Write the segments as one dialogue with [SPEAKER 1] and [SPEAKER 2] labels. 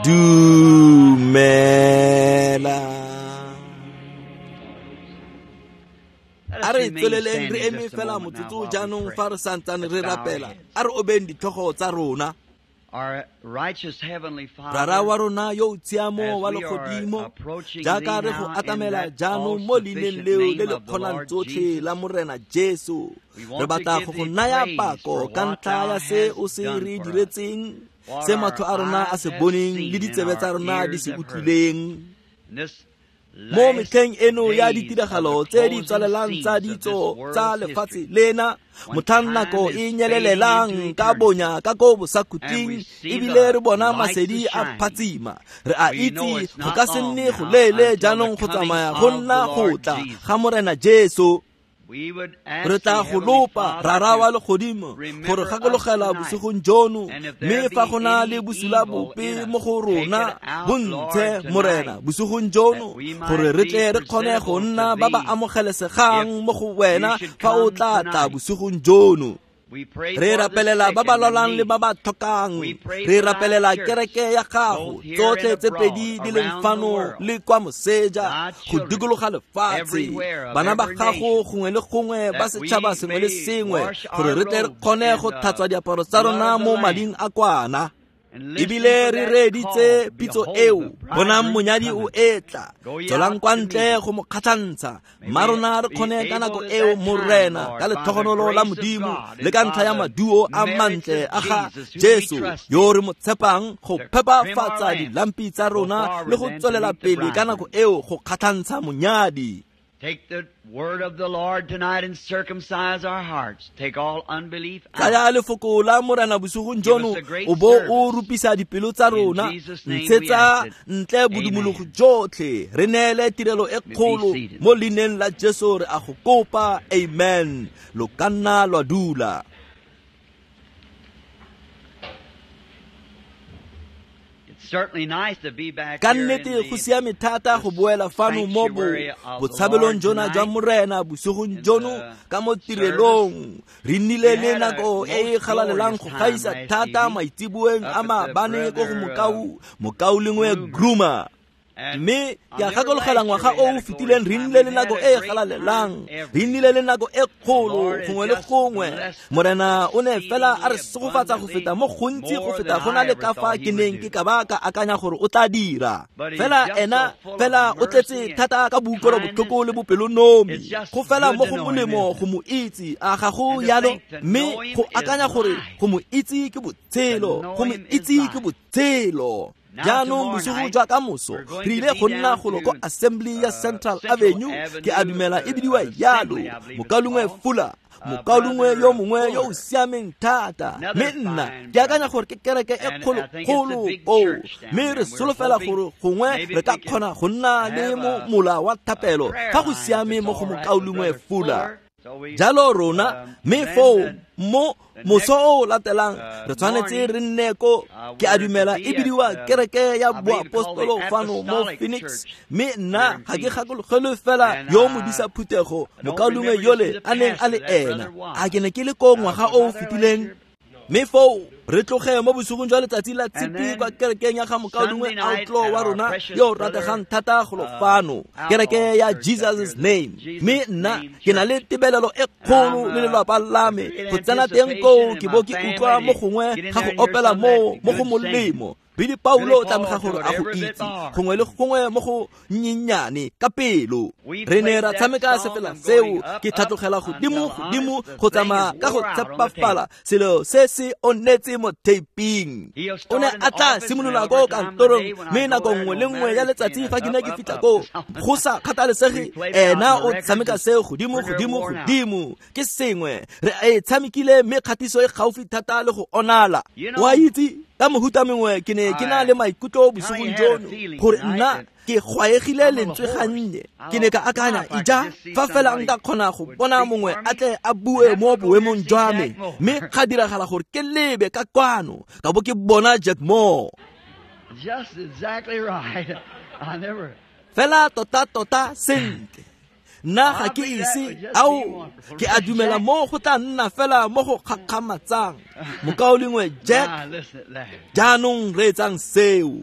[SPEAKER 1] Dumela. A re tsweleleng re eme fela motsotso jaanong fa re santsane re rapela. A re obeng ditlhogo tsa rona. Rara wa rona yo o tshiamo wa legodimo, jaaka re go atamela jaanong mo leineng leo le le kgonang tsotlhe la Morena Jesu, re batla go go naya pako ka ntlha ya se o se re diretseng, se matlho a rona a se boneng le ditsebe tsa rona di se utlwileng. Mo metlheng eno ya ditiragalo tse di tswalelang tsa ditso tsa lefatshe lena, motlhang nako e nyelelelang ka bonya ka ko bosakhutleng, ebile re bona masedi a phatsima, re a itse go ka se nne go leele jaanong go tsamaya go nna go tla ga Morena Jesu. Re tla go lopa, Rara wa legodimo, gore gakologela bosigong jono, mme fa go na le bosula bope mo go rona, bo ntshe, Morena, bosigong jono, gore re tle re kgone go nna ba ba amogelesegang mo go wena fa o tla tla bosigong jono. Re rapelela ba ba lwalang le ba ba tlhokang. Re rapelela kereke ya gago, tsotlhe tse pedi di leng fano le kwa moseja, go dikologa lefatshe, bana ba gago gongwe le gongwe, ba setšhaba sengwe le sengwe, gore re tle re kgone go tlhatswa diaparo tsa rona mo mading a kwana. Ebile re reeditse pitso eo, bonang monyadi o etla, tswelang kwa ntle go mo kgatlhantsha. Mma rona re kgone ka nako eo, Morena, ka letlhogonolo la Modimo le ka ntlha ya maduo a mantle a ga Jesu yo re mo tshepang, go phepafatsa dilampi tsa rona le go tswelela pele ka nako eo go kgatlhantsha monyadi.
[SPEAKER 2] Take the word of the Lord tonight and circumcise our hearts. Take all unbelief out.
[SPEAKER 1] Tsaya lefoko la Morena bosigong jono, o bo o rupisa dipelo tsa rona, ntshetsa ntle bodumologo jotlhe, re neele tirelo e kgolo mo leineng la Jesu re a go kopa. Amen. Lo ka nna lwa dula. Ka nnete go siame thata go boela fano mo botshabelong jona jwa Morena bosigong jono ka mo tirelong. Re nnile le nako e e galalelang go gaisa thata maitseboeng a maabane ko go mokaulengwe Groomer. Mme ke a gakologela ngwaga o o fetileng re nnile le nako e e galalelang, re nnile le nako e kgolo gongwe le gongwe. Morena o ne fela a re segofatsa go feta mo gontsi go feta go na le ka fa ke neng ke ka ba ka akanya gore o tla dira. Fela ena fela o tletse thata ka boutlwelobotlhoko le bopelonomi, go fela mo go molemo go mo itse, a ga go yalo? Mme go akanya gore go mo itse ke botshelo, go mo itse ke botshelo. Jaanong bosigo jwa ka moso re ile go nna golo ko Assembly ya Central Avenue, ke a dumela e bidiwa yalo, mokaulengwe Fuller, mokaulengwe yo mongwe yo o siameng thata. Mme nna ke akanya gore ke kereke e kgolokgolo koo, mme re solofela gore gongwe re ka kgona go nna le mola wa thapelo fa go siame mo go mokaulengwe Fuller. Jalo rona, mme foo mo moso o latelang re tshwanetse re nne ko, ke a dumela e bidiwa kereke ya boapostolo fano mo Phoenix. Mme nna ga ke gakologelwe fela yo modisa phuthego mokaulengwe yole a neng a le ena. A ke ne ke le ko ngwaga o o fetileng? Mme foo re tloge mo bosigong jwa letsatsi la Tshipi kwa kerekeng ya ga mokaulengwe Outlaw wa rona yo o rategang thata golo fano, kereke ya Jesus' Name. Mme nna ke na le tebelelo e kgolo le lelapa la me go tsena teng koo ke bo ke utlwa mo gongwe ga go opela moo mo go molemo. Billy Paulo o tlamega gore a go itse gongwe le gongwe mo go nnyennyane ka pelo. Re ne ra tshameka sefela seo, ke tlhatlogela godimo godimo go tsamaya ka go tshepafala, selo se se onetse mo taping. O ne a tla simolola ko kantorong, mme nako nngwe le nngwe ya letsatsi fa ke ne ke fitlha koo, go sa kgathalesege, ena o tshameka seo godimo godimo godimo. Ke sengwe re e tshamekile, mme kgatiso e gaufi thata le go onala. Wa itse, ka mohuta mengwe ke ne ke na le maikutlo bosigong jono gore nna ke gwaegile lentswe gannye. Ke ne ka akanya, ija fa fela nka kgona go bona mongwe a tle a bue mo boemong jwa me. Mme ga diragala gore ke lebe ka kwano, ka bo ke bona Jack Moore.
[SPEAKER 2] Just exactly right. I never.
[SPEAKER 1] Fela tota tota sentle. Nna ga ke ise ao, ke a dumela mo go tla nna fela mo go gakgamatsang. Mokaulengwe Jack, jaanong reetsang seo.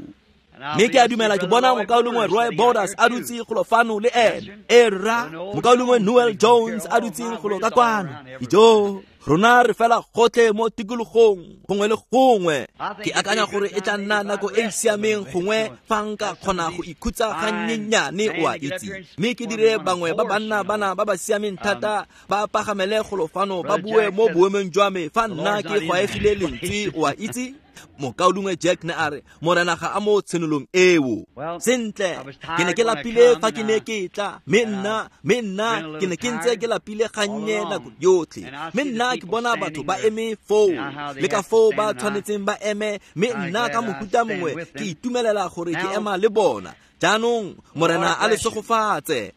[SPEAKER 1] Mme ke a dumela ke bona mokaulengwe Roy Borders a dutse golo fano le ene. E rra, mokaulengwe Noel Jones a dutseng golo ka kwano. Ijo, rona re fela gotlhe mo tikologong gongwe le gongwe. Ke akanya gore e tla nna nako e e siameng gongwe fa nka kgona go ikhutsa gannyenyane, o a itse, mme ke dire bangwe ba banna bana ba ba siameng thata ba pagamele golo fano ba bue mo boemong jwa me fa nna ke gwaegile lentswe, o a itse. Mokaulengwe Jack ne a re Morena ga a mo tshenolong eo. Sentle, ke ne ke lapile fa ke ne ke tla, mme nna ke ne ke ntse ke lapile gannye nako yotlhe. Mme nna ke bona batho ba eme foo, le ka foo ba tshwanetseng ba eme, mme nna ka mohuta mongwe ke itumelela gore ke ema le bona. Jaanong Morena a le segofatse.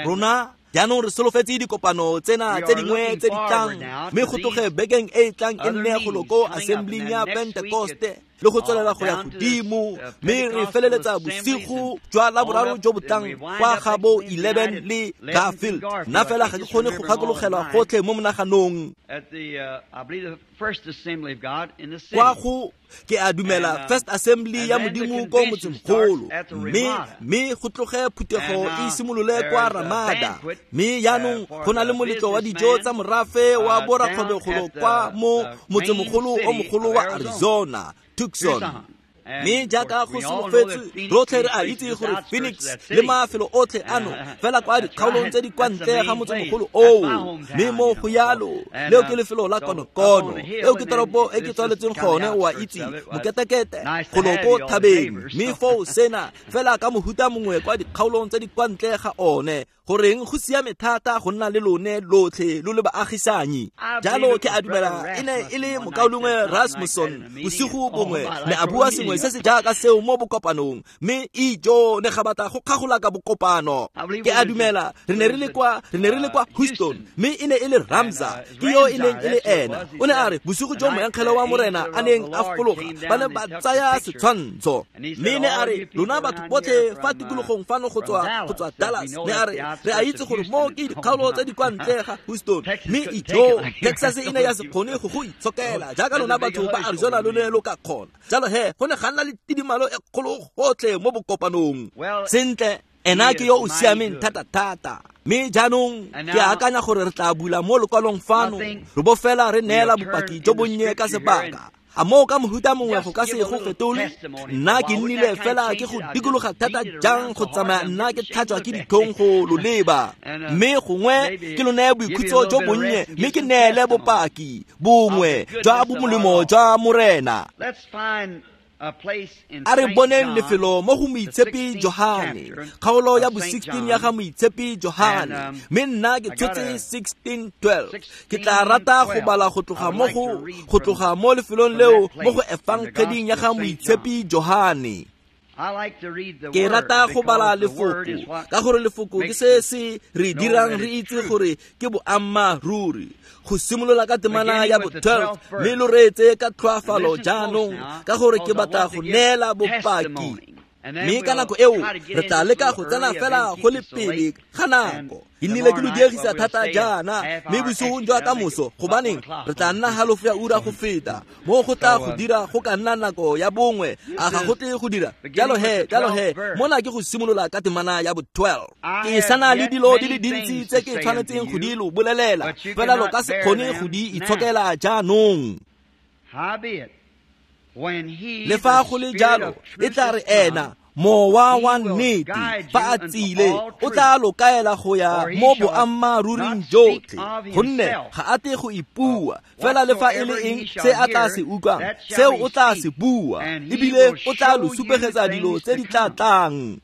[SPEAKER 1] Rona jaanong re solofetse dikopano tsena tse dingwe tse di tlang, mme go tloge bekeng e e tlang e nne golo ko assembling ya Pentecoste le go tswelela go ya godimo, mme re feleletsa bosigo jwa Laboraro jo bo tlang kwa ga bo 11 le Garfield. Nna fela ga ke kgone go gakologelwa gotlhe mo monaganong. Kwa go ke a dumela First Assembly ya Modimo ko motsemogolo, mme go tloge phuthego e simolole kwa Ramada. Mme jaanong go na le moletlo wa dijo tsa morafe wa borakgwebogolo kwa mo motsemogolo o mogolo wa Arizona, Tucson. Mme jaaka go solofetswe, rotlhe re a itse gore Phoenix le mafelo otlhe ano fela kwa dikgaolong tse di kwa ntle ga motsemogolo oo. Mme mo go yalo, leo ke lefelo la konokono, eo ke toropo e ke tswaletsweng gone, o a itse, moketekete golo ko thabeng. Mme foo sena fela ka mohuta mongwe kwa dikgaolong tse di kwa ntle ga one. Goreng go siame thata go nna le lone lotlhe lo le baagisanyi. Jalo ke a dumela e ne e le mokaulengwe Rasmussen bosigo bongwe ne a bua sengwe se se jaaka seo mo bokopanong, mme ijo ne ga batla go kgagola ka bokopano. Ke a dumela re ne re le kwa Houston, mme e ne e le Ramza ke yo e neng e le ena. O ne a re bosigo jo moengele wa Morena a neng a fologa, ba ne ba tsaya setshwantsho. Mme ne a re lona batho botlhe fa tikologong fano go tswa Dallas, ne a re re a itse gore mo ke dikgaolo tse di kwa ntle ga Houston, mme ijo Texas e ne ya se kgone go go itshokela jaaka lona batho ba Arizona lo ne lo ka kgona. Jalo he go ne ga nna le tidimalo e kgolo gotlhe mo bokopanong. Sentle, ena ke yo o siameng thata-thata. Mme jaanong ke akanya gore re tla bula mo lokwalong fano, re bo fela re neela bopaki jo bonnye ka sebaka. A moo ka mohuta mongwe go ka se go fetole? Nna ke nnile fela ke go dikologa thata jang go tsamaya nna ke tlhatswa ke ditlhong go lo leba. Mme gongwe ke lo neye boikhutso jo bonnye, mme ke neele bopaki bongwe jwa bomolemo jwa Morena. A re boneng lefelo mo go Moitshepi Johane, kgaolo ya bo 16 ya ga Moitshepi Johane. Mme nna ke tshotse 16:12. Ke tla rata go bala go tloga mo lefelong leo mo go efangeding ya ga Moitshepi Johane. Ke rata go bala lefoko ka gore lefoko ke se se re dirang re itse gore ke boammaaruri. Go simolola ka temana ya bo 12, mme lo reetse ka tlhoafalo jaanong ka gore ke batla go neela bopaki. Mme ka nako eo re tla leka go tsena fela go le pele ga nako. Ke nnile ke lo diegisa thata jaana, mme bosigong jwa ka moso, gobaneng re tla nna halofo ya ura go feta. Mo go tla go dira go ka nna nako ya bongwe, a ga go tle go dira. Jalo he, mona ke go simolola ka temana ya bo 12. Ke sana le dilo di le dintsi tse ke tshwanetseng go di lo bolelela, fela lo ka se kgone go di itshokela jaanong. Le fa go le jalo, e tla re ena mowa wa nnete fa a tsile, o tla lo kaela go ya mo boammaaruring jotlhe, gonne ga a tle go ipua fela le fa e le eng se a tla se utlwang, seo o tla se bua, ebile o tla lo supegetsa dilo tse di tla tlang.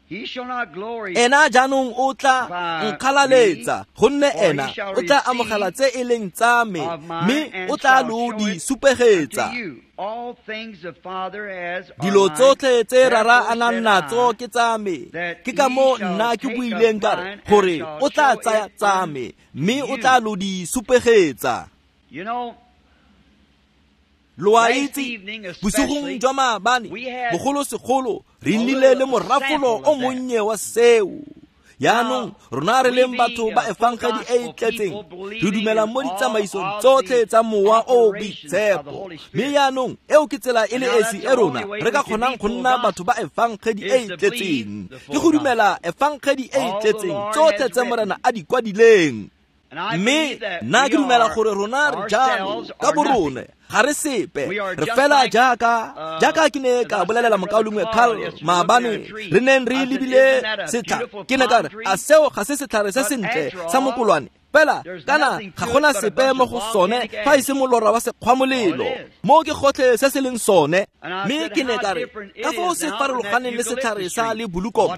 [SPEAKER 1] Ena jaanong o tla nkgalaletsa, gonne ena o tla amogela tse e leng tsa me, mme o tla lo di supegetsa. Dilo tsotlhe tse Rara a nang natso ke tsa me, ke ka moo nna ke buileng ka re gore o tla tsaya tsa me, mme o tla lo di supegetsa. Lo a itse, bosigong jwa maabane, bogolosegolo re nnile le morafolo o monnye wa seo. Jaanong rona re leng batho ba efangedi e e tletseng, re dumela mo ditsamaisong tsotlhe tsa Mowa o o Boitshepo. Mme jaanong eo ke tsela e le esi e rona re ka kgonang go nna batho ba efangedi e e tletseng, ke go dumela efangedi e e tletseng tsotlhe tse Morena a di kwadileng. Mme nna ke dumela gore rona re jalo ka borone, ga re sepe, re fela jaaka ke ne ka bolelela mokaulengwe Carl maabane, re neng re lebile setlhare. Ke ne ka re, a seo ga se setlhare se sentle sa mokolwane? Fela kana ga gona sepe mo go sone fa e se molora wa sekgwamolelo, mo ke gotlhe se se leng sone. Mme ke ne ka re, ka foo se farologaneng le setlhare sa lebulukomo.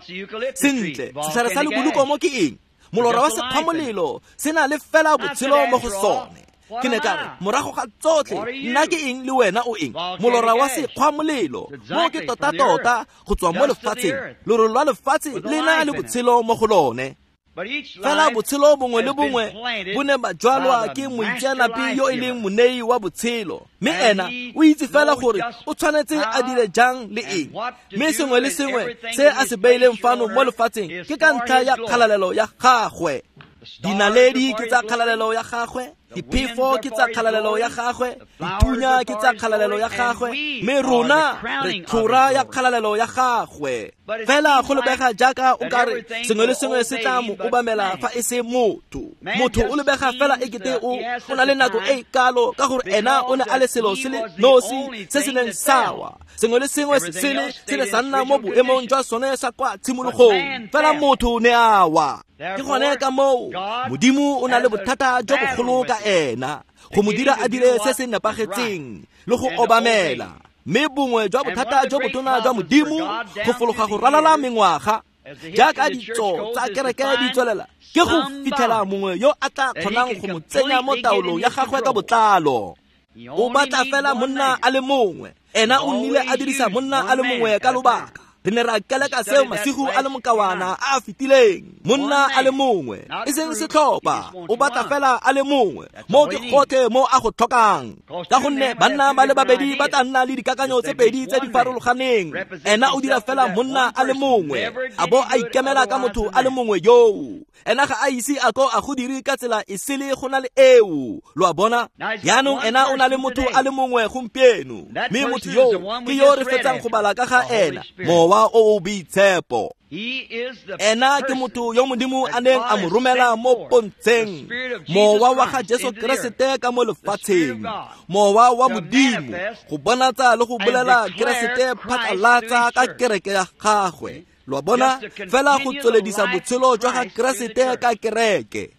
[SPEAKER 1] Sentle, setlhare sa lebulukomo ke eng? Molora wa sekgwamolelo se na le fela botshelo mo go sone. Ke ne ka re, morago ga tsotlhe, nna ke eng le wena o eng? Molora wa sekgwamolelo, mo ke tota-tota go tswa mo lefatsheng. Lorole lwa lefatshe le na le botshelo mo go lone. Fela botshelo bongwe le bongwe bo ne ba jwalwa ke moitseanape yo e leng monei wa botshelo, mme ena o itse fela gore o tshwanetse a dire jang le eng. Mme sengwe le sengwe se a se beileng fano mo lefatsheng ke ka ntlha ya kgalalelo ya gagwe. Dinaledi ke tsa kgalalelo ya gagwe, diphefo ke tsa kgalalelo ya gagwe, dithunya ke tsa kgalalelo ya gagwe, mme rona re tlhora ya kgalalelo ya gagwe. Fela go lebega jaaka o ka re sengwe le sengwe se tla mo obamela fa e se motho. Motho o lebega fela ekete o na le nako e kalo, ka gore ena o ne a le selo se le nosi se se neng sawa. Sengwe le sengwe se sele se ne sa nna mo boemong jwa sone sa kwa tshimologong, fela motho ne a wa. Ke gone ka moo Modimo o na le bothata jo bogolo ka ena, go mo dira a dire se se nepagetseng le go obamela. Mme bongwe jwa bothata jo botona jwa Modimo go fologa go ralala mengwaga, jaaka ditso tsa kereke di tswelela, ke go fitlhela mongwe yo a tla kgonang go mo tsenya mo taolong ya gagwe ka botlalo. O batla fela monna a le mongwe. Ena o nnile a dirisa monna a le mongwe ka lobaka. Re ne ra keleka seo masigo a le mokawana a a fetileng. Monna a le mongwe, e seng setlhopha, o batla fela a le mongwe. Mo ke gotlhe mo a go tlhokang, ka gonne banna ba le babedi ba tla nna le dikakanyo tse pedi tse di farologaneng. Ena o dira fela monna a le mongwe, a bo a ikemela ka motho a le mongwe yoo. Ena ga a ise a ko a go dire ka tsela e sele go na le eo. Lo a bona? Jaanong ena o na le motho a le mongwe gompieno, mme motho yoo ke yo re fetsang go bala ka ga ena, Mowa o o Boitshepo. Ena ke motho yo Modimo a neng a mo romela mo pontsheng, Mowa wa ga Jesu Keresete ka mo lefatsheng, Mowa wa Modimo go bonatsa le go bolela Keresete phatlalatsa ka kereke ya gagwe. Lo a bona? Fela go tsweledisa botshelo jwa ga Keresete ka kereke.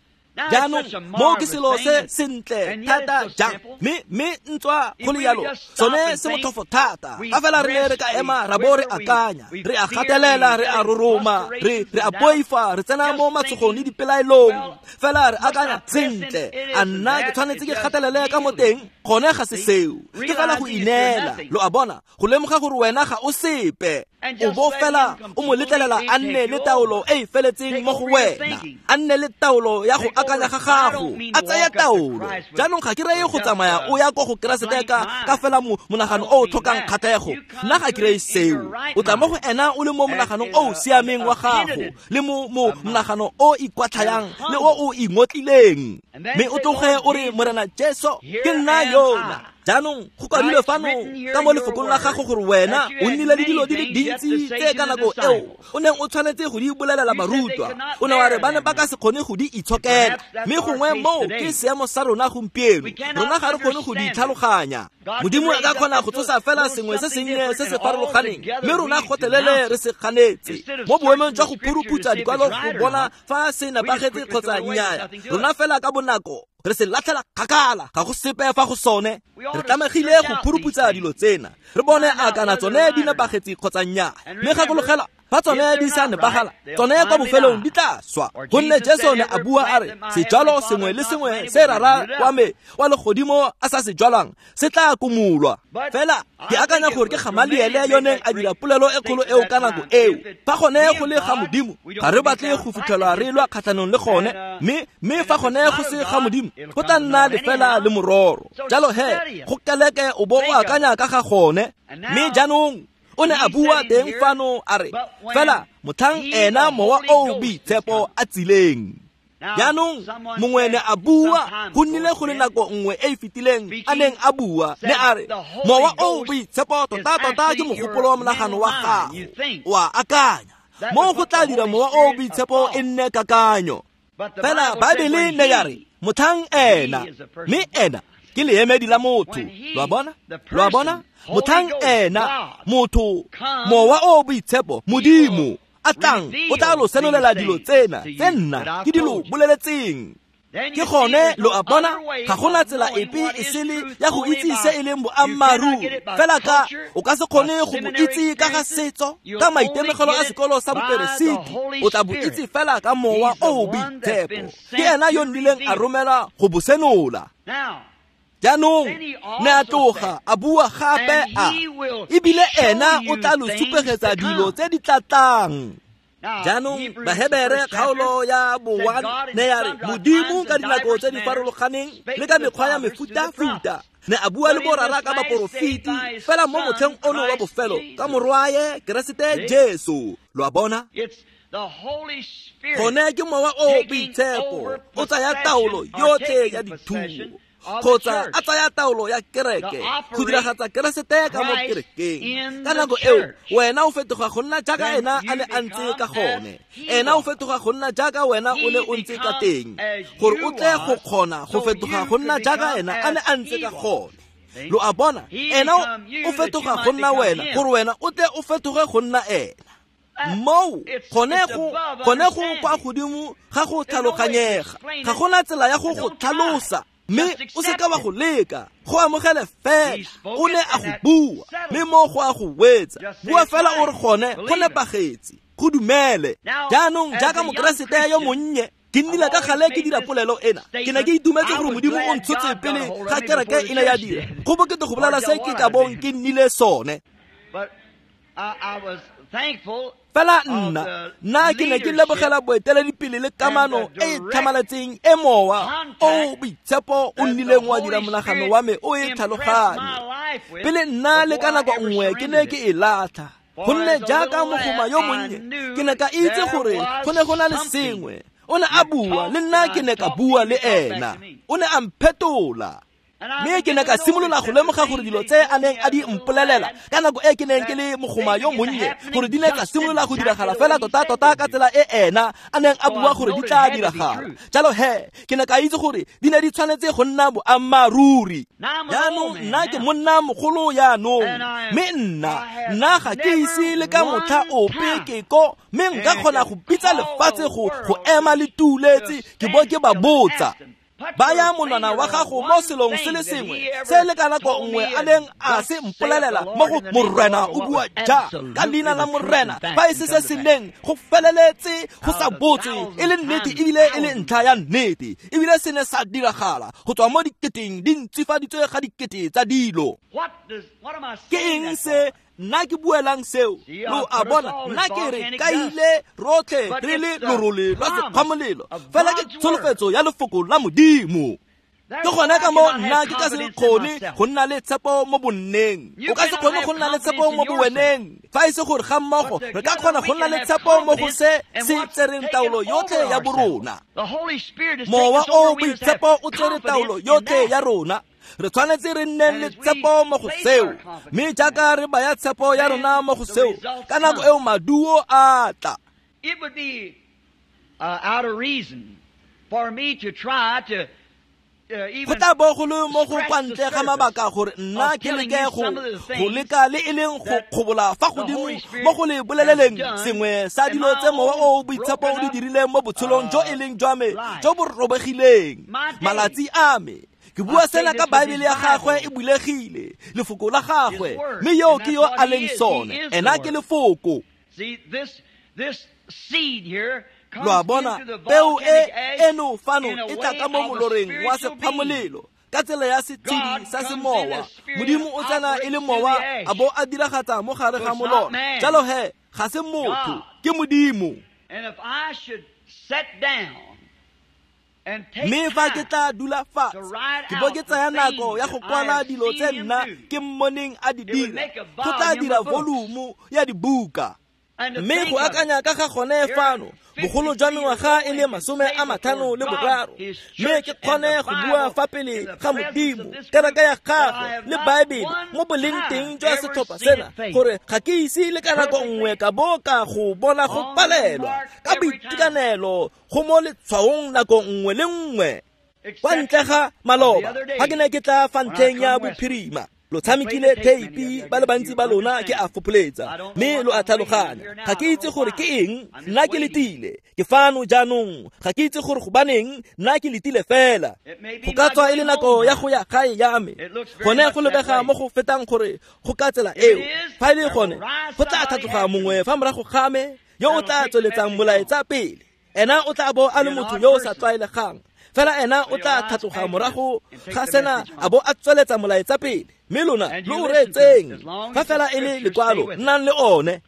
[SPEAKER 1] Jaanong mo ke selo se sentle thata jang, mme ntswa go le yalo sone se motlhofo thata. Ka fela re ne re ka ema ra bo re akanya, re a gatelela, re a roroma, re a boifa, re tsena mo matshogong le dipelaelong. Fela re akanya sentle, a nna ke tshwanetse ke gatelele ka mo teng? Gone ga se seo, ke fela go ineela. Lo a bona? Go lemoga gore wena ga o sepe, o bo fela o mo letlelela a nne le taolo e e feletseng mo go wena, a nne le taolo ya go akanya ga gago, a tsaya taolo. Jaanong ga ke reye go tsamaya o ya ko go Keresete ka fela monagano o o tlhokang kgatlhego. Nna ga ke reye seo. O tla mo go ena o le mo monaganong o o siameng wa gago, le mo monagano o ikwatlhayang le o o ingotlileng, mme o tloge o re, Morena Jesu, ke nna yona. Jaanong go kwadilwe fano ka mo lefokong la gago gore wena o nnile le dilo di le dintsi tse ka nako eo o neng o tshwanetse go di bolelela barutwa. O ne wa re ba ne ba ka se kgone go di itshokela, mme gongwe moo ke seemo sa rona gompieno. Rona ga re kgone go di tlhaloganya. Modimo a ka kgona go tsosa fela sengwe se sennye se se farologaneng, mme rona gotlhelele re se ganetse. Mo boemong jwa go phuruputsa dikwalo go bona fa se nepagetse kgotsa nnyaa, rona fela ka bonako re se latlhela kgakala, ga go sepe fa go sone. Re tlamegile go phuruputsa dilo tsena, re bone a kana tsone di nepagetse kgotsa nnyaa. Mme gakologela, fa tsone di sa nepagala, tsone kwa bofelong di tla swa. Gonne Jesu ne a bua a re, sejalo sengwe le sengwe se Rara wa me wa legodimo a sa se jwalang se tla kumulwa. Fela ke akanya gore ke Gamaliele yo neng a dira polelo e kgolo eo ka nako eo. Fa gone go le ga Modimo, ga re batle go fitlhelwa re lwa kgatlhanong le gone, mme fa gone go se ga Modimo, go tla nna lefela le mororo. Jalo he, go keleke o bo o akanya ka ga gone. Mme jaanong O ne a bua teng fano a re fela motlhang ena mowa o boitshepo a tsileng. Jaanong mongwe ne a bua, go nnile go le nako nngwe e e fetileng a neng a bua, ne a re mowa o boitshepo tota-tota ke mogopolo wa monagano wa gago, o a akanya mo go tla dira mowa o boitshepo e nne kakanyo. Fela Baebele ne ya re motlhang ena, mme ena ke leemedi la motho. Lo a bona? Lo a bona? Motlhang ena motho, mowa o boitshepo, Modimo a tlang, o tla lo senolela dilo tsena tse nna ke di lo boleletseng. Ke gone lo a bona, ga gona tsela epe e sele ya go itse se e leng boammaaruri. Fela ka o ka se kgone go bo itse ka ga setso, ka maitemogelo a sekolo sa boperesiti, o tla bo itse fela ka mowa o boitshepo. Ke ena yo nnileng a romela go bo senola. Jaanong ne a tloga a bua gape a ebile ena o tla lo supegetsa dilo tse di tlatlang. Jaanong Bahebere kgaolo ya bo-1 ne ya re Modimo ka dinako tse di farologaneng le ka mekgwa ya mefutafuta ne a bua le borara ka baporofeti, fela mo motlheng ono wa bofelo ka morwaye Keresete Jesu. Lo a bona? Gone ke mowa o boitshepo o tsaya taolo yotlhe ya dithuo, kgotsa a tsaya taolo ya kereke go diragatsa Keresete ka mo kerekeng. Ka nako eo wena o fetoga go nna jaaka ena a ne a ntse ka gone, ena o fetoga go nna jaaka wena o ne o ntse ka teng, gore o tle go kgona go fetoga go nna jaaka ena a ne a ntse ka gone. Lo a bona? Ena o fetoga go nna wena, gore wena o tle o fetoge go nna ena. Moo gone go kwa godimo ga go tlhaloganyega, ga gona tsela ya go go tlhalosa, mme o seka wa go leka, go amogele fela. O ne a go bua, mme mo go a go wetsa. Bua fela o re gone go nepagetse, go dumele. Jaanong jaaka Mokeresete yo monnye, ke nnile ka gale ke dira polelo ena. Ke ne ke itumetse gore Modimo o ntshotse pele ga kereke e ne ya dira. Go bokete go bolela se ke ka bong ke nnile sone. Fela nna ke ne ke lebogela boeteledipele le kamano e e tlhamaletseng e mowa o boitshepo o nnileng wa dira monagano wa me o e tlhaloganye. Pele nna le ka nako nngwe ke ne ke e latlha, gonne jaaka mogoma yo monnye ke ne ka itse gore go ne go na le sengwe. O ne a bua le nna, ke ne ka bua le ena, o ne a mphetola. Mme ke ne ka simolola go lemoga gore dilo tse a neng a di mpolelela ka nako e ke neng ke le mogoma yo monnye, gore di ne tsa simolola go diragala fela tota-tota ka tsela e ena a neng a bua gore di tla diragala. Jalo he, ke ne ka itse gore di ne di tshwanetse go nna boammaaruri. Jaanong nna ke monna mogolo jaanong, mme nna ga ke ise le ka motlha ope ke ko, mme nka kgona go bitsa lefatshe go ema le tuletse, ke bo ke ba botsa. Baya monwana wa gago mo selong se le sengwe se le ka nako nngwe a neng a se mpolelela mo go Morena o bua ja ka leina la Morena, fa e se se se neng go feleletse go sa botswe e le nnete ebile e le ntlha ya nnete, ebile se ne sa diragala go tswa mo diketeng di ntsifaditswe ga dikete tsa dilo. Ke eng se nna ke buelang seo? Lo a bona, nna ke re kaile rotlhe re le lorole lwa sekgwamolelo, fela ke tsholofetso ya lefoko la Modimo. Ke gone ka mo nna ke ka se kgone go nna le tshepo mo bonneng. O ka se kgone go nna le tshepo mo boweneng, fa e se gore ga mmogo re ka kgona go nna le tshepo mo go se se tsereng taolo yotlhe ya borona. Mowa o boitshepo o tsere taolo yotlhe ya rona. Re tshwanetse re nne le tshepo mo go seo, mme jaaka re baya tshepo ya rona mo go seo, ka nako eo maduo a tla.
[SPEAKER 2] It would be out of reason for me to try to
[SPEAKER 1] Go tla bo go le mo go kwa ntle ga mabaka gore nna ke leke go leka le e leng go kgobola fa godimo mo go le boleleleng sengwe sa dilo tse mowa o boitshepo o di dirileng mo botshelong jo e leng jwa me jo bo robegileng. Malatsi a me ke bua sena ka Baebele ya gagwe e bulegile, lefoko la gagwe, mme yo ke yo a leng sone, ena ke lefoko. Lo a bona, peo e eno fano e tla ka mo moloreng wa sekgwamolelo ka tsela ya setshedi sa semowa. Modimo o tsena e le mowa a bo a diragatsa mo gare ga molora. Jalo he, ga se motho, ke Modimo. Mme fa ke tla dula fatshe ke bo ke tsaya nako ya go kwala dilo tse nna ke mmoneng a di dira, go tla dira volumo ya dibuka. Mme go akanya ka ga gone fano bogolo jwa mengwaga e le 53, mme ke kgone go bua fa pele ga Modimo, kereke ya gagwe le Baebele mo boleng teng jwa setlhopha sena, gore ga ke ise le ka nako nngwe ka bo ka go bona go palelwa ka boitekanelo go mo letshwaong nako nngwe le nngwe. Kwa ntle ga maloba ga ke ne ke tla fa ntlheng ya bophirima, lo tshamekile theipi ba le bantsi ba lona ke a fopholetsa, mme lo a tlhaloganya. Ga ke itse gore ke eng, nna ke letile, ke fano jaanong, ga ke itse gore gobaneng, nna ke letile fela. Go ka tswa e le nako ya go ya gae ya me, gone go lebega mo go fetang gore go ka tsela eo. Fa e le gone, go tla tlhatloga mongwe fa morago ga me yo o tla tsweletsang molaetsa pele. Ena o tla bo a le motho yo o sa tlwaelegang, fela ena o tla tlhatloga morago ga sena a bo a tsweletsa molaetsa pele. Mme lona lo o reetseng, fa fela e le lekwalo, nnang le one.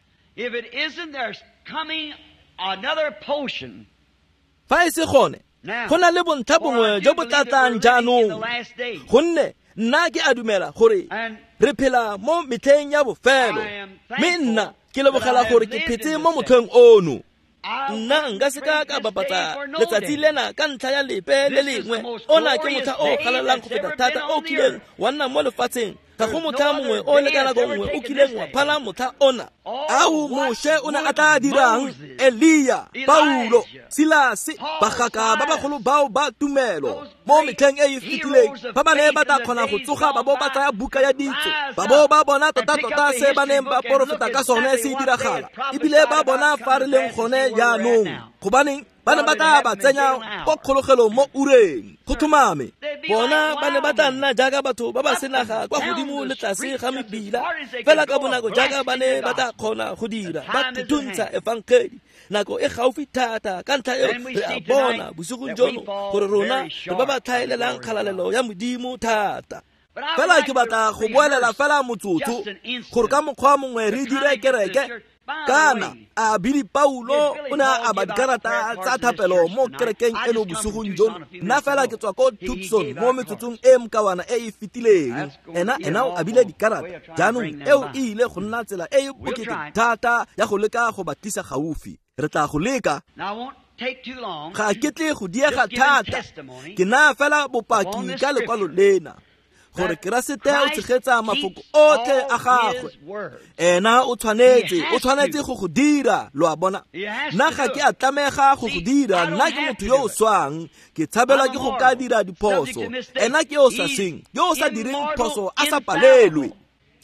[SPEAKER 1] Fa e se gone, go na le bontlha bongwe jo bo tla tlang jaanong, gonne nna ke a dumela gore re phela mo metlheng ya bofelo, mme nna ke lebogela gore ke phetse mo motlheng ono. Nna nka seka ka bapatsa letsatsi lena ka ntlha ya lepe le lengwe. Ona ke motlha o galalelang go feta thata o kileng wa nna mo lefatsheng. Ga go motlha mongwe o le ka nako nngwe o kileng wa phala motlha ona. Ao Moshe o ne a tla dirang, Elia, Paulo, Silase, bagaka ba bagolo bao ba tumelo mo metlheng e e fetileng, ba ba ne ba tla kgona go tsoga ba bo ba tsaya buka ya ditso, ba bo ba bona tota-tota se ba neng ba porofeta ka sone se diragala, ebile ba bona fa re leng gone jaanong. Gobaneng ba ne ba tla ba tsenya ko kgologelong mo ureng, go tlhomame. Bona ba ne ba tla nna jaaka batho ba ba senaga kwa godimo le tlase ga mebila, fela ka bonako jaaka ba ne ba tla kgona go dira, ba thuthuntsha efangedi. Nako e gaufi thata, ka ntlha eo re a bona bosigong jono gore rona re ba ba tlhaelelang kgalalelo ya Modimo thata. Fela ke batla go boelela fela motsotso gore ka mokgwa mongwe re dire kereke. Kana a Billy Paulo o ne a aba dikarata tsa thapelo mo kerekeng eno bosigong jono. Nna fela ke tswa ko Tucson mo metsotsong e mokawana e e fetileng. Ena o abile dikarata. Jaanong eo e ile go nna tsela e e bokete thata ya go leka go ba tlisa gaufi. Re tla go leka. Ga ke tle go diega thata. Ke naya fela bopaki ka lekwalo lena, gore Keresete o tshegetsa mafoko otlhe a gagwe. Ena o tshwanetse go go dira, lo a bona. Nna ga ke a tlamega go go dira, nna ke motho yo o swang, ke tshabelwa ke go ka dira diphoso. Ena ke yo o sa sweng, yo o sa direng phoso a sa palelwe.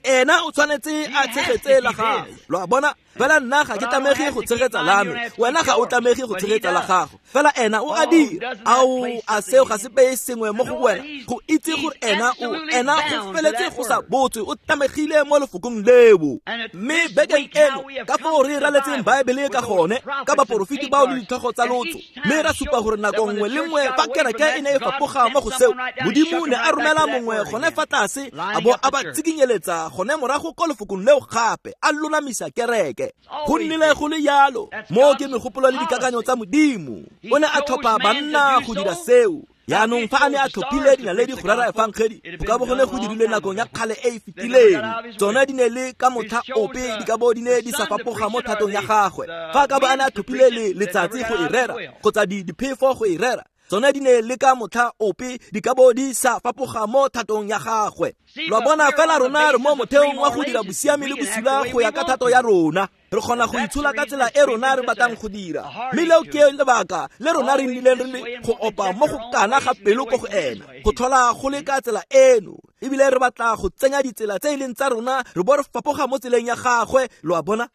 [SPEAKER 1] Ena o tshwanetse a tshegetse la gagwe, lo a bona. Fela nna ga ke tlamege go tshegetsa la me, wena ga o tlamege go tshegetsa la gago, fela ena o a dira. Ao, a seo ga se beye sengwe mo go wena go itse gore ena go feletse go sa botswe, o tlamegile mo lefokong leo. Mme bekeng eno ka foo re raletseng Baebele ka gone, ka baporofeti bao le ditlhogo tsa lotso, mme ra supa gore nako nngwe le nngwe fa kereke e ne e fapoga mo go seo, Modimo ne a romela mongwe gone fa tlase a bo a ba tsikinyeletsa gone morago ko lefokong leo gape, a lolamisa kereke. Go nnile go le yalo. Mo ke megopolo le dikakanyo tsa Modimo. O ne a tlhopha banna go dira seo. Yaanong fa a ne a tlhophile dinaledi go rera efangedi, go ka bo go ne go dirilwe nakong ya kgale e e fetileng. Tsone di ne le ka motlha ope di ka bo di ne di sa fapoga mo thatong ya gagwe. Fa a ka bo a ne a tlhophile le letsatsi go e rera, kgotsa diphefo go e rera, tsone di ne le ka motlha ope di ka bo di sa fapoga mo thatong ya gagwe. Lo bona fela rona re mo motheong wa go dira bosiami le bosula go ya ka thato ya rona. Re kgona go itshola ka tsela e rona re batlang go dira. Mme leo ke lebaka le rona re nnileng re le go opa mo go kana ga pelo ko go ena, go tlhola go le ka tsela eno. Ebile re batla go tsenya ditsela tse e leng tsa rona, re bo re fapoga mo tseleng ya gagwe, lo a bona.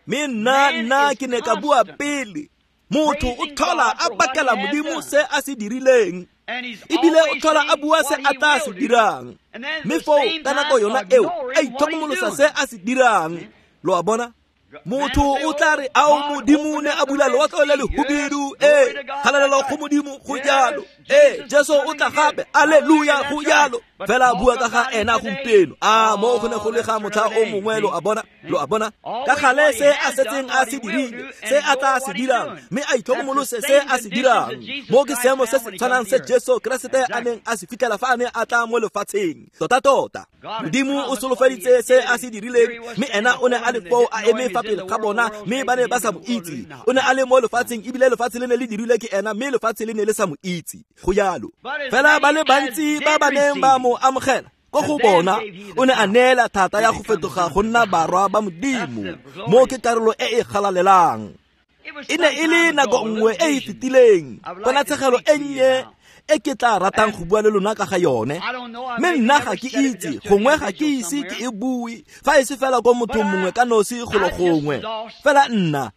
[SPEAKER 1] Mme nna ke ne ka bua pele, motho o tlhola a bakela Modimo se a se dirileng, ebile o tlhola a bua se a tla se dirang, mme foo ka nako yona eo a itlhokomolosa se a se dirang, lo a bona. Motho o tla re ao Modimo ne a bula lewatle le lehubedu, ee, kgalalelo go Modimo, go jalo. Ee, Jesu o tla gape, alleluia, go jalo. Fela bua ka ga ena gompieno, a mo go ne go le ga motlha o mongwe, lo a bona, lo a bona. Ka gale se a setseng a se dirile, se a tla se dirang, mme a itlhokomolose se a se dirang. Mo ke seemo se se tshwanang se Jesu Keresete a neng a se fitlhela fa a ne a tla mo lefatsheng. Tota-tota, Modimo o solofeditse se a se dirileng, mme ena o ne a le foo a eme fa pele ga bona, mme ba ne ba sa mo itse. O ne a le mo lefatsheng, ebile lefatshe le ne le dirilwe ke ena, mme lefatshe le ne le sa mo itse. Go jalo. Fela ba le bantsi ba ba neng ba mo amogela, ko go bona o ne a neela thata ya go fetoga go nna barwa ba Modimo. Mo ke karolo e e galalelang. E ne e le nako nngwe e e fetileng, ponatshegelo e nnye e ke tla ratang go bua le lona ka ga yone. Mme nna ga ke itse, gongwe ga ke ise ke e bue, fa e se fela ko mothong mongwe ka nosi golo gongwe. Fela nna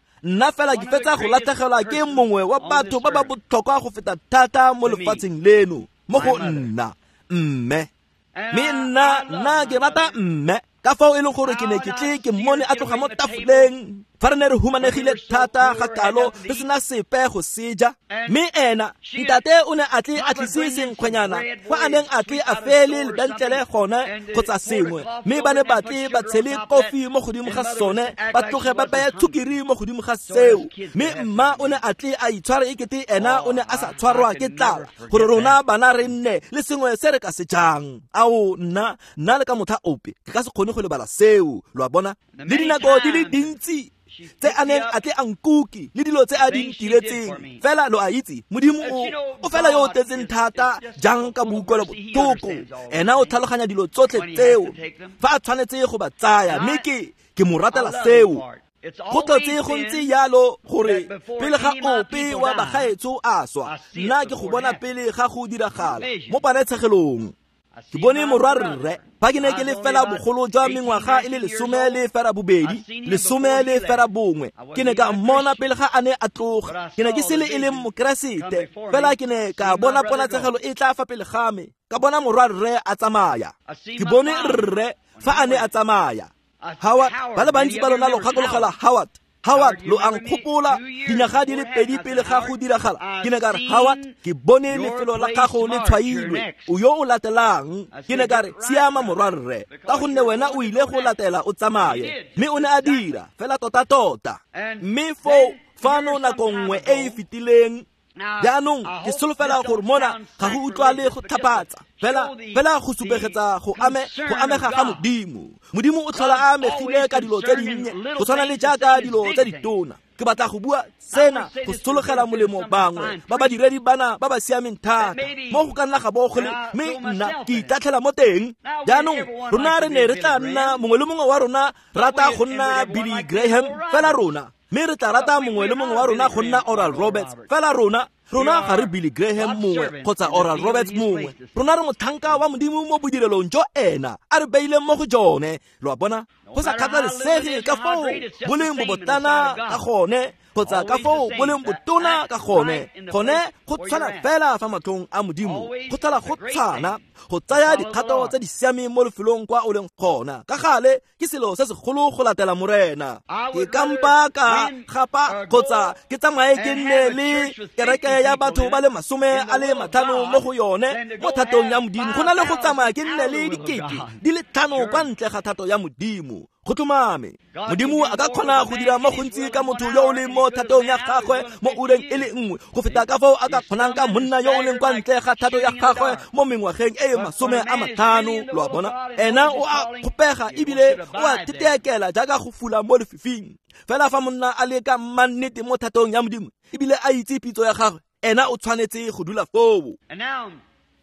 [SPEAKER 1] fela ke fetsa go latlhegelwa ke mongwe wa batho ba ba botlhokwa go feta thata mo lefatsheng leno, mo go nna, mme. Mme nna ke rata mme, ka fao e leng gore ke ne ke tle ke mmone a tloga mo tafoleng fa re ne re humanegile thata ga kalo re sena sepe go seja. Mme ena ntate o ne a tle a tlise senkgwenyana kwa a neng a tle a fele lebentlele gone kgotsa sengwe, mme ba ne ba tle ba tshele kofi mo godimo ga sone, ba tloge ba beye tshukiri mo godimo ga seo. Mme mma o ne a tle a itshware ekete ena o ne a sa tshwarwa ke tlala, gore rona bana re nne le sengwe se re ka se jang. Ao, nna le ka motlha ope ke ka se kgone go lebala seo, lo a bona. Le dinako di le dintsi tse a neng a tle a nkuki le dilo tse a di ntiretseng. Fela lo a itse, Modimo o fela yo o tletseng thata jang ka boutlwelo botlhoko. Ena o tlhaloganya dilo tsotlhe tseo fa a tshwanetse go ba tsaya, mme ke mo ratela seo. Go tlotse go ntse jalo gore pele ga ope wa bagaetsho a swa, nna ke go bona pele ga go diragala mo ponetshegelong. Ke bone morwarre fa ke ne ke le fela bogolo jwa mengwaga e le 18, 11, ke ne ka mmona pele ga a ne a tloga. Ke ne ke se le e leng Mokeresete, fela ke ne ka bona ponatshegelo e tla fa pele ga me, ka bona morwarre a tsamaya. Ke bone rre fa a ne a tsamaya. Howard, ba le bantsi ba lona lo gakologela Howard. Howard, lo a nkgopola dinyaga di le 2 pele ga go diragala. Ke ne ka re, Howard, ke bone lefelo la gago le tshwailwe, o yo o latelang. Ke ne ka re, siama morwarre, ka gonne wena o ile go latela o tsamaye. Mme o ne a dira fela tota-tota. Mme foo fano nako nngwe e e fetileng. Jaanong ke solofela gore mona ga go utlwale go tlhapatsa, fela go supegetsa go amega ga Modimo. Modimo o tlhola a amegile ka dilo tse dinnye go tshwana le jaaka dilo tse ditona. Ke batla go bua sena go sologela molemo bangwe ba badiredi bana ba ba siameng thata mo go ka nna ga bo go le, mme nna ke itatlhela mo teng. Jaanong rona re ne re tla nna mongwe le mongwe wa rona rata go nna Billy Graham fela rona, mme re tla rata mongwe le mongwe wa rona go nna Oral Roberts fela rona. Rona ga re Billy Graham mongwe kgotsa Oral Roberts mongwe. Rona re motlhanka wa Modimo mo bodirelong jo ena a re beileng mo go jone. Lo a bona, go sa kgathalesege ka foo bo leng bobotlana ka gone kgotsa ka foo bo leng botona ka gone, gone go tshwana fela fa matlhong a Modimo. Go tlhola go tshwana go tsaya dikgato tse di siameng mo lefelong kwa o leng gona. Ka gale ke selo se segolo go latela Morena. Ke kampa ka gapa kgotsa ke tsamaye ke nne le kereke ya batho ba le 50 mo go yone mo thatong ya Modimo, go na le go tsamaya ke nne le 5,000 kwa ntle ga thato ya Modimo. Go tlhomame, Modimo a ka kgona go dira mo gontsi ka motho yo o leng mo thatong ya gagwe mo ureng e le nngwe go feta ka foo a ka kgonang ka monna yo o leng kwa ntle ga thato ya gagwe mo mengwageng e e 50. Lo a bona, ena o a kgopega ebile o a teteakela jaaka go fula mo lefifing. Fela fa monna a le ka mannete mo thatong ya Modimo ebile a itse pitso ya gagwe, ena o tshwanetse go dula foo.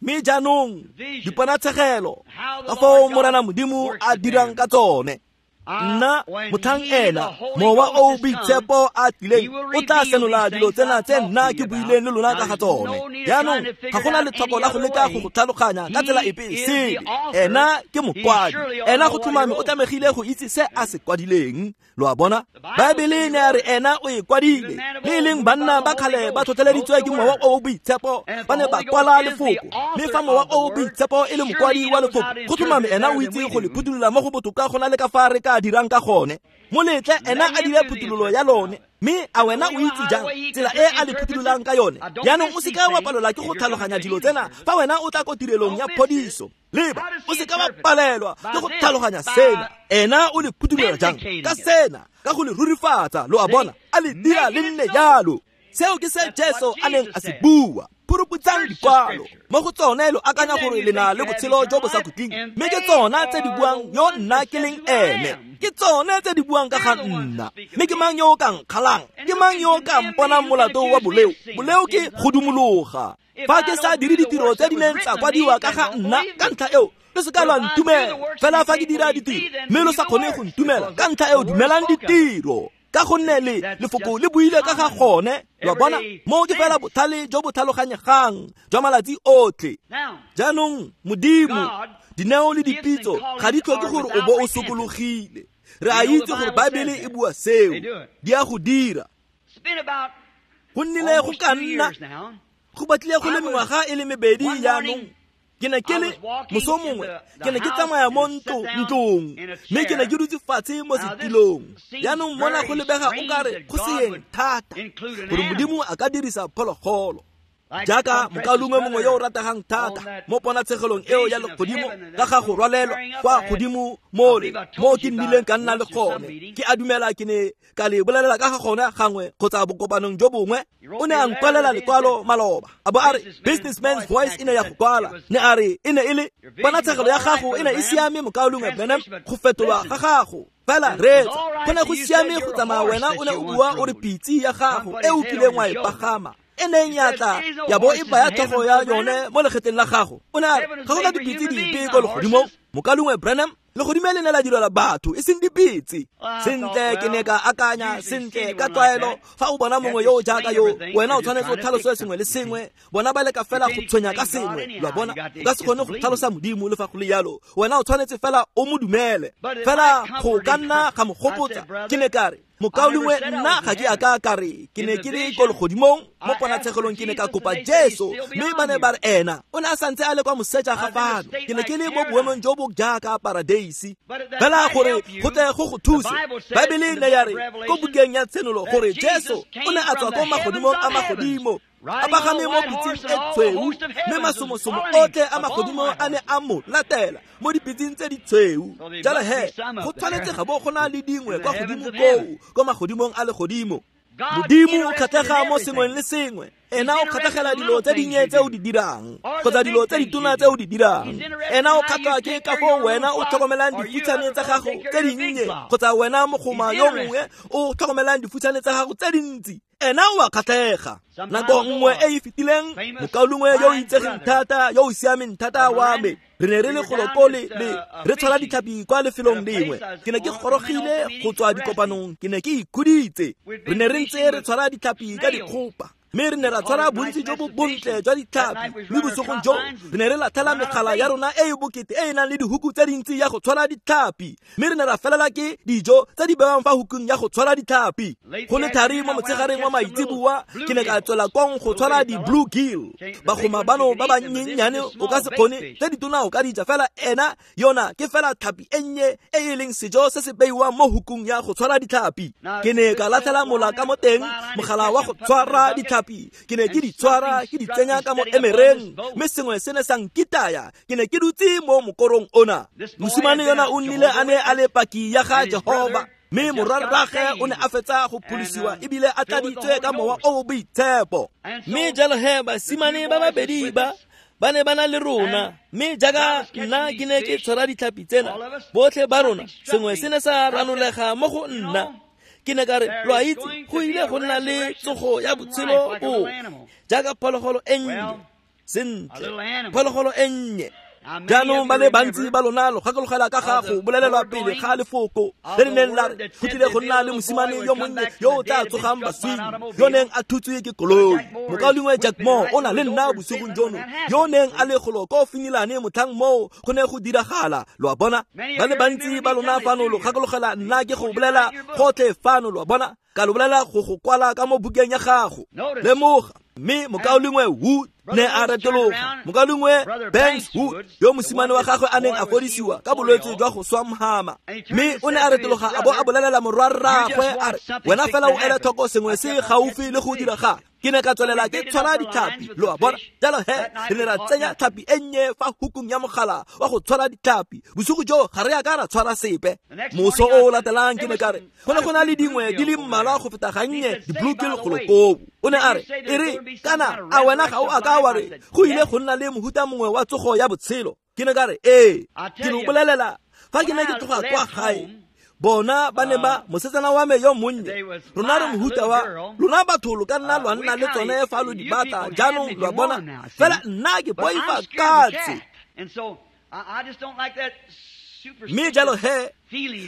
[SPEAKER 1] Mme jaanong diponatshegelo ka foo Morena Modimo a dirang ka tsone. Nna motlhang ena Mowa o Boitshepo a tlileng o tla senola dilo tsena tse nna ke buileng le lona ka ga tsone. Jaanong ga gona letlhoko la go leka go go tlhaloganya ka tsela epe e sele. Ena ke mokwadi, ena go tlhomame o tlamegile go itse se a se kwadileng. Lo a bona, Baebele ne a re ena o e kwadile. Le e leng banna ba kgale ba tlhotlheleditswe ke Mowa o o Boitshepo, ba ne ba kwala lefoko. Mme fa Mowa o o Boitshepo e le mokwadi wa lefoko, go tlhomame ena o itse go le phuthulola mo go botoka go na le ka fa re ka ka dirang ka gone. Mo letle ena a dire phuthololo ya lone, mme a wena o itse jang tsela e a le phuthulolang ka yone. Jaanong o seka wa palelwa ke go tlhaloganya dilo tsena fa wena o tla ko tirelong ya phodiso. Leba, o seka wa palelwa ke go tlhaloganya sena. Ena o le phuthulola jang ka sena, ka go le rurifatsa, lo a bona, a le dira le nne jalo. Seo ke se Jesu a neng a se bua. Phuruputsang dikwalo mo go tsone lo akanya gore le na le botshelo jo bo sa khutleng, mme ke tsona tse di buang yo nna ke leng ene. Ke tsone tse di buang ka ga nna. Mme ke mang yo o ka nkgalang? Ke mang yo o ka mponang molato wa boleo? Boleo ke go dumologa. Fa ke sa dire ditiro tse di neng tsa kwadiwa ka ga nna, ka ntlha eo lo se ka lwa ntumela. Fela fa ke dira ditiro mme lo sa kgone go ntumela, ka ntlha eo dumelang ditiro, ka gonne le lefoko le buile ka ga gone. Lo bona, mo ke fela botlhale jo bo tlhaloganyegang jwa malatsi otlhe. Jaanong Modimo, dineo le dipitso ga di tlhoke gore o bo o sokologile. Re a itse gore Baebele e bua seo, di a go dira. Go nnile go ka nna go batlile go le mengwaga e le mebedi jaanong. Ke ne ke le moso mongwe, ke ne ke tsamaya mo ntlong, mme ke ne ke dutse fatshe mo setilong. Jaanong mona go lebega o kare go seeng thata gore Modimo a ka dirisa phologolo. Jaaka mokaulengwe mongwe yo o rategang thata mo ponatshegelong eo ya legodimo ka ga go rwalelwa kwa godimo mole mo ke nnileng ka nna le gone. Ke a dumela ke ne ka le bolelela ka ga gone gangwe kgotsa bokopanong jo bongwe. O ne a nkwalela lekwalo maloba, a bo a re Businessman's Voice e ne ya go kwala. Ne a re e ne e le ponatshegelo ya gago e ne e siame mokaulengwe Branham, go fetolwa ga gago. Fela reetsa, go ne go siame go tsamaya wena o ne o bua o re pitse ya gago e o kileng wa e pagama e neng ya tla ya bo e baya tlhogo ya yone mo legetleng la gago. O ne a re ga go na dipitse dipe ko legodimong, mokaulengwe Branham. Legodimo le ne la direla batho e seng dipitse. Sentle, ke ne ka akanya, sentle, ka tlwaelo fa o bona mongwe yo o jaaka yo, wena o tshwanetse o tlhalose sengwe le sengwe. Bona ba leka fela go tshwenya ka sengwe, lo a bona. O ka se kgone go tlhalosa Modimo le fa go le jalo. Wena o tshwanetse fela o mo dumele. Fela go ka nna ga mo gopotsa. Ke ne ka re, mokaulengwe, nna ga ke a ka ka re ke ne ke le ko legodimong mo ponatshegelong, ke ne ka kopa Jesu, mme ba ne ba re ena o ne a santse a le kwa moseja ga fano. Ke ne ke le mo boemong jo bo jaaka paradeisi. Fela gore go tle go go thuse, Baebele ne ya re ko bukeng ya Tshenolo gore Jesu o ne a tswa ko magodimong a magodimo, a pagame mo pitseng e tshweu, mme masomosomo otlhe a magodimo a ne a mo latela mo dipitseng tse di tshweu. Jalo he, go tshwanetse ga bo go na le dingwe kwa godimo koo, ko magodimong a legodimo. Modimo o kgatlhega mo sengweng le sengwe. Ena o kgatlhegela dilo tse dinnye tse o di dirang kgotsa dilo tse ditona tse o di dirang. Ena o kgatlhwa ke ka foo wena o tlhokomelang difutshane tsa gago tse dinnye kgotsa wena mogoma yo mongwe o tlhokomelang difutshane tsa gago tse dintsi. Ena o a kgatlhega. Nako nngwe e e fetileng, mokaulengwe yo o itsegeng thata, yo o siameng thata wa me, re ne re le golo le re tshwara ditlhapi kwa lefelong lengwe. Ke ne ke gorogile go tswa dikopanong, ke ne ke ikhuditse. Re ne re ntse re tshwara ditlhapi ka dikgopa, mme re ne ra tshwara bontsi jo bo bontle jwa ditlhapi. Mme bosigong jo re ne re latlhela megala ya rona e e bokete e e nang le dihuku tse dintsi ya go tshwara ditlhapi, mme re ne ra felela ke dijo tse di bewang fa hukung ya go tshwara ditlhapi. Go le thari mo motshegareng wa maitseboa, ke ne ka tswela kong go tshwara di-blue gill. Bagoma bano ba bannyenyane o ka se kgone, tse ditona o ka di ja, fela ena yona ke fela tlhapi e nnye e e leng sejo se se beiwang mo hukung ya go tshwara ditlhapi. Ke ne ka latlhela mola ka mo teng, mogala wa go tshwara ditlhapi. Ke ne ke di tshwara, ke di tsenya ka mo emereng, mme sengwe se ne sa nkitaya. Ke ne ke dutse mo mokorong ona. Mosimane yona o nnile a ne a le paki ya ga Jehova, mme morwarragwe o ne a fetsa go pholosiwa ebile a tladitswe ka mowa o o boitshepo. Mme jalo he basimane ba babedi ba ba ne ba na le rona, mme jaaka nna ke ne ke tshwara ditlhapi tsena, botlhe ba rona sengwe se ne sa ranolega mo go nna. Ke ne ka re, lo a itse, go ile go nna le tsogo ya botshelo bo jaaka phologolo e nnye. Sentle, phologolo e nnye. Jaanong ba le bantsi ba lona lo gakologela ka ga go bolelelwa pele ga lefoko le le neng la re go tlile go nna le mosimane yo monnye yo o tla tsogang baswing, yo neng a thutswe ke koloi. Mokaulengwe Jack Moore o na le nna bosigong jono, yo neng a le golo ko Finilane motlhang moo go ne go diragala. Lo a bona, ba le bantsi ba lona fano lo gakologela nna ke go bolela gotlhe fano, lo a bona, ka lo bolela go go kwala ka mo bukeng ya gago. Lemoga, mme mokaulengwe Wood Ne a retologa mokalengwe Banks Wood yo mosimane wa gagwe a neng a fodisiwa ka bolwetse jwa go swa mhama, mme o ne a retologa a bo a bolelela morwarraagwe a re, wena fela o ele tlhoko sengwe se gaufi le go dira ga. Ke ne ka tswelela ke tshwara ditlhapi, lo a bona. Jalo he re ne ra tsenya tlhapi e nnye fa hukung ya mogala wa go tshwara ditlhapi. Bosigo joo ga re ya ka ra tshwara sepe. Moso o o latelang ke ne ka re go ne go na le dingwe di le mmalwa go feta gannye di-bluegill golo koo. O ne a re, e re kana a wena ga o a ka wa re go ile go nna le mohuta mongwe wa tsogo ya botshelo? Ke ne ka re ee. Ke lo bolelela, fa ke ne ke tloga kwa gae, bona ba ne ba mosetsana wa me yo monnye, rona re mohuta wa lona batho lo ka nna lwa nna le tsone fa lo di batla jaanong, lo a bona, fela nna ke boifa katse. Mme jalo he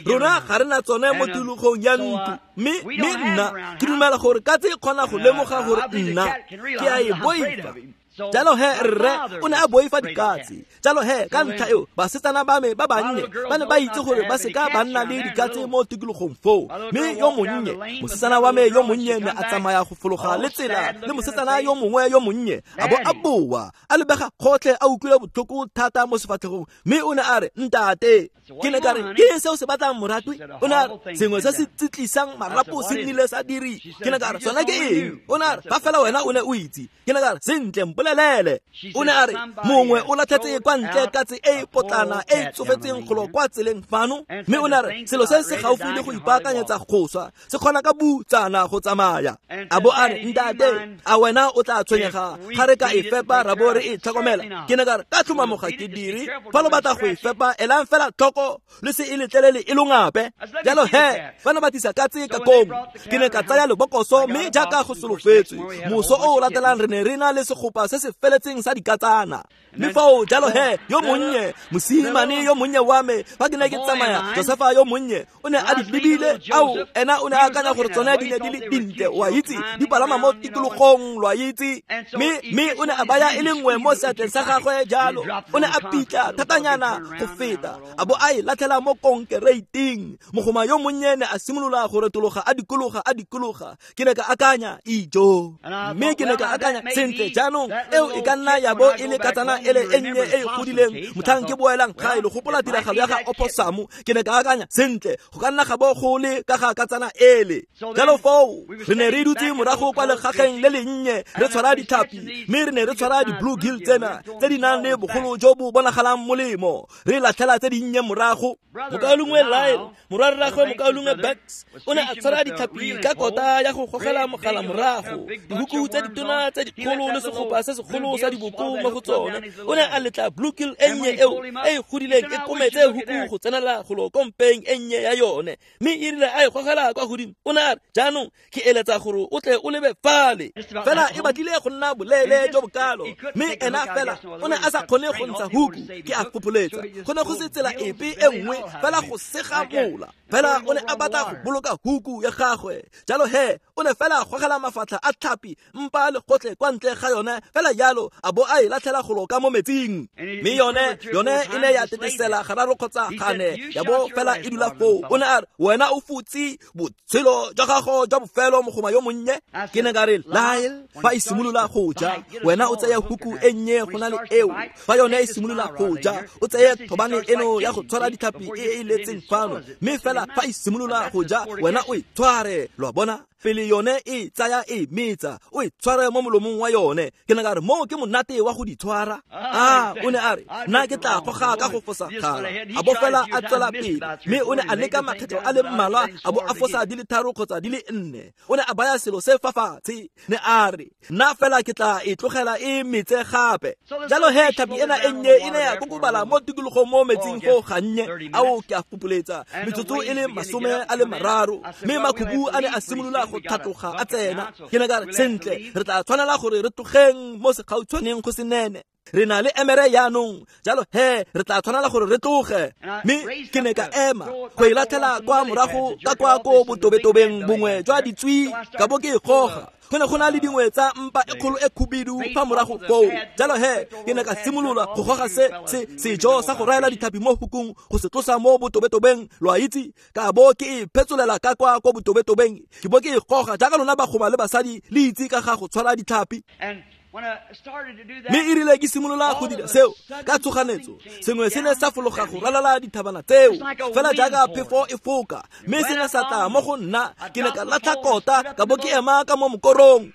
[SPEAKER 1] rona ga re na tsone mo tikologong ya ntlo, mme nna ke dumela gore katse e kgona go lemoga gore nna ke a e boifa. Jalo he rre o ne a boifa dikatse. Jalo he ka ntlha eo basetsana ba me ba bannye ba ne ba itse gore ba seka ba nna le dikatse mo tikologong foo. Mme yo monnye mosetsana wa me yo monnye ne a tsamaya go fologa le tsela le mosetsana yo mongwe yo monnye, a bo a boa a lebega gotlhe a utlwile botlhoko thata mo sefatlhegong, mme o ne a re, ntate. Ke ne ka re, ke eng se o se batlang moratwi? O ne a re, sengwe se se tsitlisang marapo se nnile sa diri. Ke ne ka re, sona ke eng? O ne a re, fa fela wena o ne o itse. Ke ne ka re, sentle, mpolelele. O ne a re, mongwe o latlhetse kwa ntle katse e e potlana e e tsofetseng golo kwa tseleng fano, mme o ne a re selo se se gaufi le go ipaakanyetsa go swa se kgona ka butsana go tsamaya. A bo a re, ntate, a wena o tla tshwenyega ga re ka e fepa ra bo re e tlhokomela? Ke ne ka re, ka tlhomamo ga ke dire. Fa lo batla go e fepa, elang fela tlhoko le se e letlelele e longape. Jalo he ba ne ba tlisa katse ka kong. Ke ne ka tsaya lebokoso, mme jaaka go solofetswe, moso o o latelang re ne re na le segopa se se feletseng sa dikatsana. Mme foo jalo he yo monnye mosimane yo monnye wa me, fa ke ne ke tsamaya, Josefa yo monnye o ne a di lebile. Ao, ena o ne a akanya gore tsone di ne di le dintle, wa itse, di palama mo tikologong, lo a itse. Mme o ne a baya e le nngwe mo seatleng sa gagwe jalo, o ne a pitla thatanyana go feta, a bo a e latlhela mo konkereiting. Mogoma yo monnye ne a simolola go retologa a dikologa a dikologa. Ke ne ka akanya, ijo. Mme ke ne ka akanya, sentle jaanong eo e ka nna ya bo e le katsana ele e nnye e e godileng motlhang ke boelang gae. Lo gopola tiragalo ya ga oposamu? Ke ne ka akanya, sentle, go ka nna ga bo go le ka ga katsana ele. Jalo foo re ne re dutse morago kwa legageng le lennye re tshwara ditlhapi, mme re ne re tshwara di-bluegill tsena tse di nang le bogolo jo bo bonagalang molemo, re latlhela tse dinnye morago. Mokaulengwe Lyle, morwarraagwe mokaulengwe Banks, o ne a tshwara ditlhapi ka kota ya go gogela mogala morago, dihuku tse ditona tse dikgolo le segopa se segolo sa diboko mo go tsone. O ne a letla bluegill e nnye eo e e godileng e kometse huku go tsenela golo kompeng e nnye ya yone, mme e rile a e gogela kwa godimo, o ne a re, jaanong ke eletsa gore o tle o lebe fale. Fela e batlile go nna boleele jo bokalo, mme ena fela o ne a sa kgone go ntsha huku, ke a fopholetsa go ne go se tsela epe e nngwe fela go sega mola. Fela o ne a batla go boloka huku ya gagwe, jalo he o ne fela gogela mafatlha a tlhapi mpa le gotlhe kwa ntle ga yone fela jalo, a bo a e latlhela golo ka mo metsing. Mme yone e ne ya tetesela gararo kgotsa gane, ya bo fela e dula foo. O ne a re, wena o futse botshelo jwa gago jwa bofelo, mogoma yo monnye. Ke ne ka re, Lyle, fa e simolola go ja, wena o tseye huku e nnye go na le eo. Fa yone e simolola go ja, o tseye thobane eno ya go tshwara ditlhapi e e letseng fano, mme fela fa e simolola go ja, wena o e tshware, lo a bona, pele yone e tsaya e metsa, o e tshware mo molomong wa yone. Ke ne ka re, moo ke monate wa go di tshwara. A o ne a re, nna ke tla goga ka go fosagala. A bo fela a tswela pele, mme o ne a leka makgetlo a le mmalwa, a bo a fosa di le 3 kgotsa di le 4. O ne a baya selo se fa fatshe, ne a re, nna fela ke tla e tlogela e metse gape. Jalo he tlhapi ena e nnye e ne ya kokobala mo tikologong mo metsing go gannye. Ao, ke a fopholetsa metsotso e le 30, mme makhubu a ne a simolola go tlhatloga a tsena. Ke ne ka re, sentle, re tla tshwanela gore re tlogeng mo segautshwaneng go se nene. Re na le emere jaanong, jalo he re tla tshwanela gore re tloge. Mme ke ne ka ema go e latlhela kwa morago ka kwa ko botobetobeng bongwe jwa ditswi, ka bo ke e goga. Go ne go na le dingwe tsa mpa e kgolo e khubidu fa morago foo. Jalo he ke ne ka simolola go goga se sejo sa go raela ditlhapi mo hukung go se tlosa mo botobetobeng, lo a itse, ka bo ke e phetsolela ka kwa ko botobetobeng, ke bo ke e goga jaaka lona bagoma le basadi le itse ka ga go tshwara ditlhapi. Mme e rile ke simolola go dira seo ka tshoganetso, sengwe se ne sa fologa go ralala dithabana tseo fela jaaka phefo e foka, mme se ne sa tla mo go nna. Ke ne ka latlha kota ka bo ke ema ka mo mokorong.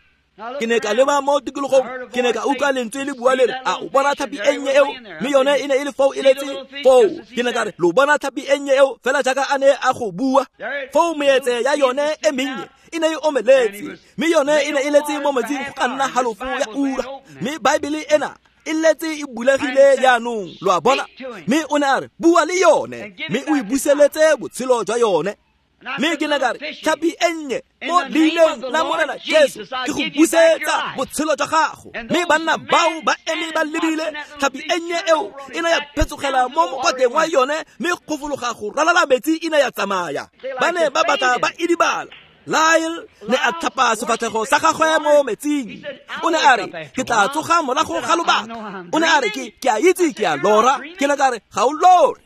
[SPEAKER 1] Ke ne ka leba mo tikologong, ke ne ka utlwa lentswe le bua le re, a o bona tlhapi e nnye eo? Mme yone e ne e le foo e letse foo. Ke ne ka re, lo bona tlhapi e nnye eo fela jaaka a ne a go bua. Foo meetse ya yone e mennye e ne e omeletse, mme yone e ne e letse mo metsing go ka nna halofo ya ura. Mme Baebele ena e letse e bulegile jaanong, lo a bona. Mme o ne a re, bua le yone, mme o e buseletse botshelo jwa yone. Mme ke ne ka re, tlhapi e nnye mo leineng la Morena Jesu ke go busetsa botshelo jwa gago. Mme banna bao ba eme ba lebile tlhapi e nnye eo e ne ya phetsogela mo mokoteng wa yone, mme go fologa go ralala metsi e ne ya tsamaya. Ba ne ba batla ba idibala. Lyle ne a tlhapa sefatlhego sa gagwe mo metsing. O ne a re, ke tla tsoga morago ga lobaka. O ne a re, ke a itse ke a lora. Ke ne ka re, ga o lore.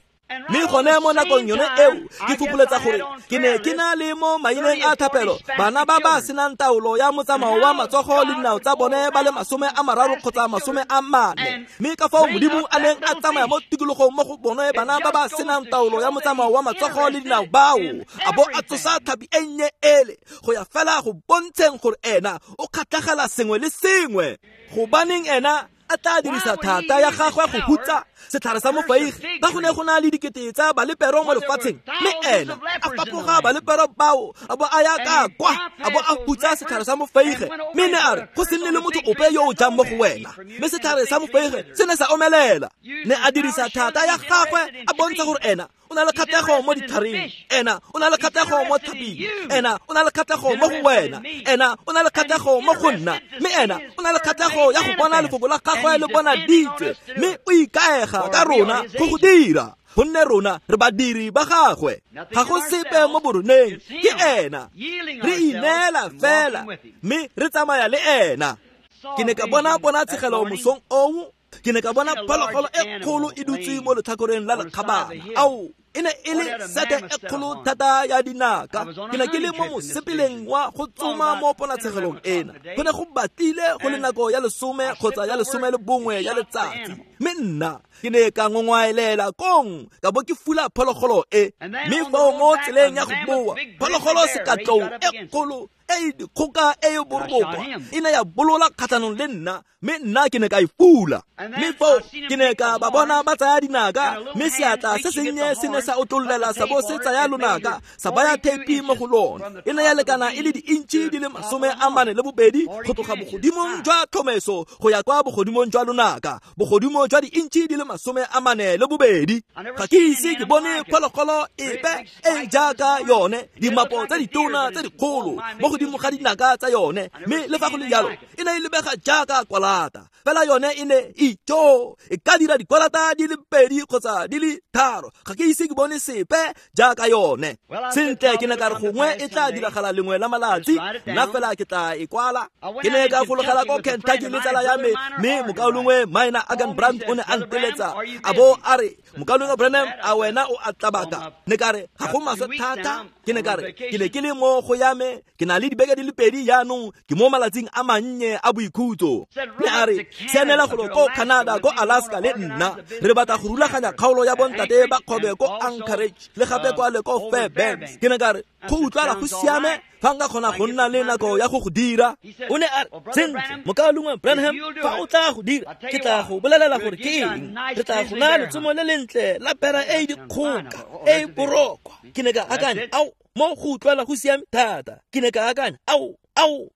[SPEAKER 1] Mme gone mo nakong yone eo ke fopoletsa gore ke ne ke na le mo maineng a thapelo bana ba ba senang taolo ya motsamao wa matsogo le dinao tsa bone ba le 30 kgotsa 40. Mme ka fao Modimo a neng a tsamaya mo tikologong mo go bone bana ba ba senang taolo ya motsamao wa matsogo le dinao bao, a bo a tsosa tlhapi e nnye ele go ya fela go bontsheng gore ena o kgatlhegela sengwe le sengwe. Gobaneng ena a tla dirisa thata ya gagwe go hutsa setlhare sa mofaige ka go ne go na le dikete tsa balepero mo lefatsheng, mme ena a fapoga balepero bao a bo a ya ka kwa a bo a hutsa setlhare sa mofaige. Mme ne a re, go se nne le motho ope yo o jang mo go wena. Mme setlhare sa mofaige se ne sa omelela. Ne a dirisa thata ya gagwe a bontsha gore ena o na le kgatlhego mo ditlhareng, ena o na le kgatlhego mo tlhaping, ena o na le kgatlhego mo go wena, ena o na le kgatlhego mo go nna, mme ena o na le kgatlhego ya go bona lefoko la gagwe le bona ditse, mme o ikaega ka rona go go dira, gonne rona re badiri ba gagwe. Ga go sepe mo boroneng, ke ena. Re ineela fela mme re tsamaya le ena. Ke ne ka bona ponatshegelo mosong oo. Ke ne ka bona phologolo e kgolo e dutse mo letlhakoreng la lekgabana. Ao, e ne e le sete e kgolo thata ya dinaka. Ke ne ke le mo mosepeleng wa go tsoma mo ponatshegelong ena. Go ne go batlile go le nako ya 10 kgotsa ya 11 ya letsatsi. Mme nna ke ne ka ngongwaelela kong ka bo ke fula phologolo e. Mme foo mo tseleng ya go boa, phologolo sekatlou e kgolo e dikgoka e e borobokwa e ne ya bolola kgatlhanong le nna, mme nna ke ne ka e fula. Mme foo ke ne ka ba bona ba tsaya dinaka, mme seatla se sennye se ne sa otlollela sa bo se tsaya lonaka sa baya theipi mo go lona. E ne ya lekana e le di-intšhi di le 42 go tloga bogodimong jwa tlhomeso go ya kwa bogodimong jwa lonaka, bogodimo jwa di-intšhi di le 42. Ga ke ise ke bone phologolo epe e jaaka yone, dimapo tsa ditona tse dikgolo mo godimo ga dinaka tsa yone, mme le fa go le jalo e ne e lebega jaaka kwalata. Fela yone e ne itjo e ka dira dikwalata di le 2 kgotsa di le 3. Ga ke ise ke bone sepe jaaka yone. Sentle, ke ne ka re gongwe e tla diragala lengwe la malatsi, nna fela ke tla e kwala. Ke ne ka fologela ko Kentucky le tsala ya me, mme mokaulengwe Minor Agan Brandt o ne a nteletsa a bo a re, mokaulengwe Branham, a wena o a tlabaka? Ne ka re, ga go maswe thata. Ke ne ka re, ke ne ke le mo go ya me, ke na le dibeke di le 2 jaanong, ke mo malatsing a mannye a boikhutso. Ne a re, sianela golo ko Canada, ko Alaska le nna. Re batla go rulaganya kgaolo ya bontate ba kgobe ko Anchorage le gape kwa le ko Fairbanks. Ke ne ka re, go utlwala go siame fa nka kgona go nna le nako ya go go dira. O ne a re, sentle, mokaulengwe Branham, fa o tla go dira, ke tla go bolelela gore ke eng. Re tla go naya letsomo le lentle la pera e e dikgoka e e borokwa. Ke ne ka akanya, ao, mo go utlwala go siame thata. Ke ne ka akanya, ao,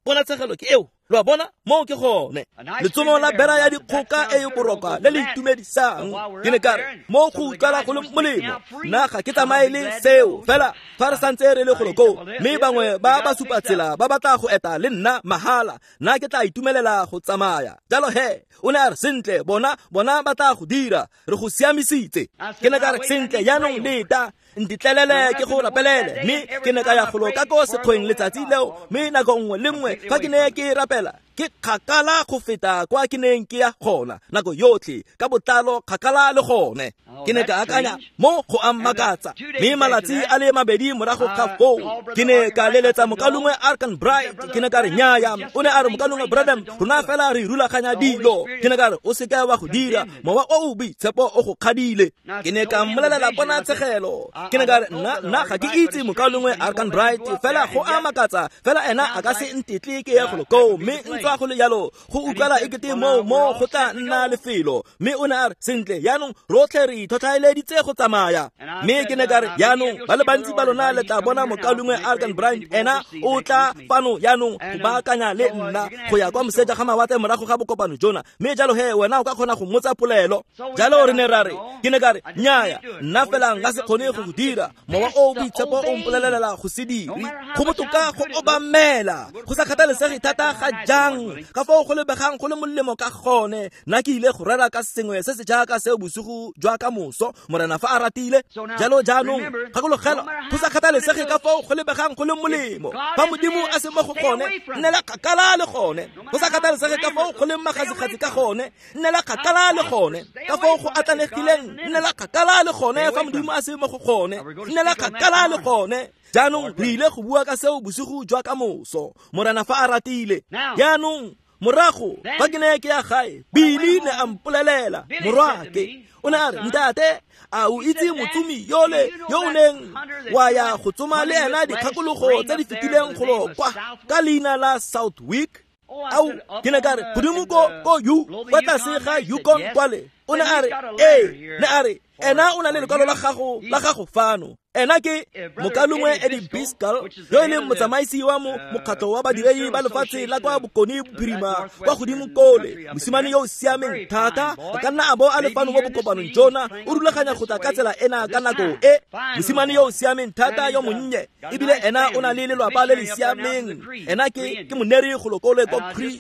[SPEAKER 1] ponatshegelo ke eo. Lo a bona, moo ke gone. Letsomo la bera ya dikgoka e e borokwa le le itumedisang. Ke ne ka re, mo go utlwala go le molemo, nna ga ke tsamaye le seo fela fa re santse re le golo koo, mme bangwe ba ba supa tsela ba batla go eta le nna mahala, nna ke tla itumelela go tsamaya. Jalo he, o ne a re, sentle, bona ba tla go dira, re go siamisitse. Ke ne ka re, sentle, jaanong leta, ntitlelele ke go rapelele. Mme ke ne ka ya golo ka ko sekgweng letsatsi leo, mme nako nngwe le nngwe fa ke ne ke rapela, ke kgakala go feta kwa ke neng ke ya gona nako yotlhe, ka botlalo kgakala le gone. Ke ne ka akanya mo go a mmakatsa. Mme malatsi a le mabedi morago ga foo ke ne ka leletsa mokalongwe Arkan Bright. Ke ne ka re nnyaya. O ne a re mokalongwe Branham, rona fela re rulaganya dilo. Ke ne ka re o seka wa go dira, mowa o o boitshepo o go kgadile. Ke ne ka mmolelela ponatshegelo. Ke ne ka re nna ga ke itse mokalongwe Arkan Bright, fela go a makatsa, fela ena a ka se ntetle ke ye golo koo, mme ntswa go le jalo go utlwala ekete mo go tla nna lefelo. Mme o ne a re sentle, yaanong rotlhe re itlhotlhaeleditse go tsamaya. Mme ke ne ka re yaanong ba le bantsi ba lona le tla bona mokalongwe Arkan Bright, ena o tla fano yaanong go baakanya le nna go ya kwa moseja ga mawatle morago ga bokopano jona. Mme jalo he wena o ka kgona go mmotsa polelo. Jalo re ne ra re, ke ne ka re nnyaya, nna fela nka se kgone go go dira, mowa o boitshepo o mpolelela go se dire. Go botoka go obamela, go sa kgathalesege thata ga jang ka foo go lebegang go le molemo ka gone. Nna ke ile go rera ka sengwe se se jaaka seo bosigo jwa ka moso, Morena fa a ratile. Jalo jaanong gakologelwa, go sa kgathalesege ka foo go lebegang go le molemo, fa Modimo a se mo go gone, nnela kgakala le gone. Go sa kgathalesege ka foo go leng magasigasi ka gone, nnela kgakala le gone. Ka foo go atlanegileng, nnela kgakala le gone. Fa Modimo a se mo go gone, nnela kgakala le gone. Jaanong re ile go bua ka seo bosigo jwa ka moso, Morena fa a ratile. Jaanong morago fa ke ne ke ya gae, Billy ne a mpolelela, morwake, o ne a re, ntate, a o itse motsomi yole yo o neng wa ya go tsoma le ena dikgakologo tse di fetileng golo kwa ka leina la Southwick? Ao, ke ne ka re godimo ko U, kwa tlase ga Yukon kwale. O ne a re ee, ne a re ena o na le lekwalo la gago fano. Ena ke mokalongwe Eddie Biscal, yo e leng motsamaisi wa mokgatlho wa badiredi ba lefatshe la kwa Bokone Bophirima kwa godimo kole, mosimane yo o siameng thata, a ka nna a bo a le fano mo bokopanong jona, o rulaganya go tla ka tsela ena ka nako e. Mosimane yo o siameng thata yo monnye, ebile ena o na le lelwapa le le siameng. Ena ke moneri golo kole ko Cree,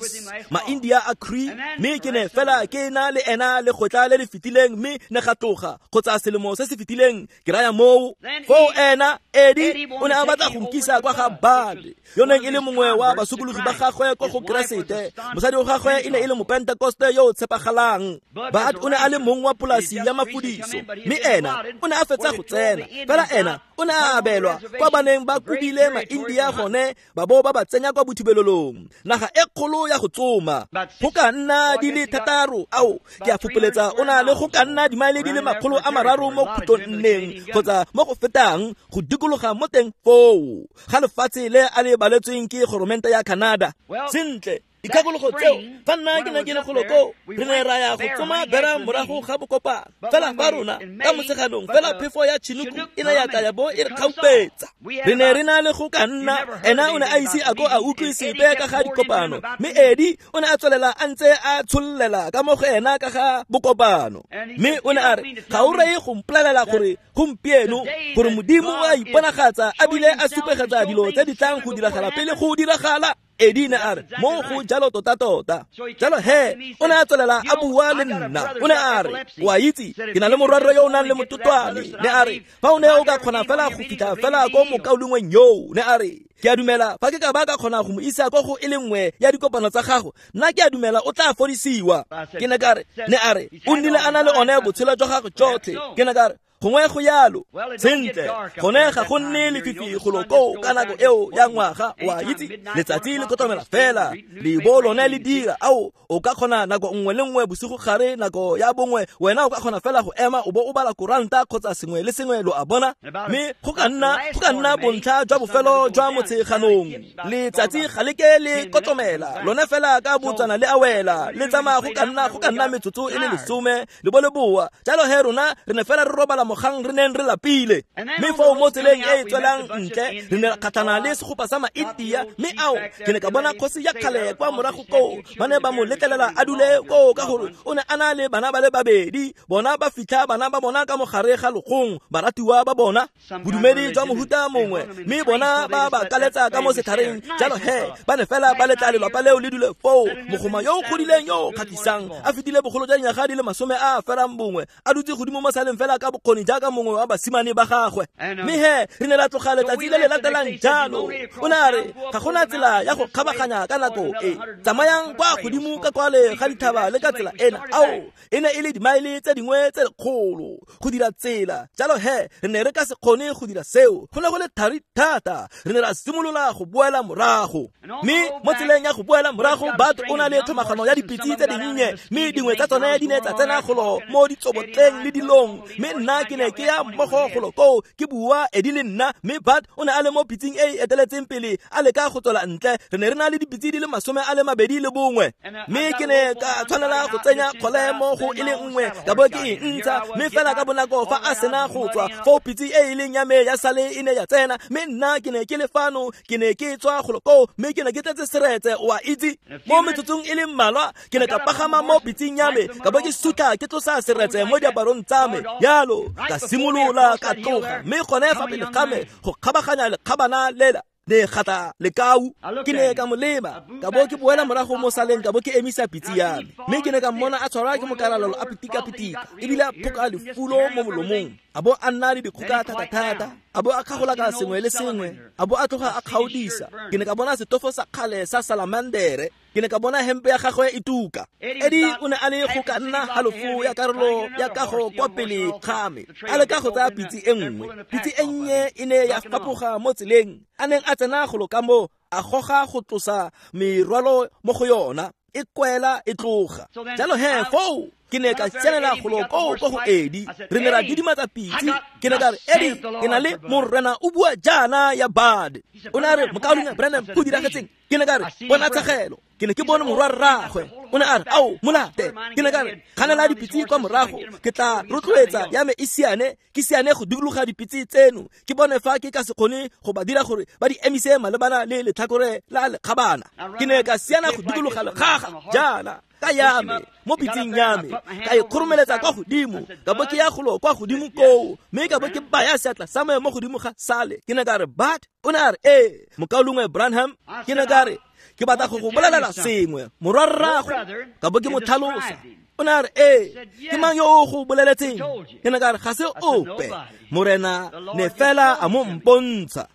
[SPEAKER 1] ma-India a Cree. Mme ke ne fela ke na le ena le kgotla le le fetileng, mme ne ga tloga kgotsa selemo se se fetileng ke raya moo. Foo ena Eddie o ne a batla go nkisa kwa ga Bad, yo neng e le mongwe wa basokologi ba gagwe ko go Keresete. Mosadi wa gagwe e ne e le mopentekoste yo o tshepagalang. Bad o ne a le mong wa polasi ya mafudiso, mme ena o ne a fetsa go tsena. Fela ena o ne a abelwa kwa baneng ba kobile ma-India gone, ba bo ba ba tsenya kwa bothibelelong, naga e kgolo ya go tsoma. Go ka nna di le 6, ao ke a fopoletsa o na le go ka nna dimaele di le 300 mo khutlong nneng kgotsa mo go fetang go dikologa mo teng foo ga lefatshe le a le baletsweng ke goromente ya Canada. Sentle, dikgakologo tseo fa nna ke ne ke le golo koo, re ne ra ya go tsoma bera morago ga bokopano. Fela fa rona ka motsheganong fela phefo ya Chinook e ne ya tla ya bo e re kgaupetsa. Re ne re na le go ka nna, ena o ne a ise a ko a utlwe sepe ka ga dikopano, mme Eddie o ne a tswelela a ntse a tshollela ka mo go ena ka ga bokopano. Mme o ne a re, ga o reye go mpolelela gore gompieno gore Modimo o a iponagatsa a bile a supegetsa dilo tse di tlang go diragala pele go diragala. Eddie ne a re mo go jalo tota-tota. Jalo he o ne a tswelela a bua le nna. O ne a re, wa itse, ke na le morwarre yo o nang le mototwane. Ne a re, fa o ne o ka kgona fela go fitlha fela ko mokaulengweng yoo. Ne a re, ke a dumela fa ke ka ba ka kgona go mo isa ko go e le nngwe ya dikopano tsa gago, nna ke a dumela o tla fodisiwa. Ke ne ka re, ne a re, o nnile a na le one botshelo jwa gagwe jotlhe. Ke ne ka re, gongwe go yalo. Sentle, gone ga go nne lefifi golo koo ka nako eo ya ngwaga, wa itse, letsatsi le kotlomela fela, lebo lone le dira. Ao, o ka kgona nako nngwe le nngwe bosigo gare nako ya bongwe, wena o ka kgona fela go ema o bo o bala koranta kgotsa sengwe le sengwe, lo a bona. Mme go ka nna bontlha jwa bofelo jwa motsheganong, letsatsi ga le ke le kotlomela lone fela ka botswana le a wela, le tsamaya go ka nna metsotso e le 10 le bo le boa. Jalo he rona re ne fela re robala mogang re neng re lapile. Mme foo mo tseleng e e tswelang ntle re ne kgatlhana le segopa sa ma-India, mme ao ke ne ka bona kgosi ya kgale kwa morago koo. Ba ne ba mo letlelela a dule koo ka gore o ne a na le bana ba le babedi, bona ba fitlha bana ba bona ka mogare ga logong, baratiwa ba bona, bodumedi jwa mohuta mongwe, mme bona ba ba kaletsa ka mo setlhareng. Jalo he ba ne fela ba letla lelapa leo le dule foo. Mogoma yo o godileng yo o kgatlhisang, a fetile bogolo jwa dinyaga di le 91, a dutse godimo mo saleng fela ka bokgoni bokgoni jaaka mongwe wa basimane ba gagwe. Mme he re ne ra tloga letsatsi le le latelang jalo. O ne a re ga gona tsela ya go kgabaganya ka nako e, tsamayang kwa godimo ka kwale ga dithaba le ka tsela ena. Ao, e ne e le dimaele tse dingwe tse lekgolo go dira tsela, jalo he re ne re ka se kgone go dira seo, go ne go le thari thata. Re ne ra simolola go boela morago, mme mo tseleng ya go boela morago Bat o na le tlhomagano ya dipitse tse dinnye, mme dingwe tsa tsone di ne tsa tsena golo mo ditsobotleng le dilong. Mme nna ke ne ke ya mmogo golo koo ke bua Edi le nna, mme Bat o ne a le mo pitseng e e eteletseng pele a leka go tswela ntle. Re ne re na le dipitse di le 21, mme ke ne ka tshwanela go tsenya kgole mo go e le nngwe ka bo ke e ntsha. Mme fela ka bonako fa a sena go tswa foo, pitse e e leng ya me ya sale e ne ya tsena, mme nna ke ne ke le fano, ke ne ke tswa golo koo, mme ke ne ke tletse seretse, o a itse. Mo metsotsong e le mmalwa ke ne ka pagama mo pitseng ya me, ka bo ke sutla ke tlosa seretse mo diaparong tsa me yalo, ka simolola ka tloga. Mme gone fa pele ga me go kgabaganya lekgabana lela le gata lekau, ke ne ka mo leba, ka bo ke boela morago mo saleng, ka bo ke emisa pitse ya me. Mme ke ne ka mmona a tshwarwa ke mokaralalo, a pitika-pitika, ebile a phoka lefulo mo molomong, a bo a nna le dikgoka thata-thata, a bo a kgagolaka sengwe le sengwe, a bo a tloga a kgaodisa. Ke ne ka bona setofo sa kgale sa salamandere, ke ne ka bona hempe ya gagwe e tuka. Edi o ne a le go ka nna halofo ya karolo ya kago kwa pele ga me, a leka go tsaya pitse e nngwe. Pitse e nnye e ne ya fapoga mo tseleng a neng a tsena golo ka mo, a goga go tlosa merwalo mo go yona, e kwela e tloga. Jalo he foo ke ne ka tsenela golo koo ko go Edi, re ne ra didimatsa pitse. Ke ne ka re, Edi, ke na le morena o bua jaana ya Bad. O ne a re, mokaulengwe Branham, go diragetseng? Ke ne ka re, bona tshegelo, ke ne ke bone morwa rraagwe. O ne a re, ao, molate. Ke ne ka re, kganela dipitse kwa morago, ke tla rotloetsa ya me e siane, ke siane go dikologa dipitse tseno, ke bone fa ke ka se kgone go ba dira gore ba di emise malebana le letlhakore la lekgabana. Ke ne ka siana go dikologa legaga jaana ka ya me mo pitseng ya me, ka e kgoromeletsa kwa godimo, ka bo ke ya golo kwa godimo koo, mme ka bo ke baya seatla sa me mo godimo ga sale. Ke ne ka re, Bat. O ne a re, ee, mokaulengwe Branham. Ke ne ka re, ke batla go go bolelela sengwe, morwa rrago. Ka bo ke mo tlhalosa. O ne a re, ee, ke mang yo o go boleletseng? Ke ne ka re, ga se ope, morena ne fela a mo mpontsha.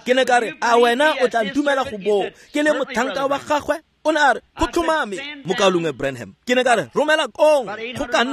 [SPEAKER 1] Ke ne ka re, a wena o tla ntumela go bo ke le motlhanka wa gagwe? O ne a re, go tlhomame, mokaulengwe Branham. Ke ne ka re, romela kong go ka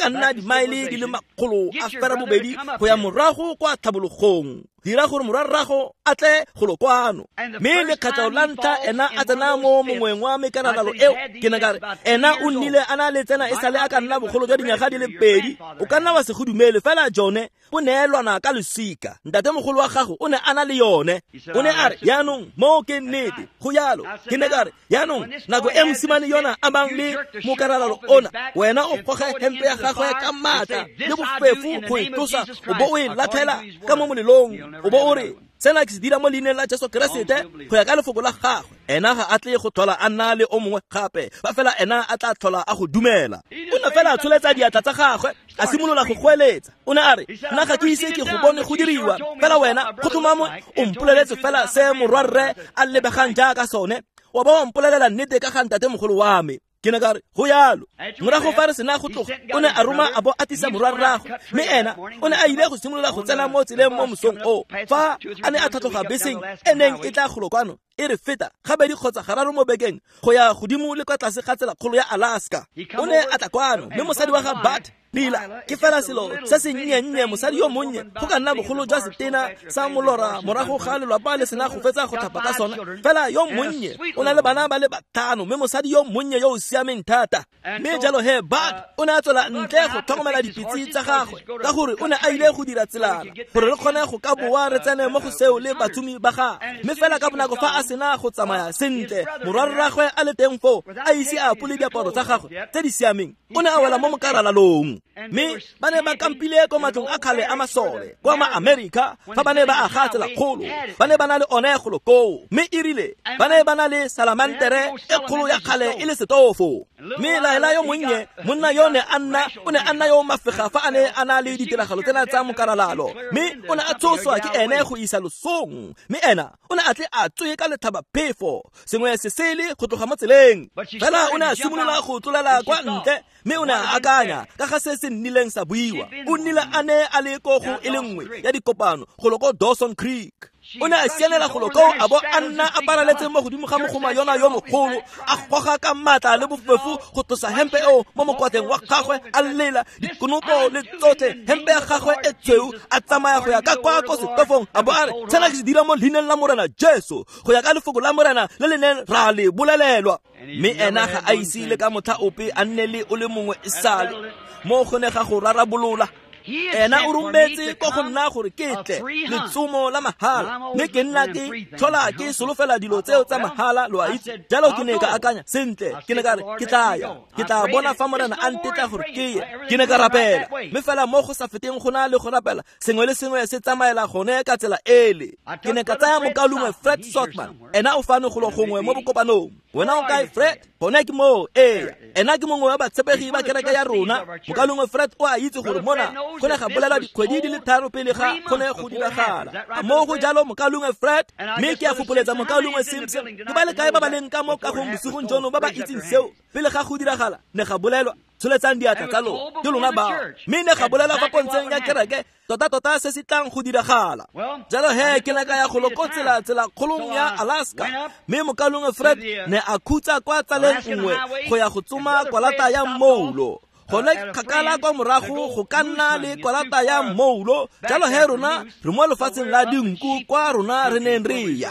[SPEAKER 1] nna dimaele di le 820 go ya morago kwa tlhabologong, dira gore morwa rrago a tle golo kwano. Mme lekgetlho la ntlha ena a tsena mo mongweng wa mekanalalo eo, ke ne ka re, ena o nnile a na le tsena e sale a ka nna bogolo jwa dinyaga di le 2. O ka nna wa se go dumele, fela jone o neelwana ka losika. Ntatemogolo wa gago o ne a na le yone. O ne a re, yaanong moo ke nnete, go yalo. Ke ne ka re, yaanong nako e mosimane yona a bang le mokaralalo ona, wena o goge hempe ya gagwe ka maatla le bofefo go e tlosa, o bo o e latlhela ka mo molelong, o bo o re, sena ke se dira mo leineng la Jesu Keresete go ya ka lefoko la gagwe. Ena ga a tle go tlhola a nna le o mongwe gape, fa fela ena a tla tlhola a go dumela. O ne fela a tsholetsa diatla tsa gagwe, a simolola go goeletsa. O ne a re, nna ga ke ise ke go bone go diriwa, fela wena go tlhomamo o mpoleletse fela se morwarre a lebegang jaaka sone, wa ba wa mpolelela nnete ka ga ntatemogolo wa me. Ke ne ka re, go yalo. Morago fa re sena go tloga, o ne a roma a bo a tlisa morwa rraagwe, mme ena o ne a ile go simolola go tsena mo tseleng mo mosong o, fa a ne a tlhatlhoga beseng e neng e tla golo kwano e re feta gabedi kgotsa gararo mo bekeng go ya godimo le kwa tlase ga tsela kgolo ya Alaska. O ne a tla kwano, mme mosadi wa ga Bat, Lila, ke fela selo se se nnye-nnye, mosadi yo monnye, go ka nna bogolo jwa setena sa molora morago ga lelapa le sena go fetsa go tlhapa ka sona. Fela yo monnye o na le bana ba le 5, mme mosadi yo monnye yo o siameng thata. Mme jalo he Bat o ne a tswela ntle go tlhokomela dipitse tsa gagwe, ka gore o ne a ile go dira tselana gore re kgone go ka boa re tsene mo go seo le batsumi ba gagwe. Mme fela ka bonako fa a sena go tsamaya sentle, morwa rraagwe a le teng foo, a ise a apole diaparo tsa gagwe tse di siameng, o ne a wela mo mokaralalong. Mme ba ne ba kampile ko matlong a kgale a masole kwa ma Amerika fa ba ne ba aga tsela kgolo, ba ne ba na le one golo koo. Mme e rile ba ne ba na le salamantere e kgolo ya kgale e le setofo. Mme Laela yo monnye, monna yo ne a nna, o ne a nna yo mafega fa a ne a na le ditiragalo tsena tsa mokaralalo, mme o ne a tshoswa ke ene go isa losong, mme ena o ne a tle a tswe ka letlhabaphefo sengwe se sele go tloga mo tseleng. Fela o ne a simolola go tlolela kwa ntle, mme o ne a akanya ka ga se se nnileng sa buiwa. O nnile a ne a le ko go e le nngwe ya dikopano golo ko Dawson Creek. O ne a sianela golo koo a bo a nna a paraletse mo godimo ga mogoma yona yo mogolo, a goga ka maatla le bofefo go tlosa hempe eo mo mokwatleng wa gagwe, a lela dikonopo le tsotlhe, hempe ya gagwe e tshweu, a tsamaya go ya ka kwa ko setofong, a bo a re, sena ke se dira mo leineng la Morena Jesu, go ya ka lefoko la Morena le le neng ra le bolelelwa. Mme ena ga a ise le ka motlha ope a nne le o le mongwe e sale mo go ne ga go rarabolola. Ena o rometse ko go nna gore ke tle letsomo la mahala, mme ke nna ke tlhola ke solofela dilo tseo tsa mahala, lo a itse. Jalo ke ne ka akanya, sentle, ke ne ka re ke tla ya, ke tla bona fa Morena a ntetla gore ke ye. Ke ne ka rapela, mme fela mo go sa feteng go na le go rapela, sengwe le sengwe se tsamaela gone ka tsela ele. Ke ne ka tsaya mokaulengwe Fred Sothmann, ena o fano golo gongwe mo bokopanong. Wena o kae, Fred? Gone ke moo, ee. Ena ke mongwe wa batshepegi ba kereke ya rona. Mokaulengwe Fred o a itse gore mona go ne ga bolelwa dikgwedi di le 3 pele ga go ne go diragala. Mo go jalo mokaulengwe Fred, mme ke a fopoletsa mokaulengwe Simpson. Ke ba le kae ba ba leng ka mo kagong bosigong jono ba ba itseng seo pele ga go diragala? Ne ga bolelwa, tsholetsang diatla tsa lona, ke lona bao. Mme ne ga bolelwa fa pontsheng ya kereke tota-tota se se tlang go diragala. Jalo he ke ne ka ya golo ko tsela kgolong ya Alaska, mme mokaulengwe Fred ne a khutsa kwa tsaleng nngwe go ya go tsoma kwalata ya mmoulo. Gone kgakala kwa morago go ka nna le kwalata ya mmoulo. Jalo he rona re mo lefatsheng la dinku kwa rona re neng re ya.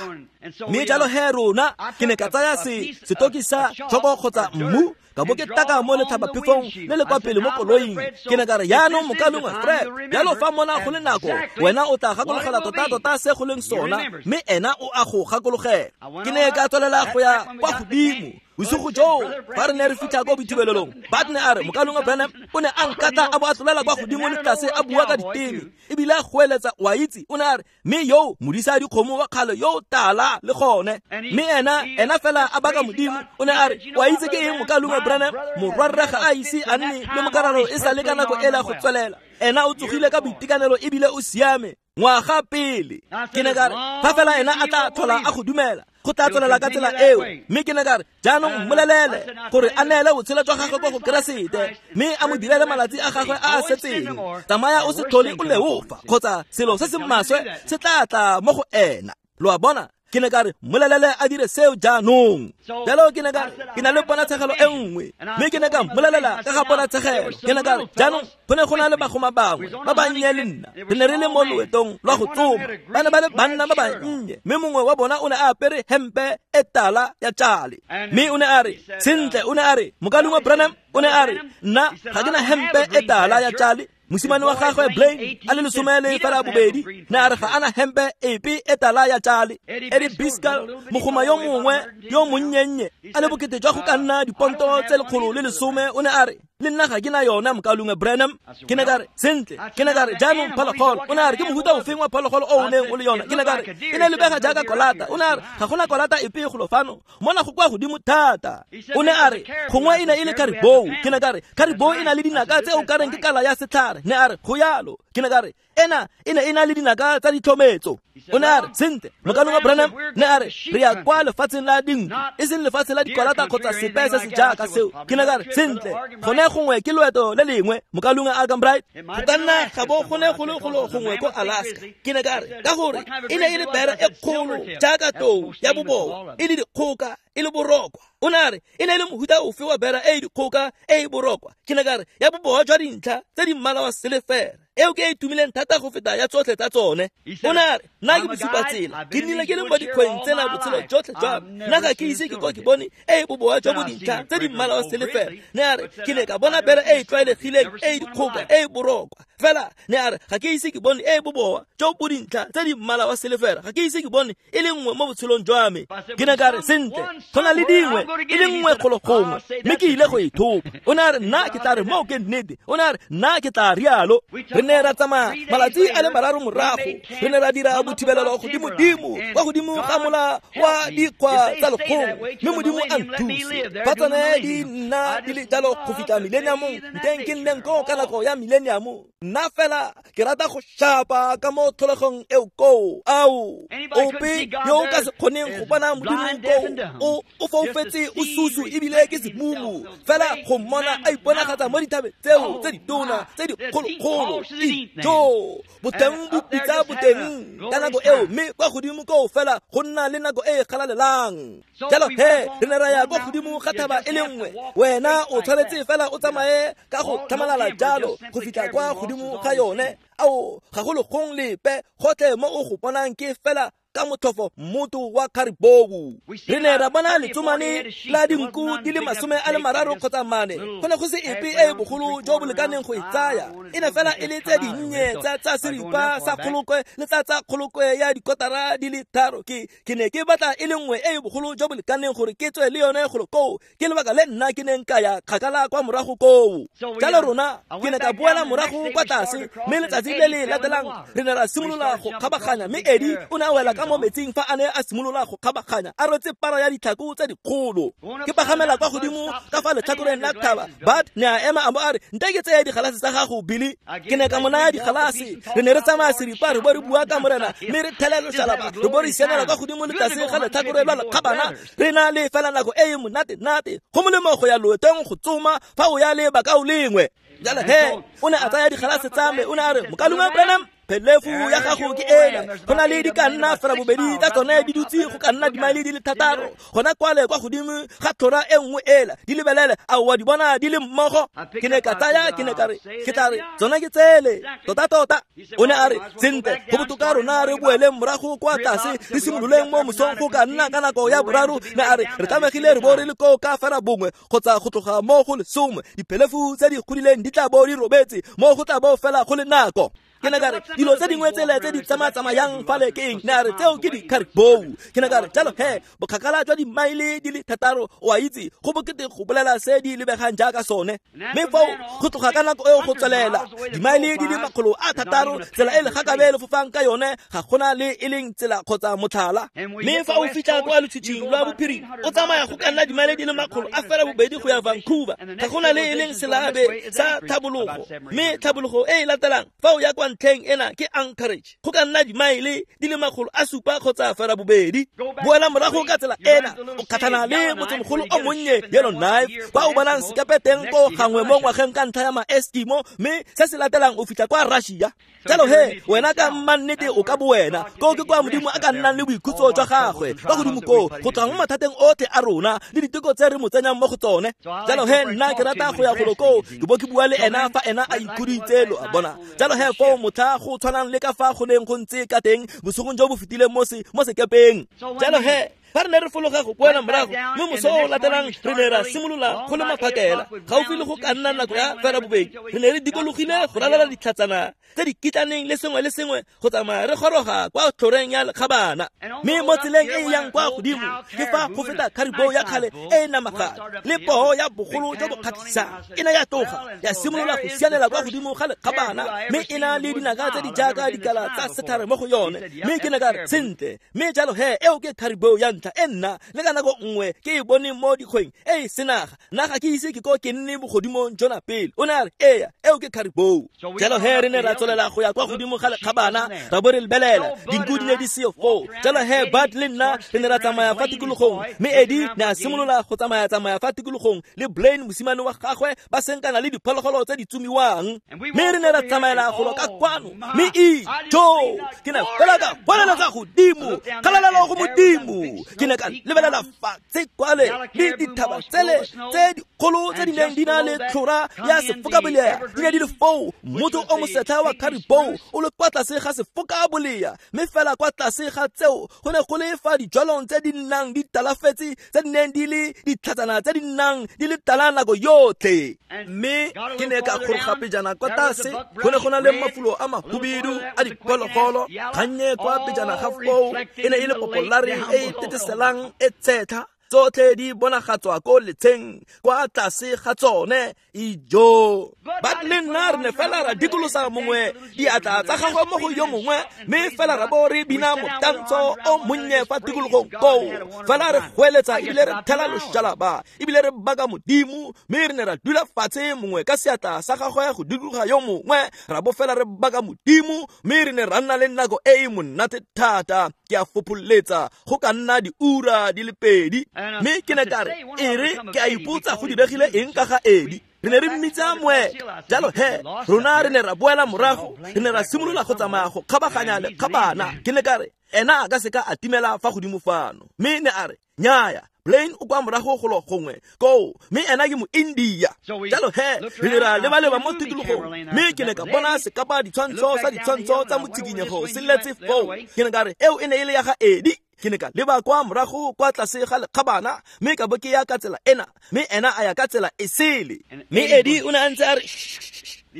[SPEAKER 1] Mme jalo he rona ke ne ka tsaya setoki sa tshoko kgotsa mmu, ka bo ke taka mo letlhabaphefong le le kwa pele mo koloing. Ke ne ka re, jaanong mokaulengwe Fred, jalo fa mona go le nako, wena o tla gakologela tota-tota se go leng sona, mme ena o a go gakologela. Ke ne ka tswelela go ya kwa godimo. Bosigo joo fa re ne re fitlha ko boithubelelong, Bart ne a re, mokaulengwe Branham o ne a nkata a bo a tlolela kwa godimo le tlase a bua ka diteme, ebile a goeletsa, wa itse. O ne a re, mme yo modisa dikgomo wa kgale yo tala le gone, mme ena fela a baka Modimo. O ne a re, wa itse ke eng mokaulengwe Branham, morwarre ga a ise a nne le mokararo e sa le ka nako ela go tswelela. Ena o tsogile ka boitekanelo ebile o siame ngwaga pele. Ke ne ka re, fa fela ena a tla tlhola a go dumela, go tla tswelela ka tsela eo. Mme ke ne ka re, jaanong mmolelele gore a neele botshelo jwa gagwe kwa go Keresete, mme a mo direle malatsi a gagwe a a setseng. Tsamaya o se tlhole o leofa, kgotsa selo se se maswe se tla tla mo go ena. Lo a bona? Ke ne ka re, mmolelele a dire seo jaanong. Jalo ke ne ka re, ke na le ponatshegelo e nngwe, mme ke ne ka mmolelela ka ga ponatshegelo. Ke ne ka re, jaanong go ne go na le bagoma bangwe ba bannye le nna, re ne re le mo loetong lwa go tsoma. Ba ne ba le banna ba bannye, mme mongwe wa bona o ne a apere hempe e tala ya tjale. Mme o ne a re, sentle, o ne a re, mokaulengwe Branham, o ne a re, nna ga ke na hempe e tala ya tjale. Mosimane wa gagwe Blaine a le 12 ne a re ga ana hempe epe e tala ya tjale. Eddie Biscal, mogoma yo mongwe yo monnyennye a le bokete jwa go ka nna diponto tse 110, o ne a re, le nna ga ke na yona mokaulengwe Branham. Ke ne ka re, sentle, ke ne ka re, jaanong phologolo. O ne a re, ke mohuta ofeng wa phologolo o o neng o le yona? Ke ne ka re, e ne lebega jaaka kolata. O ne a re, ga gona kolata epe golo fano, mona go kwa godimo thata. O ne a re, gongwe e ne e le caribou. Ke ne ka re, caribou e na le dinaka tse o ka reng ke kala ya setlhare. Ne a re, go yalo. Ke ne ka re, ena e ne e na le dinaka tsa ditlhometso. O ne a re, sentle, mokaulengwe Branham, ne a re, re ya kwa lefatsheng la dinku, e seng lefatshe la dikolata kgotsa sepe se se jaaka seo. Ke ne ka re, sentle, gone gongwe ke loeto le lengwe, mokaulengwe Arganbright, go ka nna ga bo go ne go le golo gongwe ko Alaska. Ke ne ka re, ka gore e ne e le bere e kgolo jaaka tou ya boboa, e le dikgoka, e le borokwa. O ne a re, e ne e le mohuta ofe wa bera e e dikgoka e e borokwa? Ke ne ka re, ya boboa jwa dintlha tse di mmala wa silefere, eo ke e tumileng thata go feta ya tsotlhe tsa tsone. O ne a re, nna ke bosupatsela, ke nnile ke le mo dikgweng tsena botshelo jotlhe jwa me, nna ga ke ise ke ko ke bone e e boboa jwa bo dintlha tse di mmala wa silefere. Ne a re, ke ne ka bona bere e e tlwaelegileng e e dikgoka e e borokwa, Fela ne a re ga ke ise ke bone e boboa jo bo dintlha tse di mmala wa selefera, ga ke ise ke bone e le nngwe mo botshelong jwa me. Ke ne ka re sentle, go na le dingwe e le nngwe kgolo gongwe, mme ke ile go e thopa. O ne a re nna ke tla re moo ke nnete. O ne a re nna ke tla rialo. Re ne ra tsamaya malatsi a le mararo morago, re ne ra dira bothibelelo godimo-dimo kwa godimo ga mola wa dikgwa tsa lekgong, mme Modimo a nthuse fa tsone di nna di le jalo go fitlha millenniumong, nteng ke nneng koo ka nako ya millennium. Nna fela ke rata go shapa ka mo tlholegong eo koo. Ao, ope yo o ka se kgoneng go bona Modimo koo o foufetse, o susu ebile ke semumu. Fela go mmona a iponagatsa mo dithabeng tseo tse ditona tse dikgolokgolo, ijo boteng bo pitsa boteng ka nako eo, mme kwa godimo koo fela go nna le nako e e galalelang. Jalo he re ne ra ya kwa godimo ga thaba e le nngwe. Wena o tshwanetse fela o tsamaye ka go tlhamalala jalo go fitlha kwa godimo ga yone. Ao, ga go legong lepe gotlhe mo o go bonang ke fela ka motlhofo mmoto wa caribou. Re ne ra bona letsomane la dinku di le 30 kgotsa 4. Go ne go se epe e e bogolo jo bo lekaneng go e tsaya. E ne fela e le tse dinnye tsa seripa sa kgolokwe le tsa kgolokwe ya dikotara di le 3. Ke ne ke batla e le nngwe e e bogolo jo bo lekaneng gore ke tswe le yone golo koo. Ke lebaka le nna ke neng ka ya kgakala kwa morago koo. Jalo rona ke ne ka boela morago kwa tlase, mme letsatsi le le latelang re ne ra simolola go kgabaganya, mme Eddie o ne a wela ka mo metsing fa a ne a simolola go kgabaganya a rwetse para ya ditlhako tse dikgolo. Ke pagamela kwa godimo ka fa letlhakoreng la thaba. Bud ne a ema a bo a re, nte ke tseye digalase tsa gago, Billy. Ke ne ka mo naya digalase. Re ne re tsamaya seripa, re bo re bua ka Morena, mme re thele loshalaba, re bo re sianela kwa godimo le tlase ga letlhakore lwa lekgabana. Re na le fela nako e e monate-nate. Go molemo go ya loetong go tsoma fa o ya le bakao lengwe. Jalo he o ne a tsaya digalase tsa me, o ne a re, Mokaulengwe Branham, phelefu ya gago ke ena. Go na le di ka nna 80 tsa tsone di dutse go ka nna dimaele di le 6 gona kwale kwa godimo ga tlhora e nngwe ela. Di lebelele, a wa di bona di le mmogo? Ke ne ka tsaya, ke ne ka re, ke tla re tsona ke tsele tota-tota. O ne a re, sentle, go botoka rona re boeleng morago kwa tlase, re simololeng mo mosong go ka nna ka nako ya 3. Ne a re, re tlamegile re bo re le koo ka 1 kgotsa go tloga mo go 10. Diphelefu tse di godileng di tla bo di robetse mo go tla bo fela go le nako. Ke ne ka re, dilo tse dingwe tsele tse di tsamaya-tsamayang fale ke eng? Ne a re, tseo ke di-caribou. Ke ne ka re, jalo he, bokgakala jwa dimaele di le 6, o a itse, go bokete go bolela se di lebegang jaaka sone. Mme foo go tloga ka nako eo go tswelela dimaele di le 600, tsela e legakabe le fofang ka yone ga gona le e leng tsela kgotsa motlhala. Mme fa o fitlha kwa lotshitshing lwa bophirima, o tsamaya go ka nna dimaele di le 800 go ya Vancouver, ga gona le e leng selabe sa tlhabologo. Mme tlhabologo e e latelang fa o ya kwa ntlheng ena ke Anchorage, go ka nna dimaele di le 700 kgotsa 8. Boela morago ka tsela ena, o kgatlhana le motsemogolo o monnye Yellowknife, kwa o bonang sekepe teng ko gangwe mo ngwageng ka ntlha ya ma-Eskimo, mme se se latelang o fitlha kwa Russia. Jalo he wena ka mmannete o ka bowena koo ke kwa Modimo a ka nnang le boikhutso jwa gagwe kwa godimo koo, go tswa mo mathateng otlhe a rona le diteko tse re mo tsenyang mo go tsone. Jalo he nna ke rata go ya golo koo, ke bo ke bua le ena fa ena a ikhuditse, lo a bona. Jalo he foo motlha go tshwanang le ka fa go neng go ntse ka teng bosigong jo bo fetileng mo sekepeng. Jalo he fa re ne re fologa go boela morago, mme moso o latelang re ne ra simolola go le maphakela gaufi le go ka nna nako ya 2:30. Re ne re dikologile go ralala ditlhatsana tse di kitlaneng le sengwe le sengwe go tsamaya re goroga kwa tlhoreng ya lekgabana. Mme mo tseleng e e yang kwa godimo ke fa go feta caribou ya kgale e e namagadi le poo ya bogolo jo bo kgatlhisang. E ne ya tloga ya simolola go sianela kwa godimo ga lekgabana, mme e na le dinaka tse di jaaka dikala tsa setlhare mo go yone. Mme ke ne ka re, sentle, mme jalo he eo ke caribou ya ntlha e nna le ka nako nngwe ke e boneng mo dikgweng e e senaga. Nna ga ke ise ke ko ke nne bogodimong jona pele. O ne a re, eya, eo ke caribou. Jalo he re ne ra tswelela go ya kwa godimo ga lekgabana, ra bo re lebelela dinku di ne di seyo foo. Jalo he Bud le nna re ne ra tsamaya fa tikologong, mme Eddie ne a simolola go tsamaya-tsamaya fa tikologong le Blaine mosimane wa gagwe, ba senkana le diphologolo tse di tsomiwang. Mme re ne ra tsamaela golo ka kwano, mme ijo ke ne fela ka goeletsa godimo, kgalalelo go Modimo. Ke ne ka lebelela fatshe kwale le dithaba tsele tse dikgolo tse di neng di na le tlhora ya sefokabolea di ne di le foo. Motho o mosetlha wa caribou o le kwa tlase ga sefokabolea, mme fela kwa tlase ga tseo go ne go le fa dijwalong tse di nnang di talafetse tse di neng di le ditlhatsana tse di nnang di le tala nako yotlhe. Mme ke ne ka goroga pejana kwa tlase, go ne go na le mafulo a mahubidu a diphologolo. Kgannye kwa pejana ga foo e ne e le popolare e e teteselang e tshetlha, tsotlhe di bonagatswa ko letsheng kwa tlase ga tsone. Ijo, ba le nna re ne fela ra dikolosa mongwe diatla tsa gagwe mo go yo mongwe, mme fela ra bo re bina motantsho o monnye fa tikologong koo. Fela re goeletsa ebile re thela loshalaba ebile re baka Modimo, mme re ne ra dula fatshe mongwe ka seatla sa gagwe go dikologa yo mongwe, ra bo fela re baka Modimo, mme re ne ra nna le nako e e monate thata. Ke a fopholetsa go ka nna diura di le pedi. Mme ke ne ka re, e re ke a ipotsa go diregile eng ka ga Edi. Re ne re mmitsa moeka. Jalo he rona re ne ra boela morago, re ne ra simolola go tsamaya go kgabaganya lekgabana. Ke ne ka re, ena a ka seka a timela fa godimo fano. Mme ne a re, nnyaya, Blaine o kwa morago golo gongwe koo, mme ena ke mo-India. Jalo he re ne ra leba-leba mo tikologong, mme ke ne ka bona sekapa ditshwantsho sa ditshwantsho tsa motshikinyego se letse foo. Ke ne ka re, eo e ne e le ya ga Edi. Ke ne ka leba kwa morago kwa tlase ga lekgabana, mme ka bo ke ya ka tsela ena, mme ena a ya ka tsela e sele. Mme Edi o ne a ntse a re,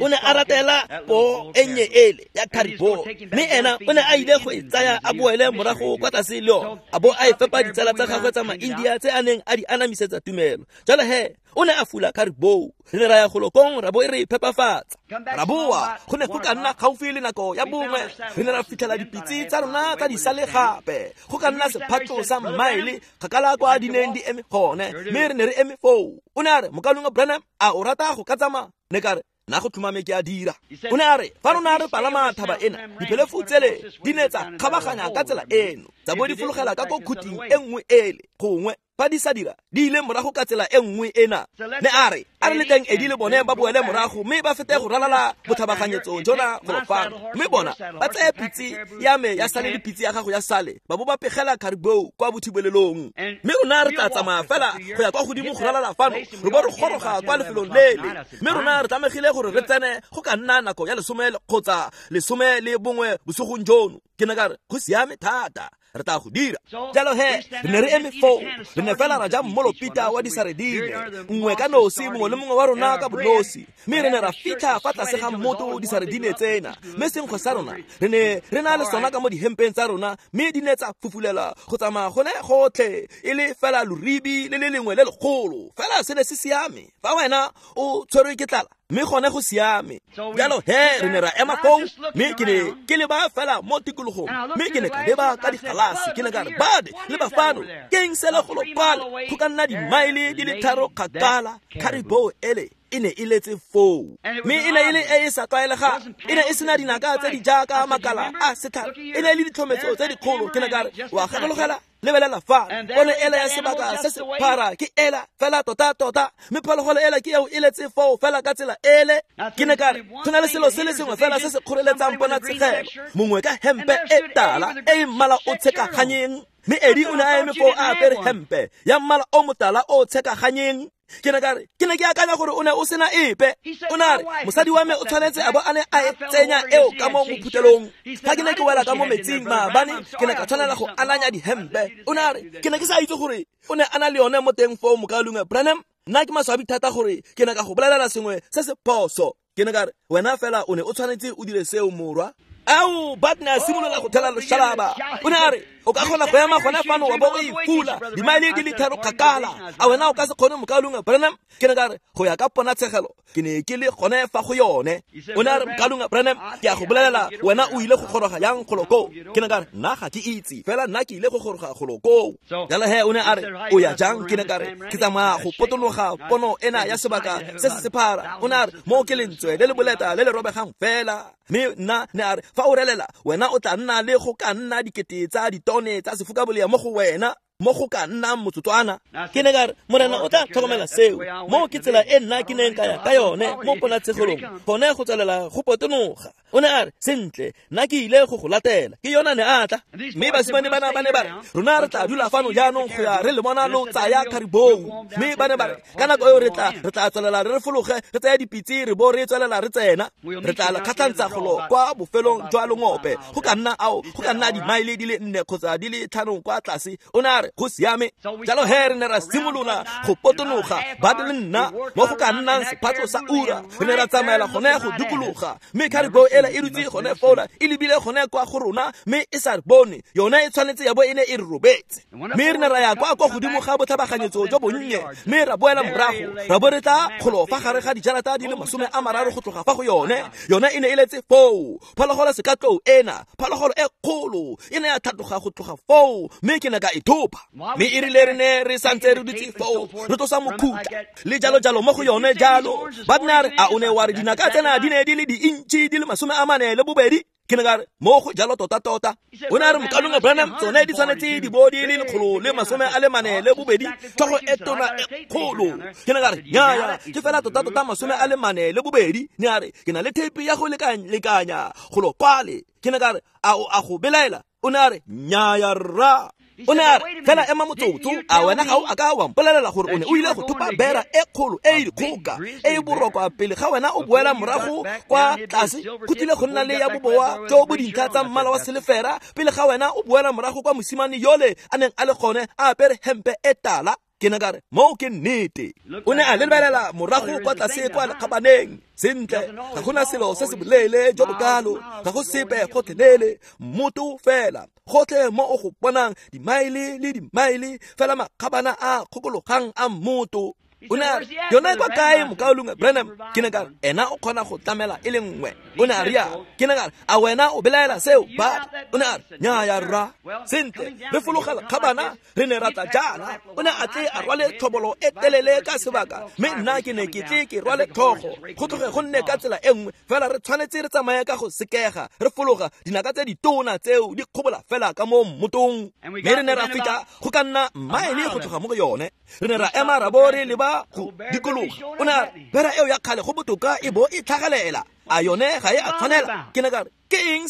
[SPEAKER 1] o ne a ratela poo e nnye ele ya caribou, mme ena o ne a ile go e tsaya a boele morago kwa tlase le yone, a bo a e fepa ditsala tsa gagwe tsa ma-India tse a neng a di anamisetsa tumelo. Jalo he o ne a fula caribou. Re ne ra ya golokong ra bo e re phepafatsa, ra boa. Go ne go ka nna gaufi le nako ya bongwe, re ne ra fitlhela dipitse tsa rona tsa di sale gape, go ka nna sephatlo sa mmaele kgakala kwa di neng di eme gone, mme re ne re eme foo. O ne a re, mokaulengwe Branham, a o rata go ka tsamaya? Ne ka re, nna go tlhomame ke a dira. O ne a re, fa rona re palama thaba ena, diphelefu tsele di ne tsa kgabaganya ka tsela eno, tsa bo di fologela ka ko khuting e nngwe ele, gongwe fa di sa dira di ile morago ka tsela e nngwe ena. Ne a re, a re leteng Edi le bone ba boele morago mme ba fete go ralala botlhabaganyetso jona golo fano, mme bona ba tseye pitse ya me ya sale le pitse ya gago ya sale, ba bo ba pegela caribou kwa bothibelelong. Mme rona re tla tsamaya fela go ya kwa godimo go ralala fano, re bo re goroga kwa lefelong lele, mme rona re tlamegile gore re tsene go ka nna nako ya 10 kgotsa 11 bosigong jono. Ke ne ka re, go siame thata, re tla go dira. Jalo he re ne re eme foo, re ne fela ra ja mmolopita wa disaredine, nngwe ka nosi, mongwe le mongwe wa rona ka bonosi, mme re ne ra fitlha fa tlase ga mmoto disaredine tsena, mme senkgwe sa rona re ne re na le sona ka mo dihempeng tsa rona, mme di ne tsa fufulela go tsamaya gone gotlhe e le fela loribi le le lengwe le legolo. Fela se ne se siame fa wena o tshwerwe ke tlala, mme gone go siame. Jalo he re ne ra ema foo, mme ke ne ke leba fela mo tikologong, mme ke ne ka leba ka digalase. Ke ne ka re, bade leba fano, ke eng se le golo kwale go ka nna dimaele di le 3 kgakala? Caribou ele e ne e letse foo, mme e ne e le e e sa tlwaelegang, e ne e sena dinaka tse di jaaka makala a setlhare, e ne e le ditlhometso tse dikgolo. Ke ne ka re, wa gakologela, lebelela fa pono ela ya sebaka se se phara ke ela fela tota-tota, mme phologolo ela ke eo e letse foo fela ka tsela ele. Ke ne ka re, go na le selo se le sengwe fela se se kgoreletsang ponatshegelo, mongwe ka hempe e tala e e mmala o tshekaganyeng, mme Edi o ne a eme foo a apere hempe ya mmala o motala o tshekaganyeng. Ke ne ka re, ke ne ke akanya gore o ne o sena epe. O ne a re, mosadi wa me o tshwanetse a bo a ne a e tsenya eo ka mo mophutelong. Fa ke ne ke wela ka mo metsing maabane, ke ne ka tshwanela go ananya dihempe. O ne a re, ke ne ke sa itse gore o ne a na le yone mo teng foo, mokaulengwe Branham. Nna ke maswabi thata gore ke ne ka go bolelela sengwe se se phoso. Ke ne ka re, wena fela o ne o tshwanetse o dire seo, morwa. Ao, Bud ne a simolola go thela loshalaba. O ne a re, o ka kgona go ema gone fano wa bo o e fula dimaele di le 3 kgakala, a wena o ka se kgone, mokaulengwe Branham? Ke ne ka re, go ya ka ponatshegelo ke ne ke le gone fa go yone. O ne a re, mokaulengwe Branham, ke a go bolelela, wena o ile go goroga yang golo koo? Ke ne ka re, nna ga ke itse, fela nna ke ile go goroga golo koo. Jalo he o ne a re, o ya jang? Ke ne ka re, ke tsamaya go potologa pono ena ya sebaka se se sephara. O ne a re, mo ke lentswe le le boleta le le robegang fela. Mme nna ne a re, fa o relela wena o tla nna le go ka nna 1000 tsa ditone tsa sefokabolea mo go wena. mo go ka nnang motsotswana. Ke ne ka re, Morena o tla tlhokomela seo. Mo ke tsela e nna ke neng ka ya ka yone mo ponatshegelong, gone go tswelela go potonoga. O ne a re, sentle, nna ke ile go go latela. Ke yona ne a tla. Mme basimane bana ba ne ba re, rona re tla dula fano jaanong go ya re le bona lo tsaya caribou. Mme ba ne ba re, ka nako eo re tla tswelela re fologe, re tsaya dipitse re bo re tswelela re tsena. Re tla kgatlhantsa golo kwa bofelong jwa longope, go ka nna dimaele di le 4 kgotsa di le 5 kwa tlase. O ne a re, go siame. Jalo he re ne ra simolola go potonoga, ba le nna mo go ka nnang sephatlo sa ura. Re ne ra tsamaela gone go dikologa, mme caribou ela e dutse gone fola, e lebile gone kwa go rona, mme e sa re bone. Yone e tshwanetse ya bo e ne e re robetse. Mme re ne ra ya kwa godimo ga botlhabaganyetso jo bonnye, mme ra boela morago, ra bo re tla golo fa gare ga dijarata di le 30 go tloga fa go yone. Yone e ne e letse foo. Phologolo sekatlou ena, phologolo e kgolo, e ne ya tlhatloga go tloga foo, mme ke ne ka e thopa. Mme e rile re ne re santse re dutse foo, re tlosa mokhutla le jalo jalo mo go yone jalo. Ba ne a re, a o ne wa re dinaka tsena di ne di le diintšhi di le 42? Ke ne ka re, mo go jalo tota-tota. O ne a re, mokalong Branham, tsone di tshwanetse di bo di le 142, tlhogo e tona e kgolo. Ke ne ka re, nnyaya, ke fela tota-tota 42. Ne a re, ke na le theipi ya go lekanya golo kwale. Ke ne ka re, a o a go belaela? O ne a re, nnyaya rra. O ne a re, fela ema motsotso, a wena ga o a ka wa mpolelela gore o ne o ile go thopa bera e kgolo e e dikgoka e e borokwa pele ga wena o boela morago kwa tlase? Go tlile go nna le ya boboa jo bo dintlha tsa mmala wa selefera pele ga wena o boela morago kwa mosimane yole a neng a le gone a apere hempe e tala. Ke ne ka re, moo ke nnete. O ne a lebelela morago kwa tlase kwa lekgabaneng. Sentle, ga gona selo se se boleele jo bokalo, ga go sepe gotlhelele, mmoto fela gotlhe mo o go bonang, dimaele le dimaele fela makgabana a kgokologang a mmoto. O ne a re, yona kwa kae mokaulengwe Branham? Ke ne ka re, ena o kgona go tlamela e le nngwe. O ne a rialo. Ke ne ka re, a wena o belaela seo, Bud? O ne a re, nnyaya rra. Sentle, re fologa lekgabana, re ne ra tla jaana. O ne a tle a rwale tlhobolo e telele ka sebaka, mme nna ke ne ke tle ke rwale tlhogo. Go tloge go nne ka tsela e nngwe, fela re tshwanetse re tsamaye ka go sekega, re fologa dinaka tse ditona tseo di kgobola fela ka mo mmotong. Mme re ne ra fitlha go ka nna maele go tloga mo go yone. Re ne ra ema ra bo re leba go dikologa. O ne a re, bera eo ya kgale go botoka e bo e tlhagelela, a yone ga e a tshwanela? Ke ne ka re, ke eng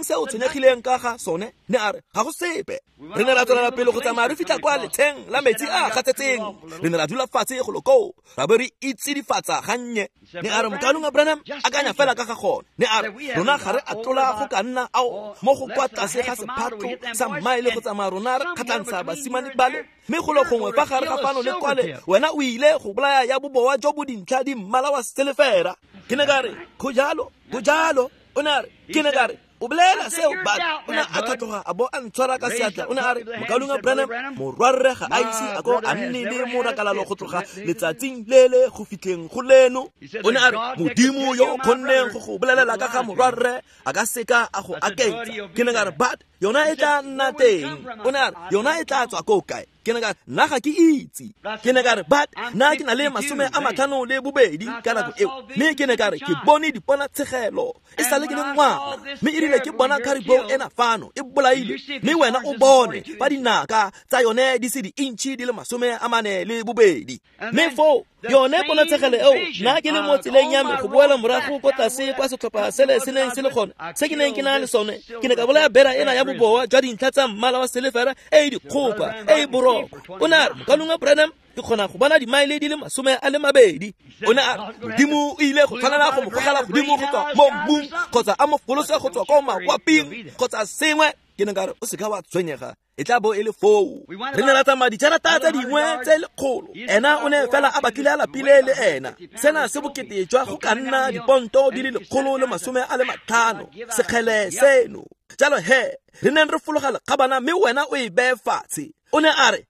[SPEAKER 1] se o tshwenyegileng ka ga sone? Ne a re, ga go sepe. Re ne ra tswelela pele go tsamaya re fitlha kwa letsheng la metsi a gatsetseng. Re ne ra dula fatshe golo koo, ra bo re itsidifatsa gannye. Ne a re, mokalong Branham, akanya fela ka ga gone. Ne a re, rona ga re a tlola go ka nna ao mo go kwa tlase ga sephatlo sa mmaele go tsamaya rona re kgatlhantsha basimane bale, mme golo gongwe fa gare ga fano le kwale wena o ile go bolaya ya boboa jo bo dintlha di mmala wa selefera. Ke ne ka re, go jalo, go jalo. O ne a re, ke ne ka re, o bolela seo, Bud? O ne a tlhatloga a bo a ntshwara ka seatla. O ne a re, mokalong Branham, morwarre ga a ise a ko a nne le morakalalo go tloga letsatsing lele go fitlheng go leno. O ne a re, Modimo yo o kgonneng go go bolelela ka ga morwarre a ka seka a go aketsa. Ke ne ka re, Bud, yona e tla nna teng. O ne a re, yona e tla tswa ko kae? Ke ne ka re, nna ga ke itse. Ke ne ka re, Bud, nna ke na le 52 ka nako eo. Mme ke ne ka re, ke bone diponatshegelo e sale ke le ngwana, mme e rile ke bona caribou ena fano e bolaile, mme wena o bone fa dinaka tsa yone di se diintšhi di le 42. Mme foo yone ponatshegelo eo, nna ke le mo tseleng ya me go boela morago ko tlase kwa setlhopha sele se neng se le gone, se ke neng ke na le sone, ke ne ka bolaya bera ena ya boboa jwa dintlha tsa mmala wa selefera e e dikgopa e e borokwa. O ne a re, mokalong Branham, ke kgona go bona dimaele di le 20. O ne a re, Modimo o ile go tshwanela go mo gogela godimo go tswa mo mmung, kgotsa a mo folose go tswa ko makwaping, kgotsa sengwe. Ke ne ka re, o seka wa tshwenyega, e tla bo e le foo. Re ne ra tsamaya dijarata tse dingwe tse lekgolo. Ena o ne fela a batlile a lapile le ena. Sena se bokete jwa go ka nna diponto di le 150 sekgele seno. Jalo he, re neng re fologa lekgabana, mme wena o e beye fatshe. O ne a re,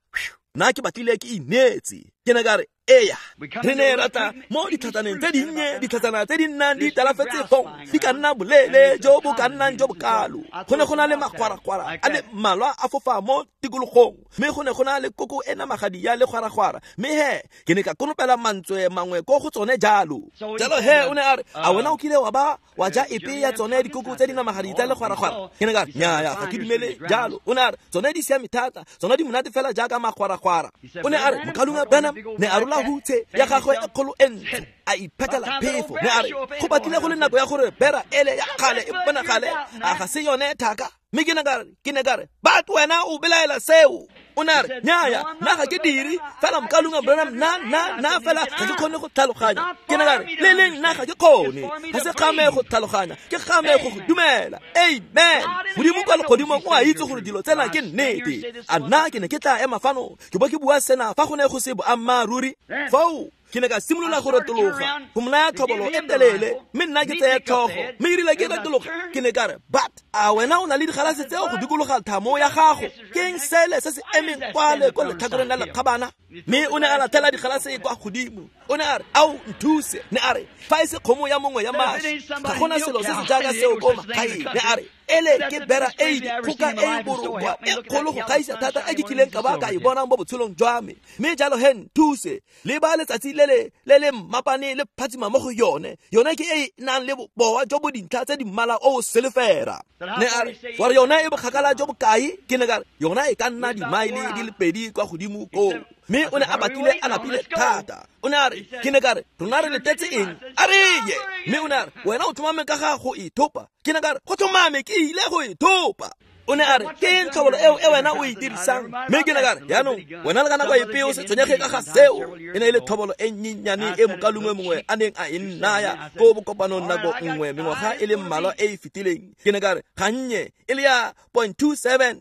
[SPEAKER 1] nna ke batlile ke ineetse. Ke ne ka re, Eya, re ne ra tla mo ditlhatsaneng tse dinnye, ditlhatsana tse di nnang di talafetse fong di ka nna boleele jo bo ka nnang jo bokalo. Go ne go na le magwaragwara a le mmalwa a fofa mo tikologong, mme go ne go na le koko e namagadi ya legwaragwara, mme he ke ne ka konopela mantswe mangwe ko go tsone jalo. Jalo he o ne a re, a wena o kile wa ba wa ja epe ya tsone dikoko tse di namagadi tsa legwaragwara? Ke ne ka re, nnyaya, ga ke dumele jalo. O ne a re, tsone di siame thata, tsone di monate fela jaaka magwaragwara. O ne a re, mokalunga Branham ne a rola hutshe ya gagwe e kgolo e ntle, a iphetela phefo. Ne a re, go batlile go le nako ya gore bera ele ya kgale e bonagale, a ga se yone thaka? Mme ke ne ka re, but wena o belaela seo. O ne a re, nnyaya, nna ga ke dire, fela mokalunga Branham, nna fela ga ke kgone go tlhaloganya. Ke ne ka re, le leng nna ga ke kgone, ga se kgame go tlhaloganya, ke kgame go go dumela. Amen. Modimo kwa legodimong o a itse gore dilo tsena ke nnete. A nna ke ne ke tla ema fano ke bo ke bua sena fa go ne go se boammaaruri? Foo ke ne ka simolola go retologa go mo naya tlhobolo e telele, mme nna ke tseye tlhogo, mme erile ke retologa ke ne ka re, but a wena o na le digalase tseo go dikologa thamo ya gago? Ke eng sele se se emeng kwale ko letlhakoreng la lekgabana? Mme o ne a latlhela digalase kwa godimo. O ne a re, ao nthuse. Ne a re, fa e se kgomo ya mongwe ya mašwi, ga gona selo se se jaaka seo ko magaeng. Ne a re, ele ke bera e dikgoka e borokwa e kgolo go gaisa thata e ke kileng ka ba ka e bonang mo botshelong jwa me. Mme jalo he nthuse, le ba letsatsi le le mmapane le phatsima mo go yone. Yone ke e nang le bobowa jo bo dintlha tse di mmala o selefera. Ne a re, wa re yone e bokgakala jo bokae? Ke ne ka re, yona e ka nna dimaele di le 2 kwa godimo koo. Mme o ne a batlile a lapile thata. O ne a re, ke ne ka re, rona re letetse eng? A re ye. Mme o ne a re, wena o tlhomame ka ga go ithopa? Ke ne ka re, go tlhomame ke ile go ithopa. O ne a re, ke eng tlhobolo eo e wena o e dirisang? Mme ke ne ka re, jaanong wena le ka nako epe o se tshwenyege ka ga seo. E ne e le tlhobolo e nnyennyane e mokalungwe mongwe a neng a e nnaya ko bokopanong nako nngwe mengwaga e le mmalwa e e fetileng. Ke ne ka re, gannye e le ya 0.270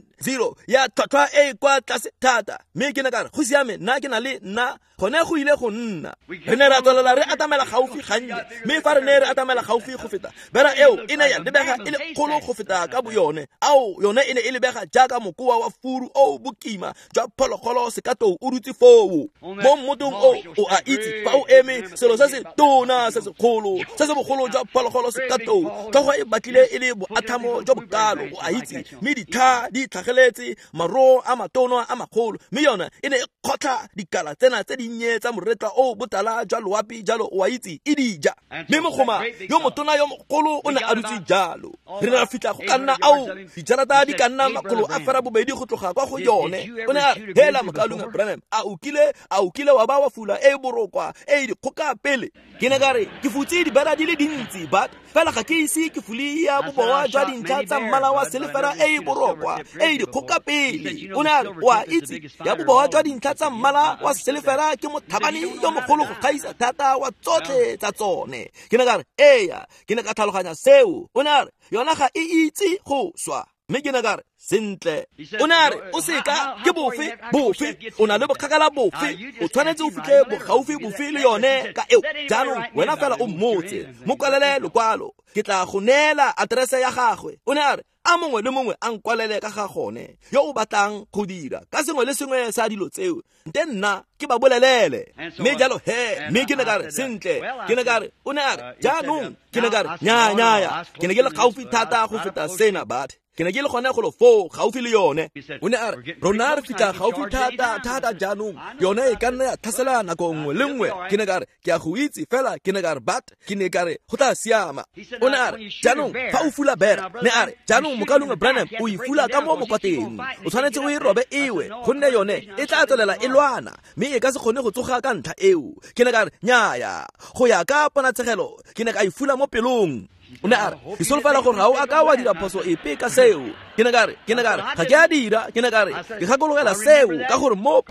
[SPEAKER 1] ya tlhwatlhwa e kwa tlase thata. Mme ke ne ka re, go siame, nna ke na le nna gone go ile go nna. Re ne ra tswelela re atamela gaufi gannye, mme fa re ne re atamela gaufi go feta, bera eo e ne ya lebega e le kgolo go feta ka boyone. Ao, yone e ne e lebega jaaka mokoa wa furu o bokima jwa phologolo sekatou o dutse foo mo mmotong o o a itse fa o eme selo se se tona se segolo se se bogolo jwa phologolo sekatou, tlhogo e batlile e le boathamo jo bokalo, o a itse, mme ditlha di tlhageletse maroo a matono a magolo, mme yone e ne e kgotlha dikala tsena tse dinnye tsa moretla o botala jwa loapi jalo, o a itse, e di ja. Mme mogoma yo motona yo mogolo o ne a dutse jalo. Re ne ra fitlha go ka nna ao dijarata di ka nna 820 go tloga kwa go yone. O ne a re, hela mokalunga Branham, a o kile wa ba wa fula e borokwa e dikgoka pele? Ke ne ka re, ke futse dibera di le dintsi, but fela ga ke ise ke fule ya bobowa jwa dintlha tsa mmala wa selefera e borokwa e dikgoka pele. O ne a re, o a itse, ya bobowa jwa dintlha tsa mmala wa selefera ke motlhabane yo mogolo go gaisa thata wa tsotlhe tsa tsone. Ke ne ka re, eya, ke ne ka tlhaloganya seo. O ne a re, yona ga e itse go swa. Mme ke ne ka re, sentle. O ne a re, o seka ke bofe bofe, o na le bokgakala bofe, o tshwanetse o fitlhe bogaufi bofe le yone ka eo. Jaanong wena fela o mmotse, mo kwalele lokwalo, ke tla go neela aterese ya gagwe. O ne a re, a mongwe le mongwe a nkwalele ka ga gone yo o batlang go dira ka sengwe le sengwe sa dilo tseo, nte nna ke ba bolelele. Mme jalo he, mme ke ne ka re, sentle. Ke ne ka re, o ne a re, jaanong ke ne ka re, nnyaya, ke ne ke le gaufi thata go feta sena, but ke ne ke le gone golo foo gaufi le yone. O ne a re, rona re fitlha gaufi thata thata jaanong, yone e ka nna ya tlhasela nako nngwe le nngwe. Ke ne ka re, ke a go itse fela, ke ne ka re, but ke ne ka re, go tla siama. O ne a re, jaanong fa o fula bera, ne a re, jaanong mokalunga Branham o e fula ka mo mokwateng, o tshwanetse o e robe ewe, gonne yone e tla tswelela e lwana, mme e ka se kgone go tsoga ka ntlha eo. Ke ne ka re, nnyaya, go ya ka ponatshegelo ke ne ka e fula mo pelong. O ne a re, ke solofela gore ga o a ka wa dira phoso epe ka seo. Ke ne ka re, ga ke a dira. Ke ne ka re, ke gakologela seo ka gore mo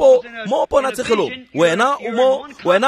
[SPEAKER 1] ponatshegelong wena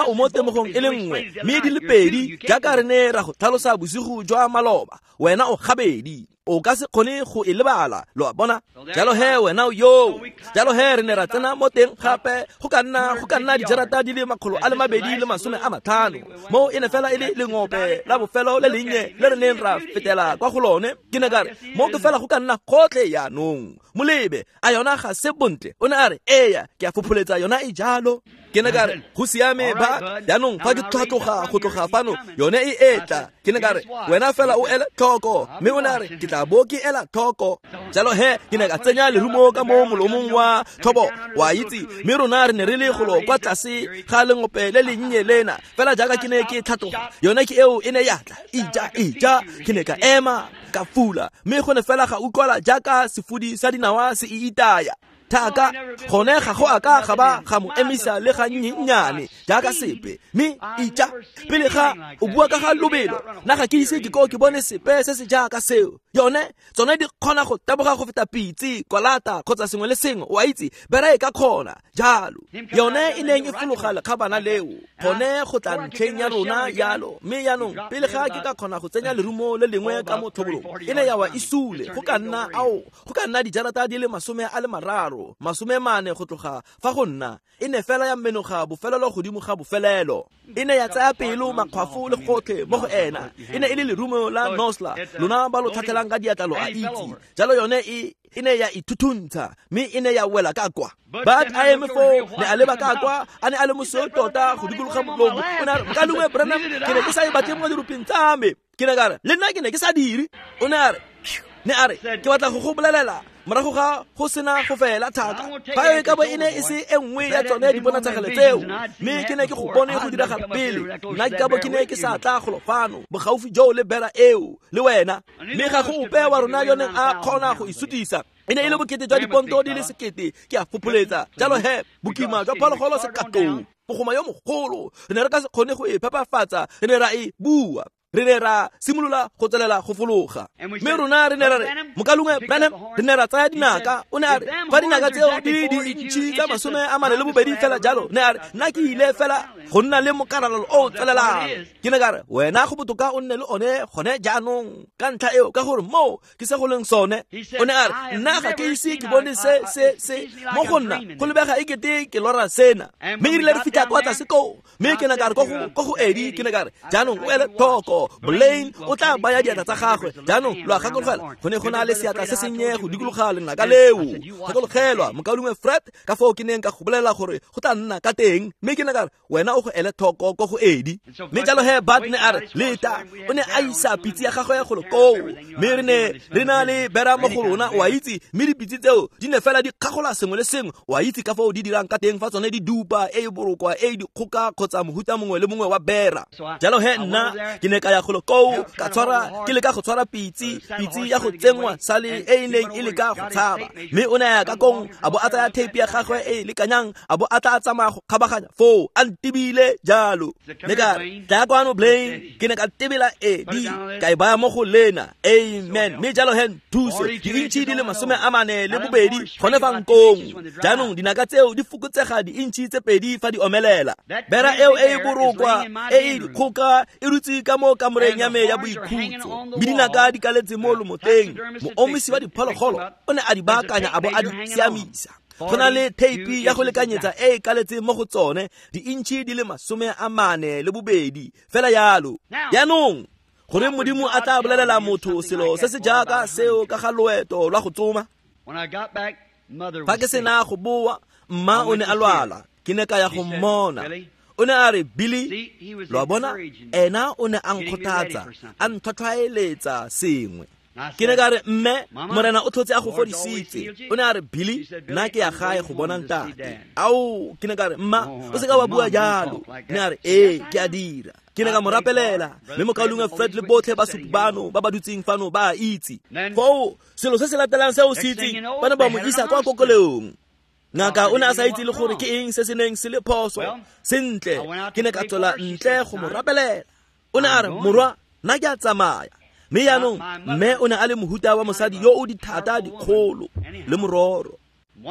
[SPEAKER 1] o mo temogong e le nngwe, mme di le pedi jaaka re ne ra go tlhalosa bosigo jwa maloba, wena o gabedi, o ka se kgone go e lebala, lo a bona. Jalo he wena yo, jalo he re ne ra tsena mo teng gape go ka nna dijarata di le 250, mo e ne fela e le lengope la bofelo le lennye le re neng ra fetela kwa go lone. Ke ne ka re, mo ke fela go ka nna gotlhe jaanong, molebe, a yona ga se bontle? O ne a re, eya, ke a fopholetsa yona e jalo. Ke ne ka re, go siame ba, jaanong fa ke tlhatloga go tloga fano, yone e etla. Ke ne ka re, wena fela o ele tlhoko. Mme o ne a re, ke tla bo ke ela tlhoko. Jalo he, ke ne ka tsenya lerumo ka mo molomong wa tlhobo, wa itse, mme rona re ne re le golo kwa tlase ga lengope le lennye lena. Fela jaaka ke ne ke tlhatloga, yone ke eo e ne ya tla, ija, ija. Ke ne ka ema, ka fula, mme go ne fela ga utlwala jaaka sefudi sa dinawa se e itaya. Thaka, gone ga go a ka ga ba ga mo emisa le ga nnyennyane jaaka sepe. Mme ija, pele ga o bua ka ga lobelo, nna ga ke ise ke ko ke bone sepe se se jaaka seo. Yone, tsone di kgona go taboga go feta pitse, kwalata kgotsa sengwe le sengwe, o a itse, bera e ka kgona jalo. Yone e neng e fologa lekgabana leo, gone go tla ntlheng ya rona jalo. Mme jaanong pele ga ke ka kgona go tsenya lerumo le lengwe ka mo tlhobolong, e ne ya wa e sule go ka nna ao, go ka nna dijarata di le 30, 40 go tloga fa go nna. E ne fela ya menoga bofelelo godimo ga bofelelo. E ne ya tsaya pelo, makgwafo le gotlhe mo go ena. E ne e le lerumo la Nosla, lona ba lo tlhatlhelang ka diatla lo a itse. Jalo yone e ne ya ithuthuntsha, mme e ne ya wela ka kwa. But a eme foo, ne a leba ka kwa, a ne a le mosweu tota go dikologa molomo. O ne a re, Mokaulengwe Branham, ke ne ke sa e batle mo dirupeng tsa me. Ke ne ka re, le nna ke ne ke sa dire. O ne a re, ne a re, ke batla go go bolelela morago ga go sena go fela thaka, fa e ka bo e ne e se e nngwe ya tsone diponatshegelo tseo, mme ke ne ke go bone go diragala pele, nna ke ka bo ke ne ke sa tla golo fano bogaufi joo le bera eo le wena. Mme ga go ope wa rona yo neng a kgona go e sutisa. E ne e le bokete jwa diponto di le 1000, ke a fopholetsa. Jalo he, bokima jwa phologolo sekatou, mogoma yo mogolo, re ne re ka se kgone go e phepafatsa, re ne ra e bua. Re ne ra simolola go tswelela go fologa. Mme rona re ne ra re, Mokaulengwe Branham, re ne ra tsaya dinaka. O ne a re, fa dinaka tseo di diintšhi tsa 42 fela jalo, ne a re, nna ke ile fela go nna le mokaralalo o tswelelang. Ke ne ka re, wena go botoka o nne le one gone jaanong ka ntlha eo, ka gore moo ke se go leng sone. O ne a re, nna ga ke ise ke bone se se se mo go nna, go lebega e kete ke lora sena. Mme erile re fitlha kwa tlase koo, mme ke ne ka re ko go Eddie, ke ne ka re, jaanong o ele tlhoko, Blaine o tla baya diatla tsa gagwe. Jaanong lo a gakologelwa, go ne go na le seatla se sennye go dikologa lenaka leo. Gakologelwa, mokaulengwe Fred, ka foo ke neng ka go bolelela gore go tla nna ka teng. Mme ke ne ka re, wena o go ele tlhoko ko go Eddie. Mme jalo he Bart ne a re, leta, o ne a isa pitse ya gagwe golo koo. Mme re ne re na le bera mo go rona, o a itse, mme dipitse tseo di ne fela di kgagola sengwe le sengwe. O a itse ka foo di dirang ka teng fa tsone di dupa e e borokwa, e e dikgoka kgotsa mohuta mongwe le mongwe wa bera. Jalo he nna ke ne ka ya golo koo, ka tshwara, ke leka go tshwara pitse ya go tsenngwa sale e e neng e leka go tshaba. Mme o ne a ya ka kong, a bo a tsaya tape ya gagwe e e lekanyang, a bo a tla tsamaya go kgabaganya foo, a ntebile jalo. Ne ka re, tla kwano Blaine. Ke ne ka tebela Eddie, ka e baya mo go lena. Amen. Mme jalo he nthuse, diintšhi di le 42 gone fa nkong. Jaanong dinaka tseo di fokotsega diintšhi tse 2 fa di omelela. Bera eo e e borokwa, e e dikgoka, e rutse ka mo kamoreng ya me ya boikhutso, mme dinaka di kaletse mo lomoteng. Moomisi wa diphologolo o ne a di baakanya a bo a di siamisa. Go na le theipi ya go lekanyetsa e e kaletseng mo go tsone, diintšhi di le 42 fela yalo. Jaanong gore Modimo a tla bolelela motho selo se se jaaka seo ka ga loeto lwa go tsoma. Fa ke sena go boa, mma o ne a lwala, ke ne ka ya go mmona. O ne a re, Billy, lo a bona, ena o ne a nkgothatsa, a ntlhwatlhwaeletsa sengwe. Ke ne ka re, mme, Morena o tlhotse a go fodisitse. O ne a re, Billy, nna ke ya gae go bona ntate. Ao, ke ne ka re, mma, o se ka wa bua jalo. Ne a re, ee, ke a dira. Ke ne ka mo rapelela, mme mokaulengwe Fred le botlhe basupi bano ba ba dutseng fano ba a itse. Foo, selo se se latelang seo se itseng, ba ne ba mo isa kwa kokelong. Ngaka o ne a sa itse le gore ke eng se se neng se le phoso. Sentle, ke ne ka tswela ntle go mo rapelela. O ne a re, morwa, nna ke a tsamaya. Mme jaanong, mme o ne a le mohuta wa mosadi yo o dithata dikgolo le mororo.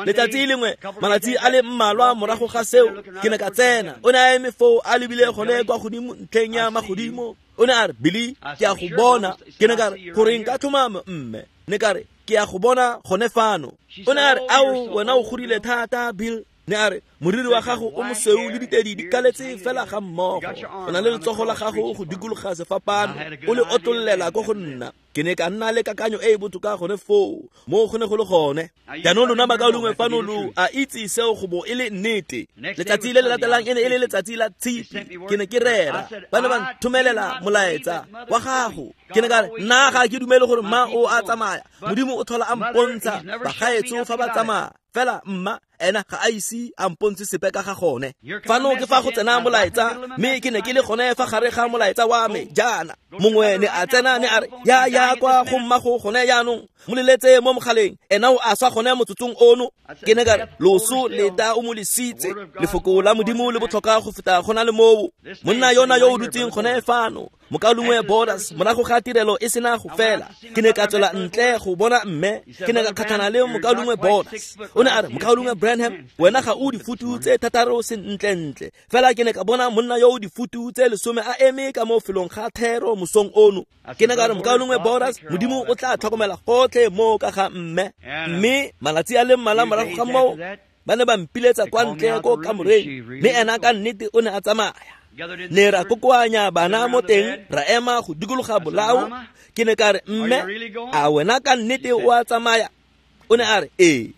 [SPEAKER 1] Letsatsi lengwe, malatsi a le mmalwa morago ga seo, ke ne ka tsena. O ne a eme foo a lebile gone kwa godimo ntlheng ya magodimo. O ne a re, Billy, ke a go bona. Ke ne ka re, goreng ka tlhomamo, mme? Ne ka re, ke a go bona gone fano. O ne a re, ao, wena o godile thata, Bill. Ne a re, Moriri wa gago o mosweu le ditedi di kaletse fela ga mmogo. O na le letsogo la gago go dikologa sefapano, o le otlollela ko go nna. Ke ne ka nna le kakanyo e e botoka gone foo, mo go ne go le gone. Jaanong lona bakaulengwe fano lo a itse seo go bo e le nnete. Letsatsi le le latelang e ne e le letsatsi la Tshipi. Ke ne ke rera. Ba ne ba nthomelela molaetsa wa gago. Ke ne ka re, nna ga ke dumele gore mma o a tsamaya. Modimo o tlhola a mpontsha bagaetsho fa ba tsamaya. Fela mma ena ga a ise a mpontshe sepe ka ga gone. Fano ke fa go tsena molaetsa, mme ke ne ke le gone fa gare ga molaetsa wa me jaana. Mongwe ne a tsena ne a re, ya kwa go mmago gone jaanong, mo leletse mo mogaleng, ena o a swa gone motsotsong ono. Ke ne ka re, loso leta o mo lesitse, lefoko la Modimo le botlhokwa go feta go na le moo. Monna yona yo o dutseng gone fano, mokaulengwe Borders, morago ga tirelo e sena go fela, ke ne ka tswela ntle go bona mme, ke ne ka kgatlhana le mokaulengwe Borders. O ne a re, mokaulengwe Branham, wena ga o difutu tse 6 sentlentle. Fela ke ne ka bona monna yo o difutu tse 10 a eme ka mo felong ga thero mosong ono. Ke ne ka re, mokaulengwe Borders, Modimo o tla tlhokomela gotlhe mo ka ga mme. Mme malatsi a le mmalwa morago ga moo, ba ne ba mpiletsa kwa ntle ko kamoreng, mme ena ka nnete o ne a tsamaya. Ne ra kokoanya bana mo teng, ra ema go dikologa bolao. Ke ne ka re, mme, a wena ka nnete o a tsamaya? O ne a re, ee.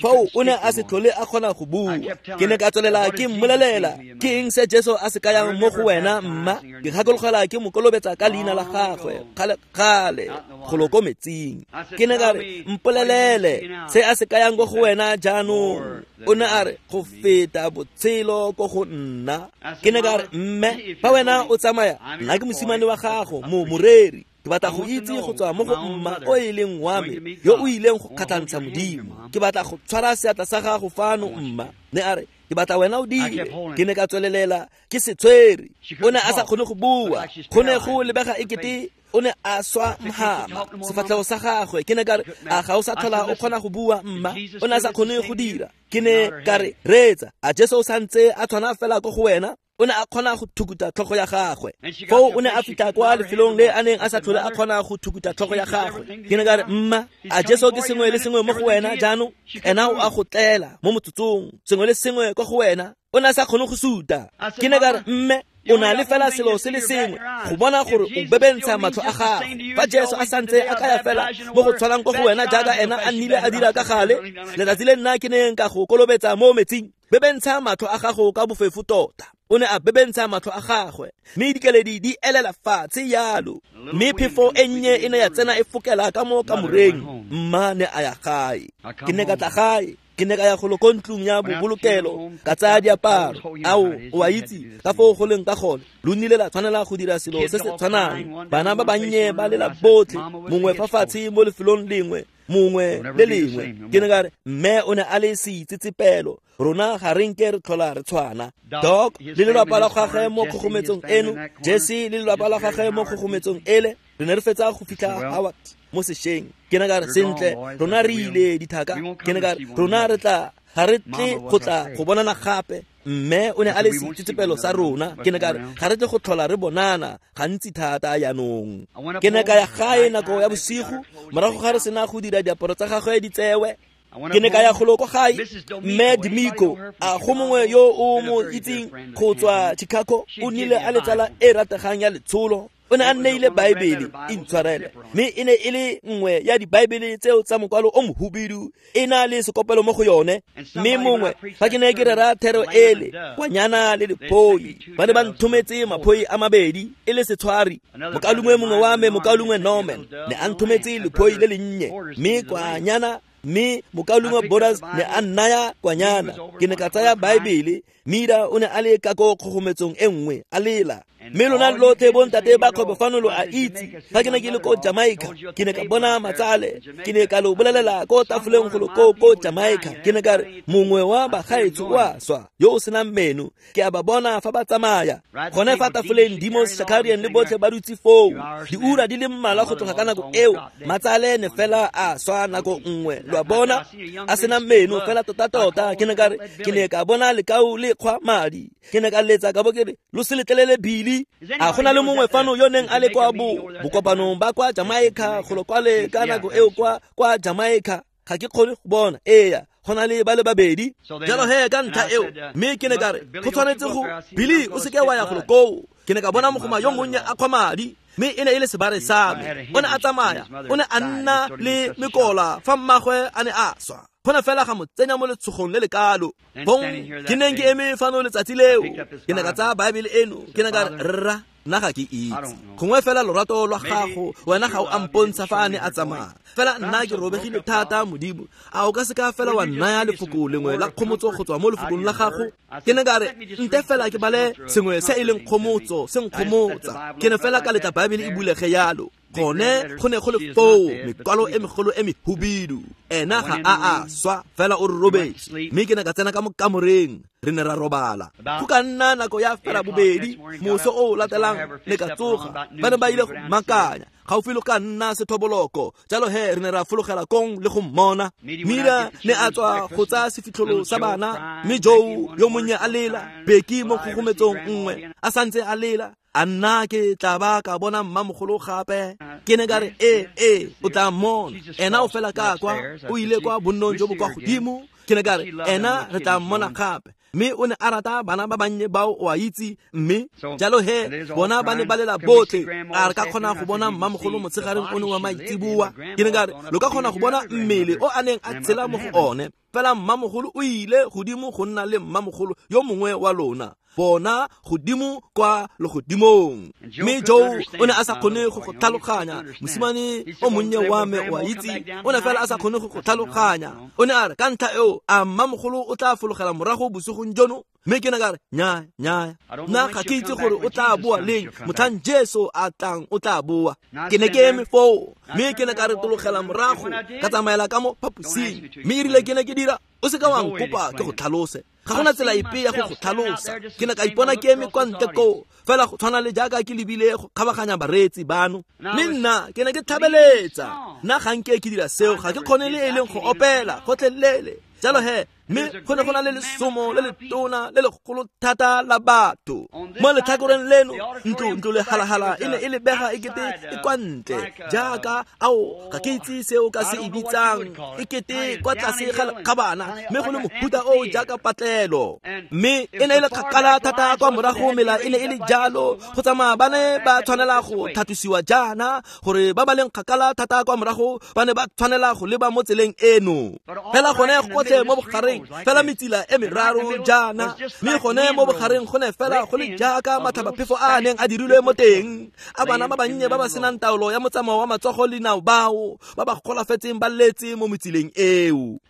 [SPEAKER 1] Foo o ne a se tlhole a kgona go bua. Ke ne ka tswelela ke mmolelela, ke eng se Jesu a se kayang mo go wena mma? Ke gakologela ke mo kolobetsa ka leina la gagwe kgale golo ko metsing. Ke ne ka re, mpolelele se a se kayang ko go wena jaanong. O ne a re, go feta botshelo ko go nna. Ke ne ka re, mme, fa wena o tsamaya, nna ke mosimane wa gago, mo moreri. Ke batla go itse go tswa mo go mma o e leng wa me, yo o ileng go kgatlhantsha Modimo. Ke batla go tshwara seatla sa gago fano mma. Ne a re, ke batla wena o dire. Ke ne ka tswelelela ke se tshwere. O ne a sa kgone go bua. Go ne go lebega ekete o ne a swa mhama sefatlhego sa gagwe. Ke ne ka re, a ga o sa tlhola o kgona go bua mma? O ne a sa kgone go dira. Ke ne ka re, reetsa, a Jesu o santse a tshwana fela ko go wena? O ne a kgona go thukuta tlhogo ya gagwe. Foo o ne a fitlha kwa lefelong le a neng a sa tlhole a kgona go thukuta tlhogo ya gagwe. Ke ne ka re, mma, a Jesu ke sengwe le sengwe mo go wena jaanong? Ena o a go tlela mo motsotsong, sengwe le sengwe kwa go wena. O ne a sa kgone go suta. Ke ne ka re, mme, o na le fela selo se le sengwe go bona gore o bebentsha matlho a gago. Fa Jesu a santse a kaya fela mo go tshwanang ko go wena jaaka ena a nnile a dira ka gale, letsatsi le nna ke neng ka go kolobetsa mo metsing, bebentsha matlho a gago ka bofefo tota. O ne a bebentsha matlho a gagwe, mme dikeledi di elela fatshe yalo. Mme phefo e nnye e ne ya tsena e fokela ka mo kamoreng. Mma ne a ya gae. Ke ne ka tla gae. Ke ne ka ya golo ko ntlong ya bobolokelo, ka tsaya diaparo. Ao, o a itse ka foo go leng ka gone. Lo nnile la tshwanela go dira selo se se tshwanang. Bana ba bannye ba lela botlhe, mongwe fa fatshe mo lefelong lengwe, mongwe le lengwe. Ke ne ka re, mme o ne a le seitsetsepelo. Rona ga re nke re tlhola re tshwana. Doc le lelapa la gagwe mo kgogometsong eno, Jesse le lelapa la gagwe mo kgogometsong ele, re ne re fetsa go fitlha Howard mo sešweng. Ke ne ka re, sentle, rona re ile dithaka. Ke ne ka re, rona re tla, ga re tle go tla go bonana gape. Mme o ne a le seitsetsepelo sa rona. Ke ne ka re, ga re tle go tlhola re bonana gantsi thata jaanong. Ke ne ka ya gae nako ya bosigo, morago ga re sena go dira diaparo tsa gagwe di tsewe. Ke ne ka ya golo ko gae. Mme Dimiko, a go mongwe yo o mo itseng go tswa Chicago, o nnile a le tsala e rategang ya letsholo. O ne a nneile Baebele, intshwarele, mme e ne e le nngwe ya dibaebele tseo tsa mokwalo o mohubidu, e na le sekopelo mo go yone. Mme mongwe, fa ke ne ke rera thero ele, kwanyana le lephoi, ba ne ba nthometse maphoi a mabedi e le setshwari. Mokaulengwe mongwe wa me, mokaulengwe Norman, ne a nthometse lephoi le lennye, mme kwanyana, mme mokaulengwe Borders ne a nnaya kwanyana. Ke ne ka tsaya Baebele. Mira o ne a le ka ko kgogometsong e nngwe, a lela. Mme lona lotlhe bontate ba kgwebo fano lo a itse, fa ke ne ke le ko Jamaica, ke ne ka bona matsale. Ke ne ka lo bolelela ko tafoleng golo ko Jamaica. Ke ne ka re, mongwe wa bagaetsho o a swa, yo o senang meno. Ke a ba bona fa ba tsamaya. Gone fa tafoleng Demos Shakarian le botlhe ba dutse foo. Diura di le mmalwa go tloga ka nako eo, matsale ne fela a swa nako nngwe. Lo a bona, a sena meno fela tota-tota. Ke ne ka re, ke ne ka bona lekau le kgwa madi. Ke ne ka letsa ka bo ke re, lo se letlelele Billy. A go na le mongwe fano yo neng a le kwa bokopanong ba kwa Jamaica golo kwale ka nako eo kwa Jamaica? Ga ke kgone go bona. Eya, go na le ba le babedi. Jalo he ka ntlha eo, mme ke ne ka re, go tshwanetse go Billy, o seke wa ya golo koo. Ke ne ka bona mogoma yo monnye a kgwa madi, mme e ne e le sebare sa me. O ne a tsamaya, o ne a nna le mekola fa mmagwe a ne a swa. Go ne fela ga mo tsenya mo letshogong le le kalo. Bong ke neng ke eme fano letsatsi leo, ke ne ka tsaya Baebele eno, ke ne ka re, rra, nna ga ke itse. Gongwe fela lorato lwa gago, wena ga o a mpontsha fa a ne a tsamaya. Fela nna ke robegile thata, Modimo. A o ka seka fela wa nnaya lefoko lengwe la kgomotso go tswa mo lefokong la gago? Ke ne ka re, nte fela ke bale sengwe se e leng kgomotso, se nkgomotsa. Ke ne fela ka letla Baebele e bulege yalo. Gone go ne go le foo mekwalo e megolo e mehubidu. Ena ga a a swa, fela o re robetse. Mme ke ne ka tsena ka mo kamoreng, re ne ra robala. Go ka nna nako ya fela bobedi, moso o o latelang ne ka tsoga. Ba ne ba ile go makanya gaufi le ka nna sethoboloko. Jalo he re ne ra fologela kong le go mmona. Mira ne a tswa go tsaya sefitlholo sa bana, mme Joe yo monnye a lela, Becky mo kgogometsong nngwe a santse a lela. A nna ke tla ba ka bona mmamogolo gape? Ke ne ka re, ee, o tla mmona. Ena o fela ka kwa, o ile kwa bonnong jo bo kwa godimo. Ke ne ka re, ena re tla mmona gape. Mme o ne a rata bana ba bannye bao, o a itse. Mme jalo he bona ba ne ba lela botlhe. A re ka kgona go bona mmamogolo motshegareng o ne wa maitseboa? Ke ne ka re, lo ka kgona go bona mmele o a neng a tshela mo go one. Fela mmamogolo o ile godimo go nna le mmamogolo yo mongwe wa lona, bona godimo kwa legodimong. Mme Joe o ne a sa kgone go go tlhaloganya. Mosimane o monnye wa me, o a itse, o ne fela a sa kgone go go tlhaloganya. O ne a re, ka ntlha eo, a mmamogolo o tla fologela morago bosigong jono? Mme ke ne ka re, nyaa, nyaa, nna ga ke itse gore o tla boa leng. Motlhang Jesu a tlang, o tla boa. Ke ne ke eme foo, mme ke ne ka retologela morago, ka tsamaela ka mo phaposing. Mme erile ke ne ke dira, o seka wa nkopa ke go tlhalose. Ga gona tsela epe ya go go tlhalosa. Ke ne ka ipona ke eme kwa ntle koo, fela go tshwana le jaaka ke lebile go kgabaganya bareetsi bano. Mme nna ke ne ke tlhabeletsa. Nna ga nke ke dira seo, ga ke kgone le e leng go opela gotlhelele. Jalo he, mme go ne go na le lesomo le letona le legolo thata la batho mo letlhakoreng leno. Ntlo le halahala e ne e lebega e kete e kwa ntle, jaaka ao ga ke itse seo ka se e bitsang, e kete kwa tlase ga lekgabana, mme go le mohuta o jaaka patlelo. Mme e ne e le kgakala thata kwa morago, mela e ne e le jalo go tsamaya, ba ne ba tshwanela go tlhatlosiwa jaana gore ba ba leng kgakala thata kwa morago ba ne ba tshwanela go leba mo tseleng eno. Fela gone gotlhe mo bogareng, fela metsila e meraro jaana, mme gone mo bogareng go ne fela go le jaaka matlhabaphefo a a neng a dirilwe mo teng, a bana ba bannye ba ba senang taolo ya motsamao wa matsogo le dinao bao ba ba golafetseng ba letse mo metsileng eo.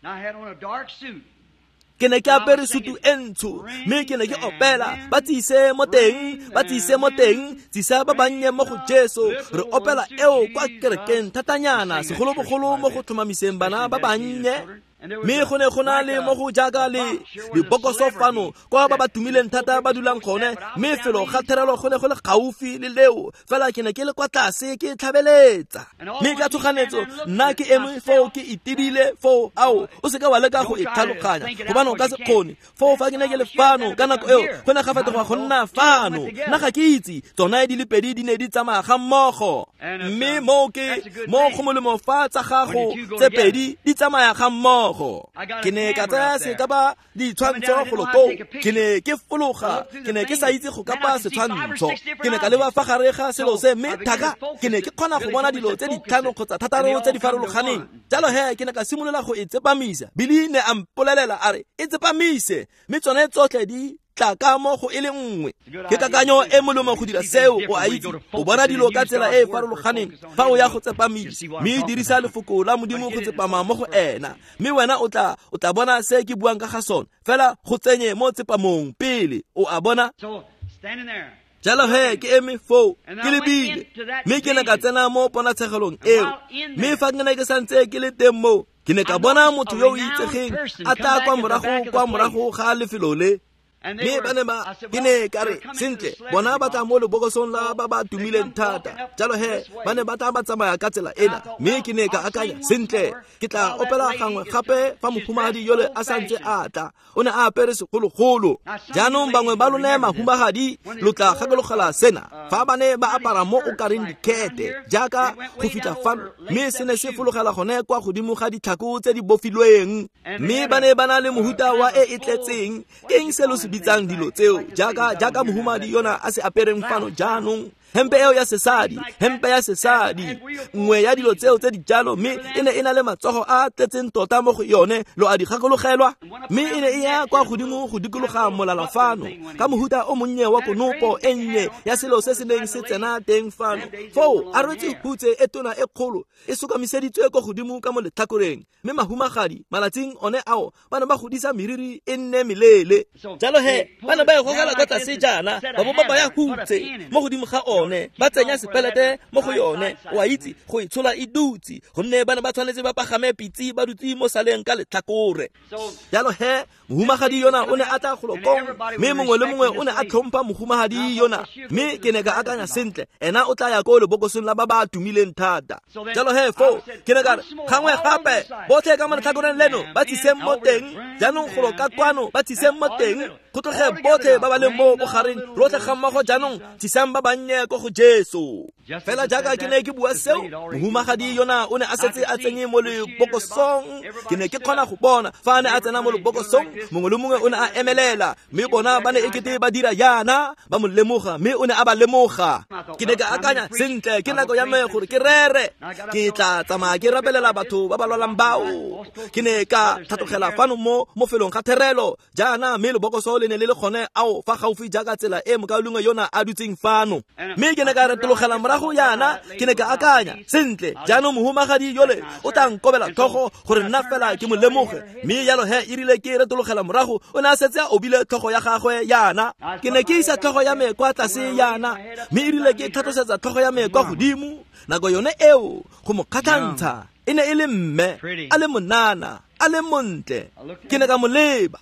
[SPEAKER 1] Ke ne ke apere sutu e ntsho, mme ke ne ke opela, ba tsise mo teng, ba tsise mo teng, tsisa ba bannye mo go Jesu. Re opela eo kwa kerekeng thatanyana, segolobogolo mo go tlhomamiseng bana ba bannye. Mme go ne go na le mo go jaaka le lebokoso fano kwa ba ba tumileng thata ba dulang gone, mme felo ga therelo go ne go le gaufi le leo. Fela ke ne ke le kwa tlase ke tlhabeletsa, mme ka tshoganetso nna ke eme foo ke itebile foo. Ao, o seka wa leka go e tlhaloganya, gobane o ka se kgone. Foo fa ke ne ke le fano ka nako eo, go ne ga fetoga go nna fano. Nna ga ke itse, tsona di le pedi di ne di tsamaya ga mmogo. Mme moo ke mo go molemo fa tsa gago tse pedi di tsamaya ga mmogo. Ke ne ka tsaya sekapa ditshwantsho golo koo. Ke ne ke fologa, ke ne ke sa itse go kapa setshwantsho. Ke ne ka leba fa gare ga selo se, mme thaka ke ne ke kgona go bona dilo tse ditlhano kgotsa thataro tse di farologaneng. Jalo he ke ne ka simolola go e tsepamisa. Billy ne a mpolelela a re, e tsepamise, mme tsone tsotlhe di tla ka mo go e le nngwe. Ke kakanyo e molemo go dira seo, o a itse. O bona dilo ka tsela e e farologaneng fa o ya go tsepamisa, mme dirisa lefoko la Modimo go tsepama mo go ena. Mme wena o tla bona se ke buang ka ga sone. Fela go tsenye mo tsepamong pele, o a bona. Jalo he ke eme foo ke lebile, mme ke ne ka tsena mo ponatshegelong eo. Mme fa ke ne ke santse ke le teng moo, ke ne ka bona motho yo o itsegeng a tla kwa morago ga lefelo le. Mme ba ne ba, ke ne ka re, sentle, bona ba tla mo lebokosong la ba ba tumileng thata. Jalo he, ba ne ba tla ba tsamaya ka tsela ena. Mme ke ne ka akanya, sentle, ke tla opela gangwe gape fa mohumagadi yole a santse a tla. O ne a apere segologolo. Jaanong bangwe ba lone mahumagadi lo tla gakologela sena. Fa ba ne ba apara mo o kareng dikhete jaaka go fitlha fano, mme se ne se fologela gone kwa godimo ga ditlhako tse di bofilweng. Mme ba ne ba na le mohuta wa e e tletseng. Ke eng se lo se bitsang dilo tseo jaaka mohumadi yona a se apereng fano jaanong? Hempe eo ya sesadi, hempe ya sesadi, nngwe ya dilo tseo tse di jalo, mme e ne e na le matsogo a tletseng tota mo go yone, lo a di gakologelwa. Mme e ne e ya kwa godimo go dikologa molala fano ka mohuta o monnye wa konopo e nnye ya selo se se neng se tsena teng fano. Foo a rwetse hutse e tona e kgolo e sokamiseditswe ko godimo ka mo letlhakoreng. Mme mahumagadi malatsing one ao ba ne ba godisa meriri e nne meleele. Jalo he ba ne ba e gogela kwa tlase jaana, ba bo ba baya hutse mo godimo ga one, ba tsenya sepelete mo go yone, o a itse, go e tshola e dutse, gonne ba ne ba tshwanetse ba pagame pitse ba dutse mo saleng ka letlhakore. Jalo he mohumagadi yona o ne a tla golo kong, mme mongwe le mongwe o ne a tlhompha mohumagadi yona. Mme ke ne ka akanya, sentle, ena o tla ya ko lebokosong la ba ba tumileng thata. Jalo he foo ke ne ka re, gangwe gape botlhe ka mo letlhakoreng leno ba tsiseng mo teng, jaanong golo ka kwano ba tsiseng mo teng, go tloge botlhe ba ba leng mo bogareng rotlhe ga mmogo jaanong tsisang ba bannye ko go Jesu. Fela jaaka ke ne ke bua seo, mohumagadi yona o ne a setse a tsenye mo lebokosong. Ke ne ke kgona go bona fa a ne a tsena mo lebokosong, mongwe le mongwe o ne a emelela, mme bona ba ne ekete ba dira jaana, ba mo lemoga, mme o ne a ba lemoga. Ke ne ka akanya, sentle, ke nako ya me gore ke rere, ke tla tsamaya ke rapelela batho ba ba lwalang bao. Ke ne ka tlhatlogela fano mo mofelong ga therelo jaana, mme lebokoso le ne le le gone ao fa gaufi jaaka tsela e mokaulengwe yona a dutseng fano. Mme ke ne ka retologela morago jaana, ke ne ka akanya, sentle, jaanong mohumagadi yole o tla nkobela tlhogo gore nna fela ke mo lemoge. Mme jalo he e rile ke retologela morago, o ne a setse a obile tlhogo ya gagwe jaana. Ke ne ke isa tlhogo ya me kwa tlase jaana, mme e rile ke tlhatlosetsa tlhogo ya me kwa godimo, nako yone eo go mo kgatlhantsha e ne e le mme, a le monana, a le montle. Ke ne ka mo leba,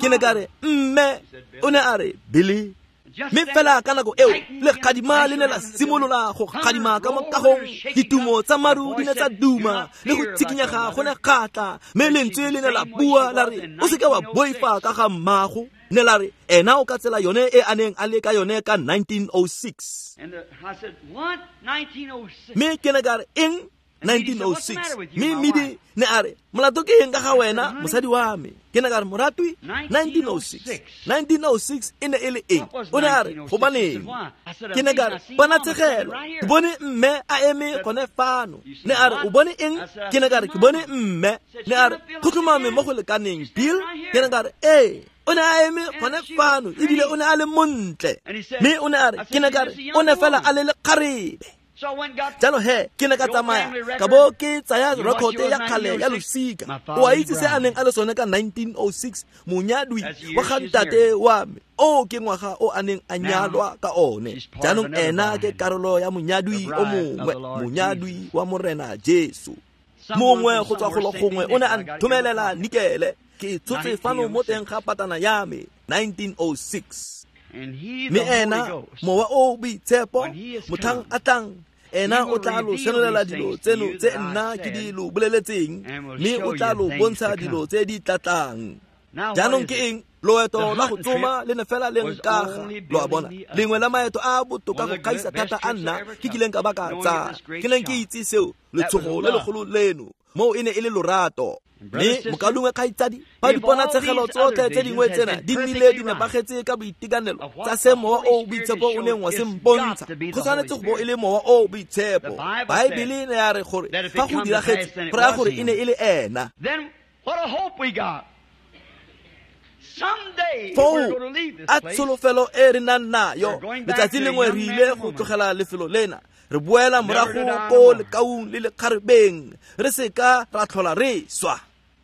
[SPEAKER 1] ke ne ka re, mme. O ne a re, Billy. Mme fela ka nako eo lekgadima le ne la simolola go kgadima ka mo kagong, ditumo tsa maru di ne tsa duma le go tshikinyega go ne kgatla, mme lentswe le ne la bua la re, o seke wa boifa ka ga mmago. Ne la re, ena o ka tsela yone e a neng a le ka yone ka 1906. Mme ke ne ka re, eng? 1906. Mme Midi ne a re, molato ke eng ka ga wena, mosadi wa me? Ke ne ka re, moratwi, 1906. 1906 e ne e le eng? O ne a re, gobaneng? Ke ne ka re, ponatshegelo, ke bone mme a eme gone fano. Ne a re, o bone eng? Ke ne ka re, ke bone mme. Ne a re, go tlhomame mo go lekaneng, Bill? Ke ne ka re, ee. O ne a eme gone fano, ebile o ne a le montle. Mme o ne a re, ke ne ka re, o ne fela a le lekgarebe. Jalo he ke ne ka tsamaya ka bo ke tsaya rekote ya kgale ya losika. O a itse se a neng a le sone ka 1906, monyadwi wa ga ntate wa me. O ke ngwaga o a neng a nyalwa ka one. Jaanong ena ke karolo ya monyadwi o mongwe, monyadwi wa Morena Jesu. Mongwe go tswa golo gongwe o ne a nthomelela nikele. Ke tshotse fano mo teng ga patana ya me, 1906. Mme ena mowa o boitshepo motlhang a tlang, ena o tla lo senolela dilo tseno tse nna ke di lo boleletseng, mme o tla lo bontsha dilo tse di tlatlang. Jaanong ke eng? Loeto la go tsoma le ne fela le nkaga, lo a bona, lengwe la maeto a botoka go gaisa thata a nna ke kileng ka ba ka tsaya. Ke neng ke itse seo, letshogo le legolo leno, moo e ne e le lorato. Mme mokaulengwe kgaitsadi, fa diponatshegelo tsotlhe tse dingwe tsena di nnile di nepagetse ka boitekanelo tsa se mowa o boitshepo o neng wa se mpontsha, go tshwanetse go bo e le mowa o boitshepo. Baebele ne ya re gore fa go diragetse, go raya gore e ne e le ena. Foo a tsholofelo e re nang nayo, letsatsi lengwe re ile go tlogela lefelo lena, re boela morago ko lekaung le lekgarebeng, re seka ra tlhola re swa.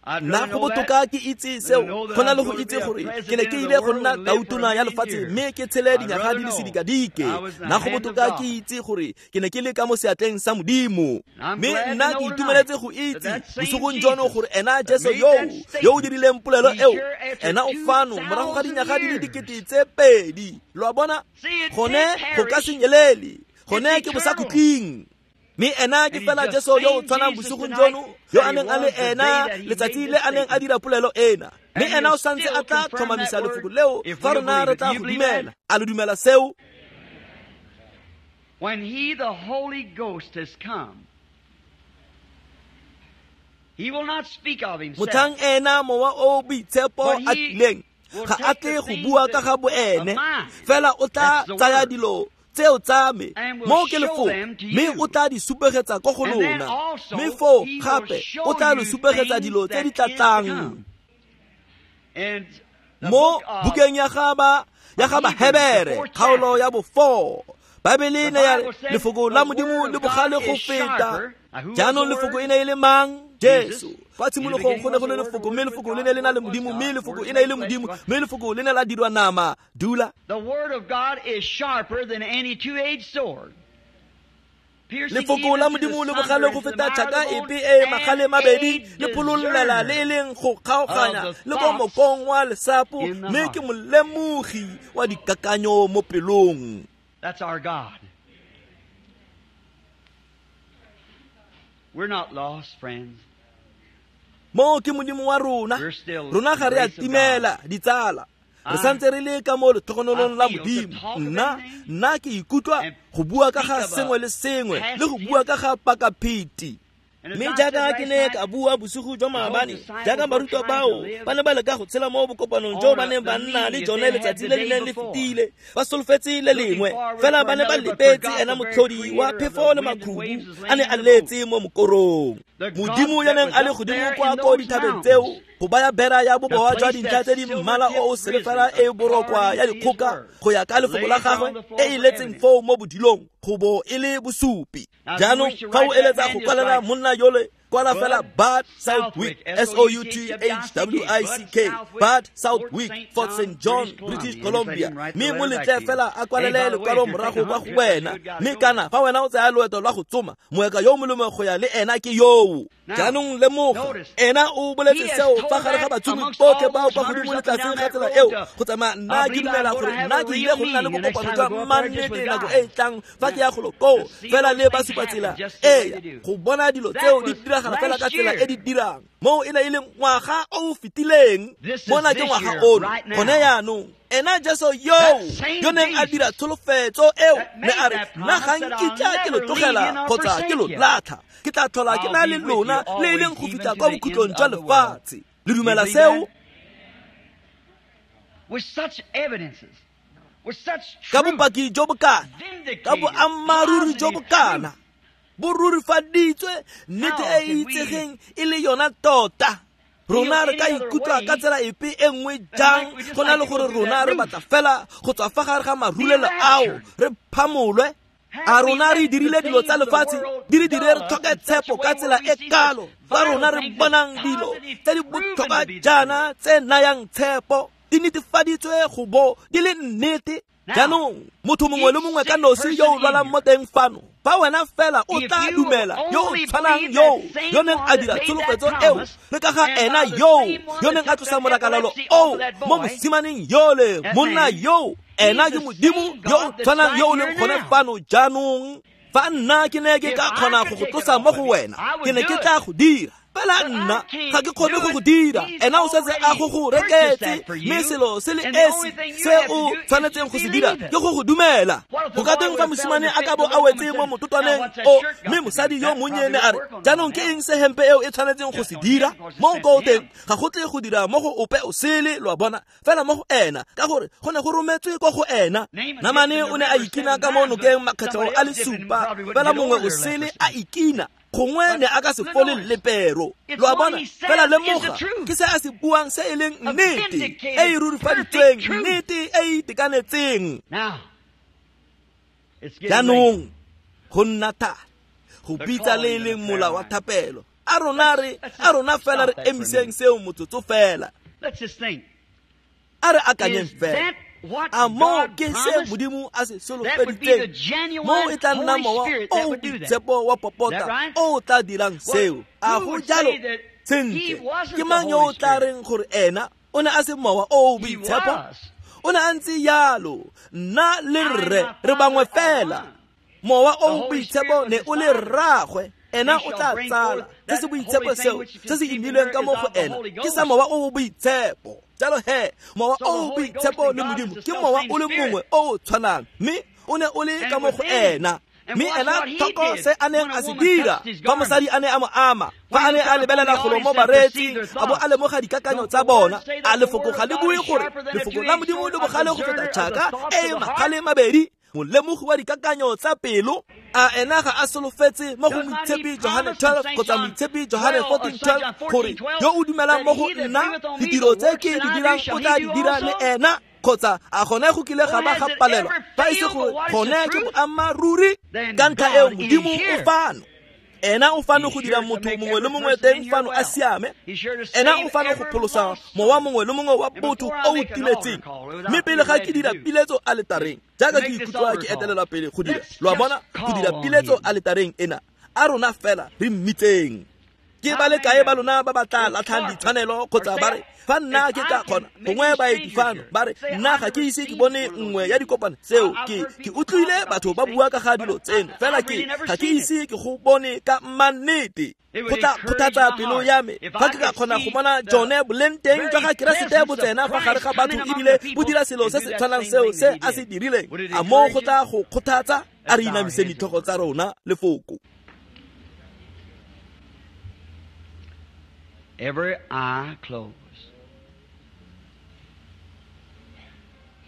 [SPEAKER 1] Nna go botoka ke itse seo go na le go itse gore ke ne ke ile go nna tautona ya lefatshe mme ke tshele dinyaga di le sedikadike. Nna go botoka ke itse gore ke ne ke le ka mo seatleng sa Modimo. Mme nna ke itumeletse go itse bosigong jono gore ena Jesu yo o dirileng polelo eo, ena o fano morago ga dinyaga di le 2000. Lo a bona, gone go ka se nyelele, gone ke bosakhutleng. Mme ena ke fela Jesu yo o tshwanang bosigong jono yo a neng a le ena letsatsi le a neng a dira polelo ena. Mme ena o santse a tla tlhomamisa lefoko leo fa rona re tla go dumela. A lo dumela seo?
[SPEAKER 2] When he, the Holy Ghost, has come, he will not speak of himself.
[SPEAKER 1] Motlhang ena mowa o boitshepo a tlileng, ga a tle go bua ka ga boene, fela o tla tsaya dilo tseo tsa me mo ke lefoko, mme o tla di supegetsa ko go lona. Mme foo gape o tla lo supegetsa dilo tse di tla tlang. Mo bukeng ya ga Bahebere, kgaolo ya bo-4, Baebele ne ya re lefoko la Modimo le bogale go feta. Jaanong lefoko e ne e le mang? Jesu. Kwa tshimologong go ne go le lefoko, mme lefoko le ne le na le Modimo, mme lefoko e ne e le Modimo, mme lefoko le ne la dirwa nama. Dula.
[SPEAKER 2] The word of God is sharper than any two-edged sword.
[SPEAKER 1] Lefoko la Modimo le bogale go feta tšhaka epe e magale mabedi, le pholollela le e leng go kgaoganya le ko mokong wa lesapo, mme ke molemogi wa dikakanyo mo pelong.
[SPEAKER 2] That's our God. We're not lost, friends.
[SPEAKER 1] Mo ke Modimo wa rona. Rona ga re a timela, ditsala. Re santse re le ka mo letlhogonolong la Modimo. Nna ke ikutlwa go bua ka ga sengwe le sengwe le go bua ka ga pakapheti. Mme jaaka ke ne ka bua bosigo jwa maabane, jaaka barutwa bao ba ne ba leka go tshela mo bokopanong jo ba neng ba nna le jone letsatsi le le neng le fetile, ba solofetse le lengwe, fela ba ne ba lebetse ena motlhodi wa phefo le makhubu a ne a letse mo mokorong. Modimo ya neng a le godimo kwa ko dithabeng tseo go baya bera ya boboa jwa dintlha tse di mmala o o selefela e borokwa ya dikgoka go ya ka lefoko la gagwe e e letseng foo mo bodilong go bo e le bosupi. Jaanong fa o eletsa go kwalela monna yole, kwala fela Bud Southwick, S-O-U-T-H-W-I-C-K, Bud Southwick, Fort St. John, British Columbia. Mme mo letle fela a kwalele lekwalo morago kwa go wena. Mme kana fa wena o tsaya loeto lwa go tsoma, moeka yo molemo go ya le ena ke yoo. Jaanong lemoga, ena o boletse seo fa gare ga batsomi botlhe bao kwa godimo le tlase ga tsela eo go tsamaya. Nna ke dumela gore nna ke ile go nna le bokopano jwa mannete nako e e tlang fa ke ya golo koo, fela le ba supa tsela ee go bona dilo tseo di diragala fela ka tsela e di dirang. Moo e ne e le ngwaga o o fetileng, mona ke ngwaga ono gone yaanong. Ena Jesu yo neng a dira tsholofetso eo, ne a re nna ga nkitla ke lo tlogela kgotsa ke lo latlha, ke tla tlhola ke na le lona le e leng go fitlha kwa bokhutlong jwa lefatshe. Le dumela seo? Ka bopaki jo bokana, ka boammaaruri jo bokana, bo rurifaditswe nnete e e itsegeng e le yona tota. Rona re ka ikutlwa ka tsela epe e nngwe jang go na le gore rona re batla fela go tswa fa gare ga marulelo ao re phamolwe? A rona re dirile dilo tsa lefatshe di re dire re tlhoke tshepo ka tsela e kalo fa rona re bonang dilo tse di botlhokwa jaana tse nayang tshepo di netefaditswe go bo di le nnete? Jaanong motho mongwe le mongwe ka nosi yo o lwalang mo teng fano, fa wena fela o tla dumela yo o tshwanang yo neng a dira tsholofetso eo, le ka ga ena yo neng a tlosa morakalalo oo mo mosimaneng yole, monna yo, ena ke Modimo yo o tshwanang yo o leng gone fano jaanong. Fa nna ke ne ke ka kgona go go tlosa mo go wena, ke ne ke tla go dira. Fela nna ga ke kgone go go dira. Ena o setse a go go reketse, mme selo se le esi se o tshwanetseng go se dira ke go go dumela. Go ka teng fa mosimane a ka bo a wetse mo mototwaneng o, mme mosadi yo monnye ne a re, jaanong ke eng se hempe eo e tshwanetseng go se dira? Mo ko teng ga go tle go dira mo go ope o sele, lo a bona, fela mo go ena, ka gore go ne go rometswe ko go ena. Namane o ne a ikina ka mo nokeng makgetlho a le supa, fela mongwe o sele a ikina, gongwe ne a ka se fole lepero. Lo a bona, fela lemoga ke se a se buang se e leng nnete e e rurifaditsweng, nnete e e itekanetseng. Jaanong go nna thata go bitsa le e leng mola wa thapelo. A rona re a rona fela re emiseng seo motsotso fela. A re akanyeng fela. A moo ke se Modimo a se solofeditseng, moo e tla nna Mowa o o Boitshepo wa popota o o tla dirang seo. A go jalo? Sentle, ke mang yo o tla reng gore ena o ne a se Mowa o o Boitshepo? O ne a ntse jalo. Nna le rre re bangwe fela. Mowa o o Boitshepo ne o le rraagwe. Ena o tla tsala se se boitshepo seo se se imilweng ka mo go ena ke sa Mowa o o Boitshepo. Jalo he, Mowa o o Boitshepo le Modimo ke Mowa o le mongwe o o tshwanang, mme o ne o le ka mo go ena. Mme ena tlhoko se a neng a se dira fa mosadi a ne a mo ama, fa a ne a lebelela golo mo bareetsing a bo a lemoga dikakanyo tsa bona. A lefoko ga le bue gore lefoko la Modimo le bogale go feta tšhaka e e magale mabedi, molemogi wa dikakanyo tsa pelo? A ena ga a solofetse mo go Moitshepi Johane 12 kgotsa Moitshepi Johane 14:12 gore yo o dumelang mo go nna, ditiro tse ke di dirang o tla di dira le ena? Kgotsa a gone go kile ga ba ga palelwa fa e se gore gone ke boammaaruri? Ka ntlha eo Modimo o fano. Ena o fano go dira motho mongwe le mongwe teng fano a siame. Ena o fano go pholosa mowa mongwe le mongwe wa botho o o timetseng. Mme pele ga ke dira piletso aletareng, jaaka ke ikutlwa ke etelela pele go dira, lo a bona, go dira piletso aletareng ena, a rona fela re mmitseng. Ke ba le kae ba lona ba ba tla latlhang ditshwanelo kgotsa ba re, fa nna ke ka kgona, gongwe baeti fano ba re, nna ga ke ise ke bone nngwe ya dikopano tseo, ke utlwile batho ba bua ka ga dilo tseno, fela ke ga ke ise ke go bone ka mannete. Go tla kgothatsa pelo ya me fa ke ka kgona go bona jone boleng teng jwa ga Keresete bo tsena fa gare ga batho ebile bo dira selo se se tshwanang seo se a se dirileng. A moo go tla go kgothatsa? A re inamise ditlhogo tsa rona lefoko.
[SPEAKER 2] Every eye closed.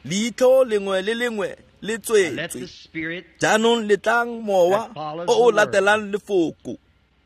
[SPEAKER 1] Leitlho lengwe le lengwe le tswetswe. Jaanong letlang Mowa o o latelang lefoko.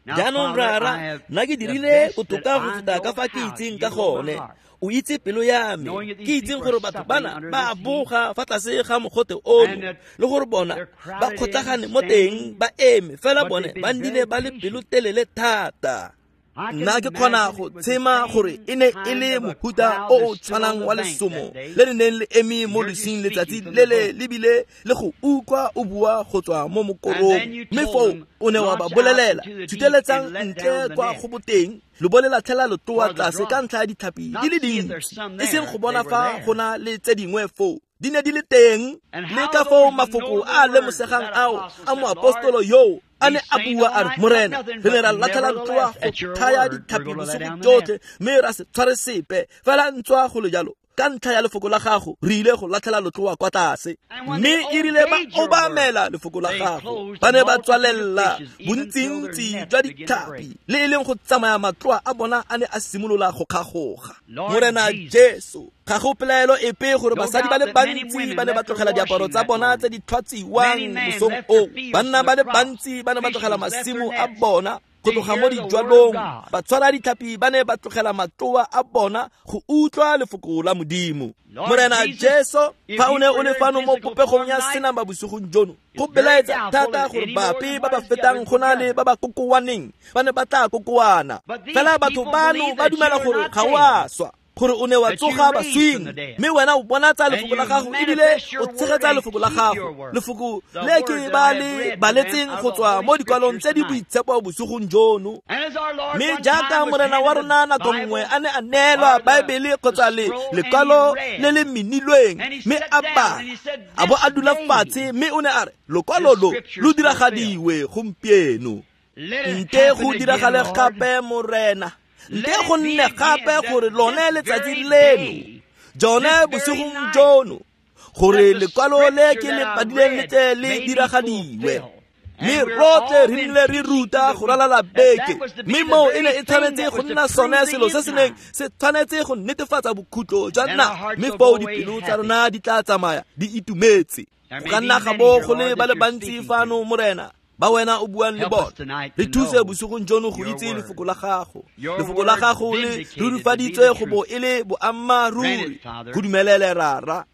[SPEAKER 1] Jaanong rara, nna ke dirile botoka go feta ka fa ke itseng ka gone. O itse pelo ya me. Ke itseng gore batho bana ba boga fa tlase ga mogote ono, le gore bona ba kgotlagane mo teng ba eme, fela bone ba nnile ba le pelotelele thata. Nna ke kgona go tshema gore e ne e le mohuta o o tshwanang wa lesomo le le neng le eme mo losing letsatsi lele lebile le go utlwa o bua go tswa mo mokorong. Mme foo o ne wa ba bolelela, thuteletsang ntle kwa go boteng, lo bo le latlhela letloa tlase ka ntlha ya ditlhapi di le dintsi, e seng go bona fa go na le tse dingwe foo. Di ne di le teng. Le ka foo mafoko a lemosegang ao a moapostolo yoo a ne a bua a re, Morena, re ne ra latlhela letloa go thaya ditlhapi bosigo jotlhe, mme ra se tshware sepe, fela ntswa go le jalo, ka ntlha ya lefoko la gago re ile go latlhela letloa kwa tlase. Mme e rile ba obamela lefoko la gago, ba ne ba tswalela bontsintsi jwa ditlhapi, le e leng go tsamaya matloa a bona a ne a simolola go kgagoga. Morena Jesu, ga go pelaelo epe gore basadi ba le bantsi ba ne ba tlogela diaparo tsa bona tse di tlhwatsiwang mosong oo. Banna ba le bantsi ba ne ba tlogela masimo a bona go tloga mo dijwalong. Batshwara ditlhapi ba ne ba tlogela matloa a bona go utlwa lefoko la Modimo. Morena Jesu, fa o ne o le fano mo popegong ya senama bosigong jono, go belaetsa thata gore bape ba ba fetang go na le ba ba kokoaneng ba ne ba tla kokoana. Fela batho bano ba dumela gore ga o a swa, gore o ne wa tsoga baswing, mme wena o bonatsa lefoko la gago ebile o tshegetsa lefoko la gago, lefoko le ke ba le baletseng go tswa mo dikwalong tse di boitshepo bosigong jono. Mme jaaka Morena wa rona nako nngwe a ne a neelwa Baebele kgotsa lekwalo le le menilweng, mme a bala, a bo a dula fatshe, mme o ne a re, lokwalo lo lo diragadiwe gompieno. Nte go diragale gape, Morena. Nte go nne gape gore lone letsatsi leno, jone bosigong jono, gore lekwalo le ke le padileng le tle le diragadiwe. Mme rotlhe re nnile re ruta go ralala beke, mme moo e ne e tshwanetse go nna sone selo se se neng se tshwanetse go netefatsa bokhutlo jwa nna, mme foo dipelo tsa rona di tla tsamaya di itumetse. Go ka nna ga bo go le ba le bantsi fano, Morena, ba wena o buang le bona. Re thuse bosigong jono go itse lefoko la gago. Lefoko la gago le rurifaditswe go bo e le boammaaruri. Go dumelele, Rara.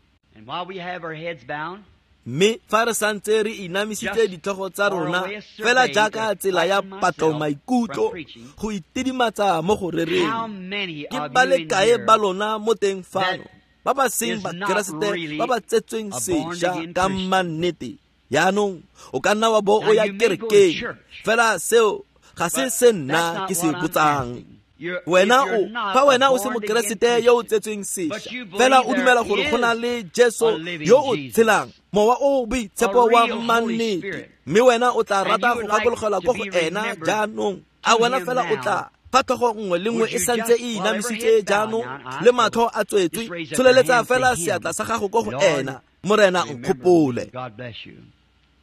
[SPEAKER 1] Mme fa re santse re inamisitse ditlhogo tsa rona fela jaaka tsela ya patlo maikutlo go itidimatsa mo go rereng, ke ba le kae ba lona mo teng fano ba ba seng Bakeresete ba ba tsetsweng sešwa ka mannete? Jaanong o ka nna wa bo o ya kerekeng, fela seo ga se se nna ke se botsang. Wena o fa wena o se Mokeresete yo o tsetsweng sešwa, fela o dumela gore go na le Jesu yo o tshelang, mowa o boitshepo wa mannete, mme wena o tla rata go gakologelwa ko go ena jaanong. A wena fela o tla fa tlhogo nngwe le nngwe e santse e inamisitse jaanong le matlho a tswetswe, tsholeletsa fela seatla sa gago ko go ena. Morena nkgopole.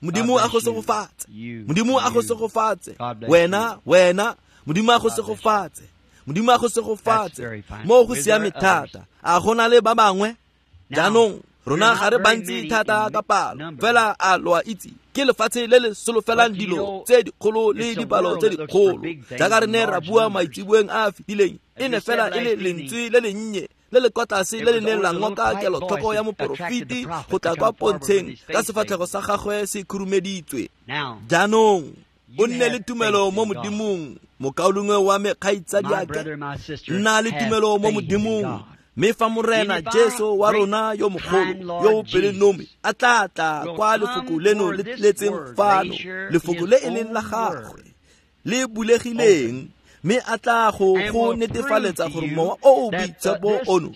[SPEAKER 1] Modimo a go segofatse. Modimo a go segofatse. Wena, wena, Modimo a go segofatse. Modimo a go segofatse. Mo go siame thata. A go na le ba bangwe? Jaanong rona ga re bantsi thata ka palo, fela a lo a itse ke lefatshe le le solofelang dilo tse dikgolo le dipalo tse dikgolo. Jaaka re ne ra bua maitseboeng a a fetileng, e ne fela e le lentswe le lennye le le kwa tlase le le neng la ngoka kelotlhoko ya moporofeti go tla kwa pontsheng ka sefatlhego sa gagwe se khurumeditswe. Jaanong o nne le tumelo mo Modimong, mokaulengwe wa me, kgaitsadiake, nna le tumelo mo Modimong. Mme fa Morena Jesu wa rona yo mogolo yo o pelonomi a tla tla kwa lefoko leno le tletseng fano, lefoko le e leng la gagwe le bulegileng, mme a tla go netefaletsa gore mowa o o boitshepo ono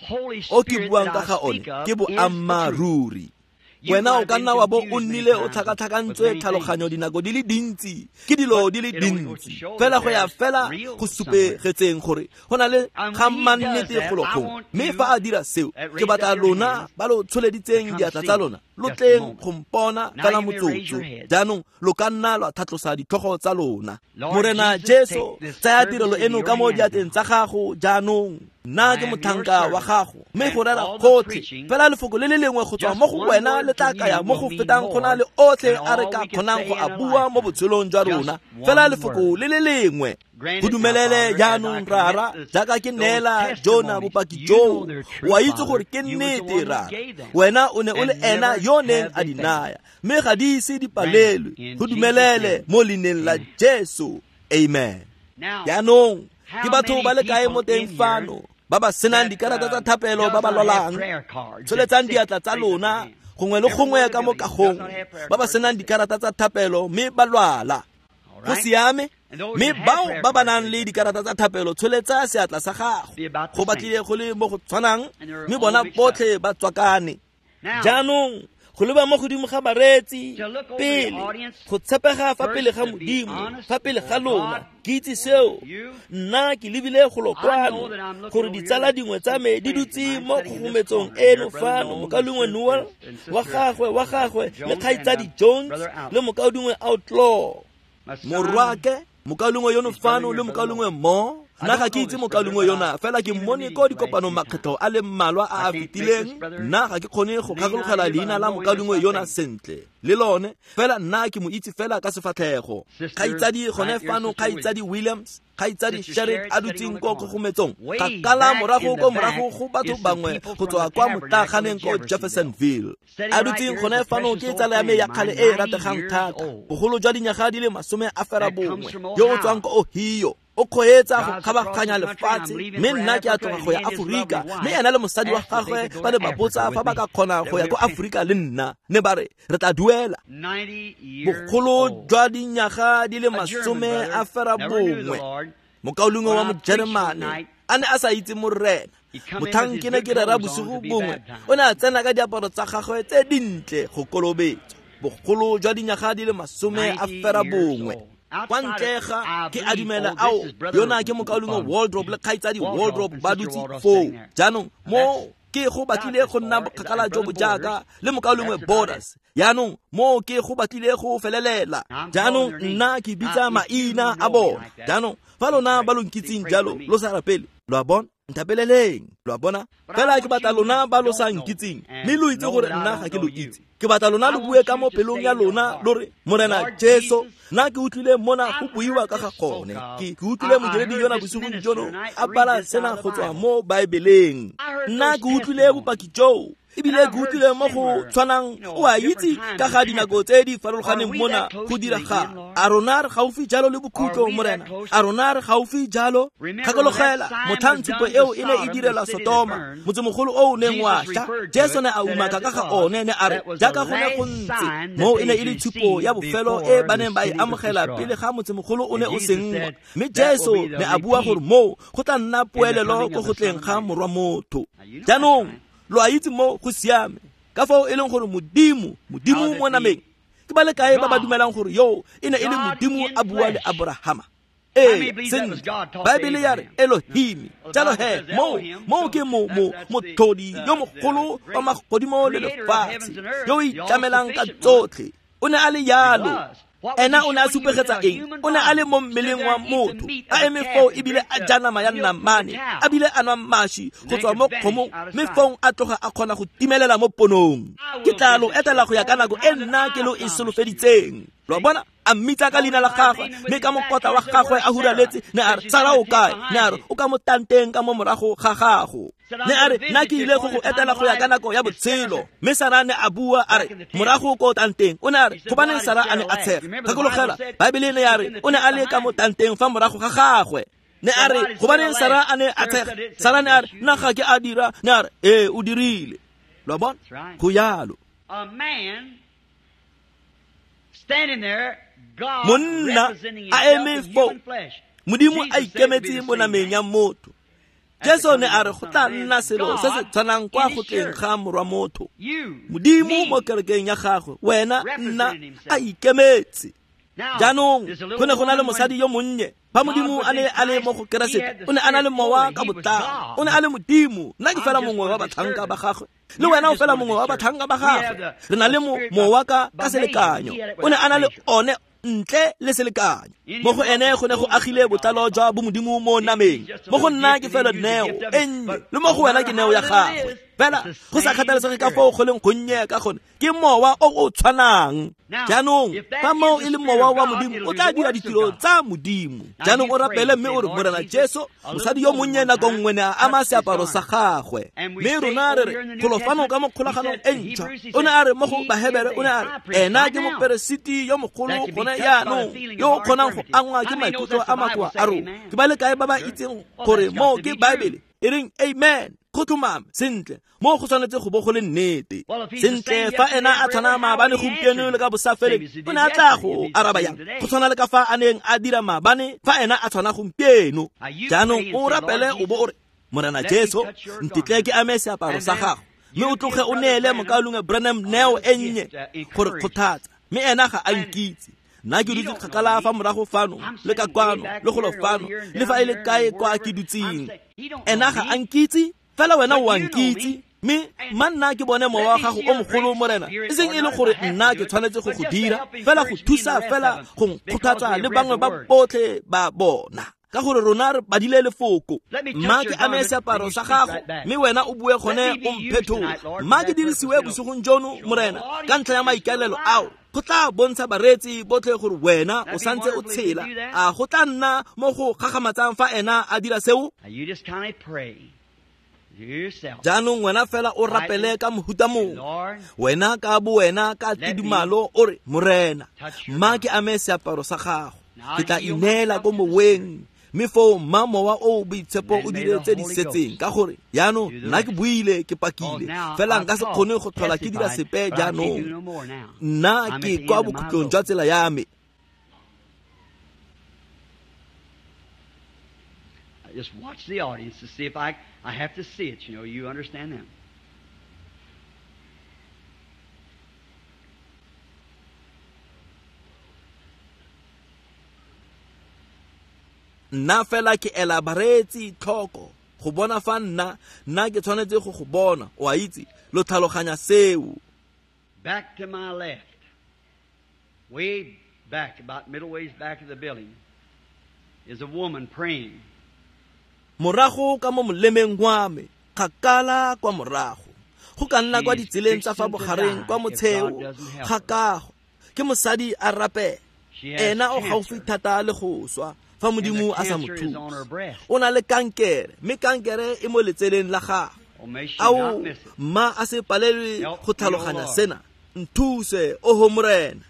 [SPEAKER 1] o ke buang ka ga one ke boammaaruri. Wena o ka nna wa bo o nnile o tlhakatlhakantswe tlhaloganyo dinako di le dintsi ke dilo di le dintsi, fela go ya fela go supegetseng gore go na le ga mannete golo gongwe. Mme fa a dira seo, ke batla lona ba lo tsholeditseng diatla tsa lona lo tleng go mpona fela motsotso. Jaanong lo ka nna lwa tlhatlosa ditlhogo tsa lona. Morena Jesu, tsaya tirelo eno ka mo diatleng tsa gago jaanong. Nna ke motlhanka wa gago, mme go rera gotlhe fela lefoko le le lengwe go tswa mo go wena le tla kaya mo go fetang go na le otlhe a re ka kgonang go a bua mo botshelong jwa rona. Fela lefoko le le lengwe. Go dumelele jaanong Rara, jaaka ke neela Jona bopaki joo, wa itse gore ke nnete Rara. Wena o ne o le ena yo neng a di naya, mme ga di ise di palelwe. Go dumelele mo leineng la Jesu. Amen. Jaanong ke batho ba le kae mo teng fano ba ba senang dikarata tsa thapelo ba ba lwalang? Tsholetsang diatla tsa lona gongwe le gongwe ka mo kagong, ba ba senang dikarata tsa thapelo mme ba lwala. Go siame. Mme bao ba ba nang le dikarata tsa thapelo, tsholetsa seatla sa gago. Go batlile go le mo go tshwanang, mme bona botlhe ba tswakane. Jaanong go leba mo godimo ga bareetsi pele, go tshepega fa pele ga Modimo, fa pele ga lona, ke itse seo. Nna ke lebile golo kwano gore ditsala dingwe tsa me di dutse mo kgogometsong eno fano, mokaulengwe Noel wa gagwe le kgaitsadi Jones le mokaulengwe Outlaw, morwake mokaulengwe yono fano le mokaulengwe Mo. Nna ga ke itse mokaulengwe yona, fela ke mmone ko dikopanong makgetlho a le mmalwa a a fetileng. Nna ga ke kgone go gakologela leina la mokaulengwe yona sentle le lone, fela nna ke mo itse fela ka sefatlhego. Kgaitsadi gone fano, kgaitsadi Williams, kgaitsadi Sherrit a dutseng ko kgogometsong, kgakala morago ko morago go batho bangwe go tswa kwa motlaganeng ko Jeffersonville. A dutseng gone fano ke tsala ya me ya kgale e e rategang thata, bogolo jwa dinyaga di le 91, yo o tswang ko Ohio. O kgweetsa go kgabaganya lefatshe, mme nna ke a tloga go ya Aforika. Mme ena le mosadi wa gagwe ba ne ba botsa fa ba ka kgona go ya ko Aforika le nna, ne ba re re tla duela. Bogolo jwa dinyaga di le 91, mokaulengwe wa Mojeremane a ne a sa itse Morena. Motlhang ke ne ke rera bosigo bongwe, o ne a tsena ka diaparo tsa gagwe tse dintle go kolobetswa. Bogolo jwa dinyaga di le 91. Kwa ntle ga ke a dumela ao yona ke mokaulengwe Wardrobe le kgaitsadi Wardrobe ba dutse foo. Jaanong mo ke go batlile go nna bokgakala jo bo jaaka le mokaulengwe Borders. Jaanong mo ke go batlile go felelela. Jaanong nna ke bitsa maina a bona. Jaanong fa lona ba lo nkitseng jalo lo sa rapele, lo a bona, nthapeleleng, lo a bona. Fela ke batla lona ba lo sa nkitseng, mme lo itse gore nna ga ke lo itse. Ke batla lona lo bue ka mo pelong ya lona lo re, Morena Jesu, nna ke utlwile mona go buiwa ka ga gone. Ke utlwile modiredi yona bosigong jono a bala sena go tswa mo Baebeleng. Nna ke utlwile bopaki joo. Ebile ke utlwile mo go tshwanang o a itse ka ga dinako tse di farologaneng mona go diragala. A rona re gaufi jalo le bokhutlo, Morena? A rona re gaufi jalo? Gakologela motlhang tshupo eo e ne e direlwa Sotoma, motsemogolo o o neng wa sha. Jesu ne a umaka ka ga one, ne a re jaaka go ne go ntse moo e ne e le tshupo ya bofelo e ba neng ba e amogela pele ga motsemogolo o ne o senngwa. Mme Jesu ne a bua gore moo go tla nna poelelo ko go tleng ga morwa motho. Jaanong lo a itse mo go siame ka fao e leng gore Modimo mo nameng ke ba le kae ba ba dumelang gore yo e ne e le Modimo a bua le Abrahama? Ee, sentle, Baebele ya re Elohim. Jalo he moo ke motlhodi yo mogolo wa magodimo le lefatshe, yo o itlamelang ka tsotlhe. O ne a le yalo. Ena o ne a supegetsa eng? O ne a le mo mmeleng wa motho, a eme foo ebile a ja nama ya namane, a bile a nwa mashi go tswa mo kgomong, mme fong a tloga a kgona go timelela mo ponong. Ke tla lo etela go ya ka nako e nna ke lo e solofeditseng. Lo bona? A mmitsa ka leina la gagwe, mme ka mokotla wa gagwe a huraletse, ne a re, Sara o kae? Ne a re, o ka mo tanteng ka mo morago ga gago. Ne a re, nna ke ile go go etela go ya ka nako ya botshelo. Mme Sara ne a bua a re, morago ko tanteng. O ne a re, gobaneng Sara a ne a tshega? Gakologela, Baebele ne ya re, o ne a le ka mo tanteng fa morago ga gagwe. Ne a re, gobaneng Sara a ne a tshega? Sara ne a re, nna ga ke a dira. Ne a re, ee, o dirile. Lo bona? Go yalo. Monna a eme foo, Modimo a ikemetse mo nameng ya motho. Jesu ne a re go tla nna selo se se tshwanang kwa go tleng ga morwa motho. Modimo mo kerekeng ya gagwe, wena, nna, a ikemetse. Jaanong go ne go na le mosadi yo monnye. Fa Modimo a ne a le mo go Keresete, o ne a na le mowa ka botlalo. O ne a le Modimo. Nna ke fela mongwe wa batlhanka ba gagwe. Le wena o fela mongwe wa batlhanka ba gagwe. Re na le mowa ka selekanyo. O ne a na le one ntle le selekanyo. Mo go ene go ne go agile botlalo jwa bomodimo mo nameng. Mo go nna ke fela neo e nnye, le mo go wena ke neo ya gagwe. Fela go sa kgathalesege ka foo go leng gonnye ka gone, ke mowa o o tshwanang. Jaanong fa moo e le mowa wa Modimo, o tla dira ditiro tsa Modimo. Jaanong o rapele mme o re, Morena Jesu, mosadi yo monnye nako nngwe ne a ama seaparo sa gagwe. Mme rona re re golo fano ka mo kgolaganong e ntšhwa. O ne a re mo go Bahebere, o ne a re ena ke moperesiti yo mogolo gone jaanong, yo o kgonang go angwa ke maikutlo a makoa a rona. Ke ba le kae ba ba itseng gore moo ke Baebele? E reng amen. Go tlhomame sentle, mo go tshwanetse go bo go le nnete. Sentle, fa ena a tshwana maabane, gompieno le ka bosafeleng, o ne a tla go araba yang? Go tshwana le ka fa a neng a dira maabane, fa ena a tshwana gompieno. Jaanong o rapele o bo o re, Morena Jesu, ntetle ke ame seaparo sa gago, mme o tloge o neele mokaulengwe Branham neo e nnye gore kgothatsa. Mme ena ga a nkitse. Nna ke dutse kgakala fa morago fano, le ka kwano, le golo fano, le fa e le kae kwa ke dutseng. Ena ga a nkitse, fela wena o a nkitse. Mme mma nna ke bone mowa wa gago o mogolo, Morena, e seng e le gore nna ke tshwanetse go go dira, fela go thusa fela go nkgothatsa le bangwe ba botlhe ba bona, ka gore rona re badile lefoko. Mma ke ame seaparo sa gago, mme wena o bue gone o mphetola. Mma ke dirisiwe bosigong jono, Morena, ka ntlha ya maikaelelo ao. Go tla bontsha bareetsi botlhe gore wena o santse o tshela. A go tla nna mo go gagamatsang fa ena a dira seo? Jaanong wena fela o rapele ka mohuta mongwe. Wena ka bo wena ka tidimalo o re, Morena, mma ke ame seaparo sa gago. Ke tla ineela ko moweng, mme foo mma mowa o boitshepo o dire tse di setseng, ka gore jaanong nna ke buile, ke pakile, fela nka se kgone go tlhola ke dira sepe jaanong. Nna ke kwa bokhutlong jwa tsela ya me.
[SPEAKER 2] Just watch the audience to see if I have to see it, you know, you understand them.
[SPEAKER 1] Nna fela ke ela bareetsi tlhoko go bona fa nna ke tshwanetse go go bona. O a itse, lo tlhaloganya seo.
[SPEAKER 2] Back to my left, way back, about middle ways back of the building, is a woman praying.
[SPEAKER 1] Morago ka mo molemeng wa me, kgakala kwa morago, go ka nna kwa ditseleng tsa fa bogareng kwa motsheo ga kago, ke mosadi a rapela. Ena o gaufi thata le go swa fa Modimo a sa mo thuse. O na le kankere, mme kankere e mo letseleng la gagwe. Ao mma a se palelwe go tlhaloganya sena. Nthuse oho Morena.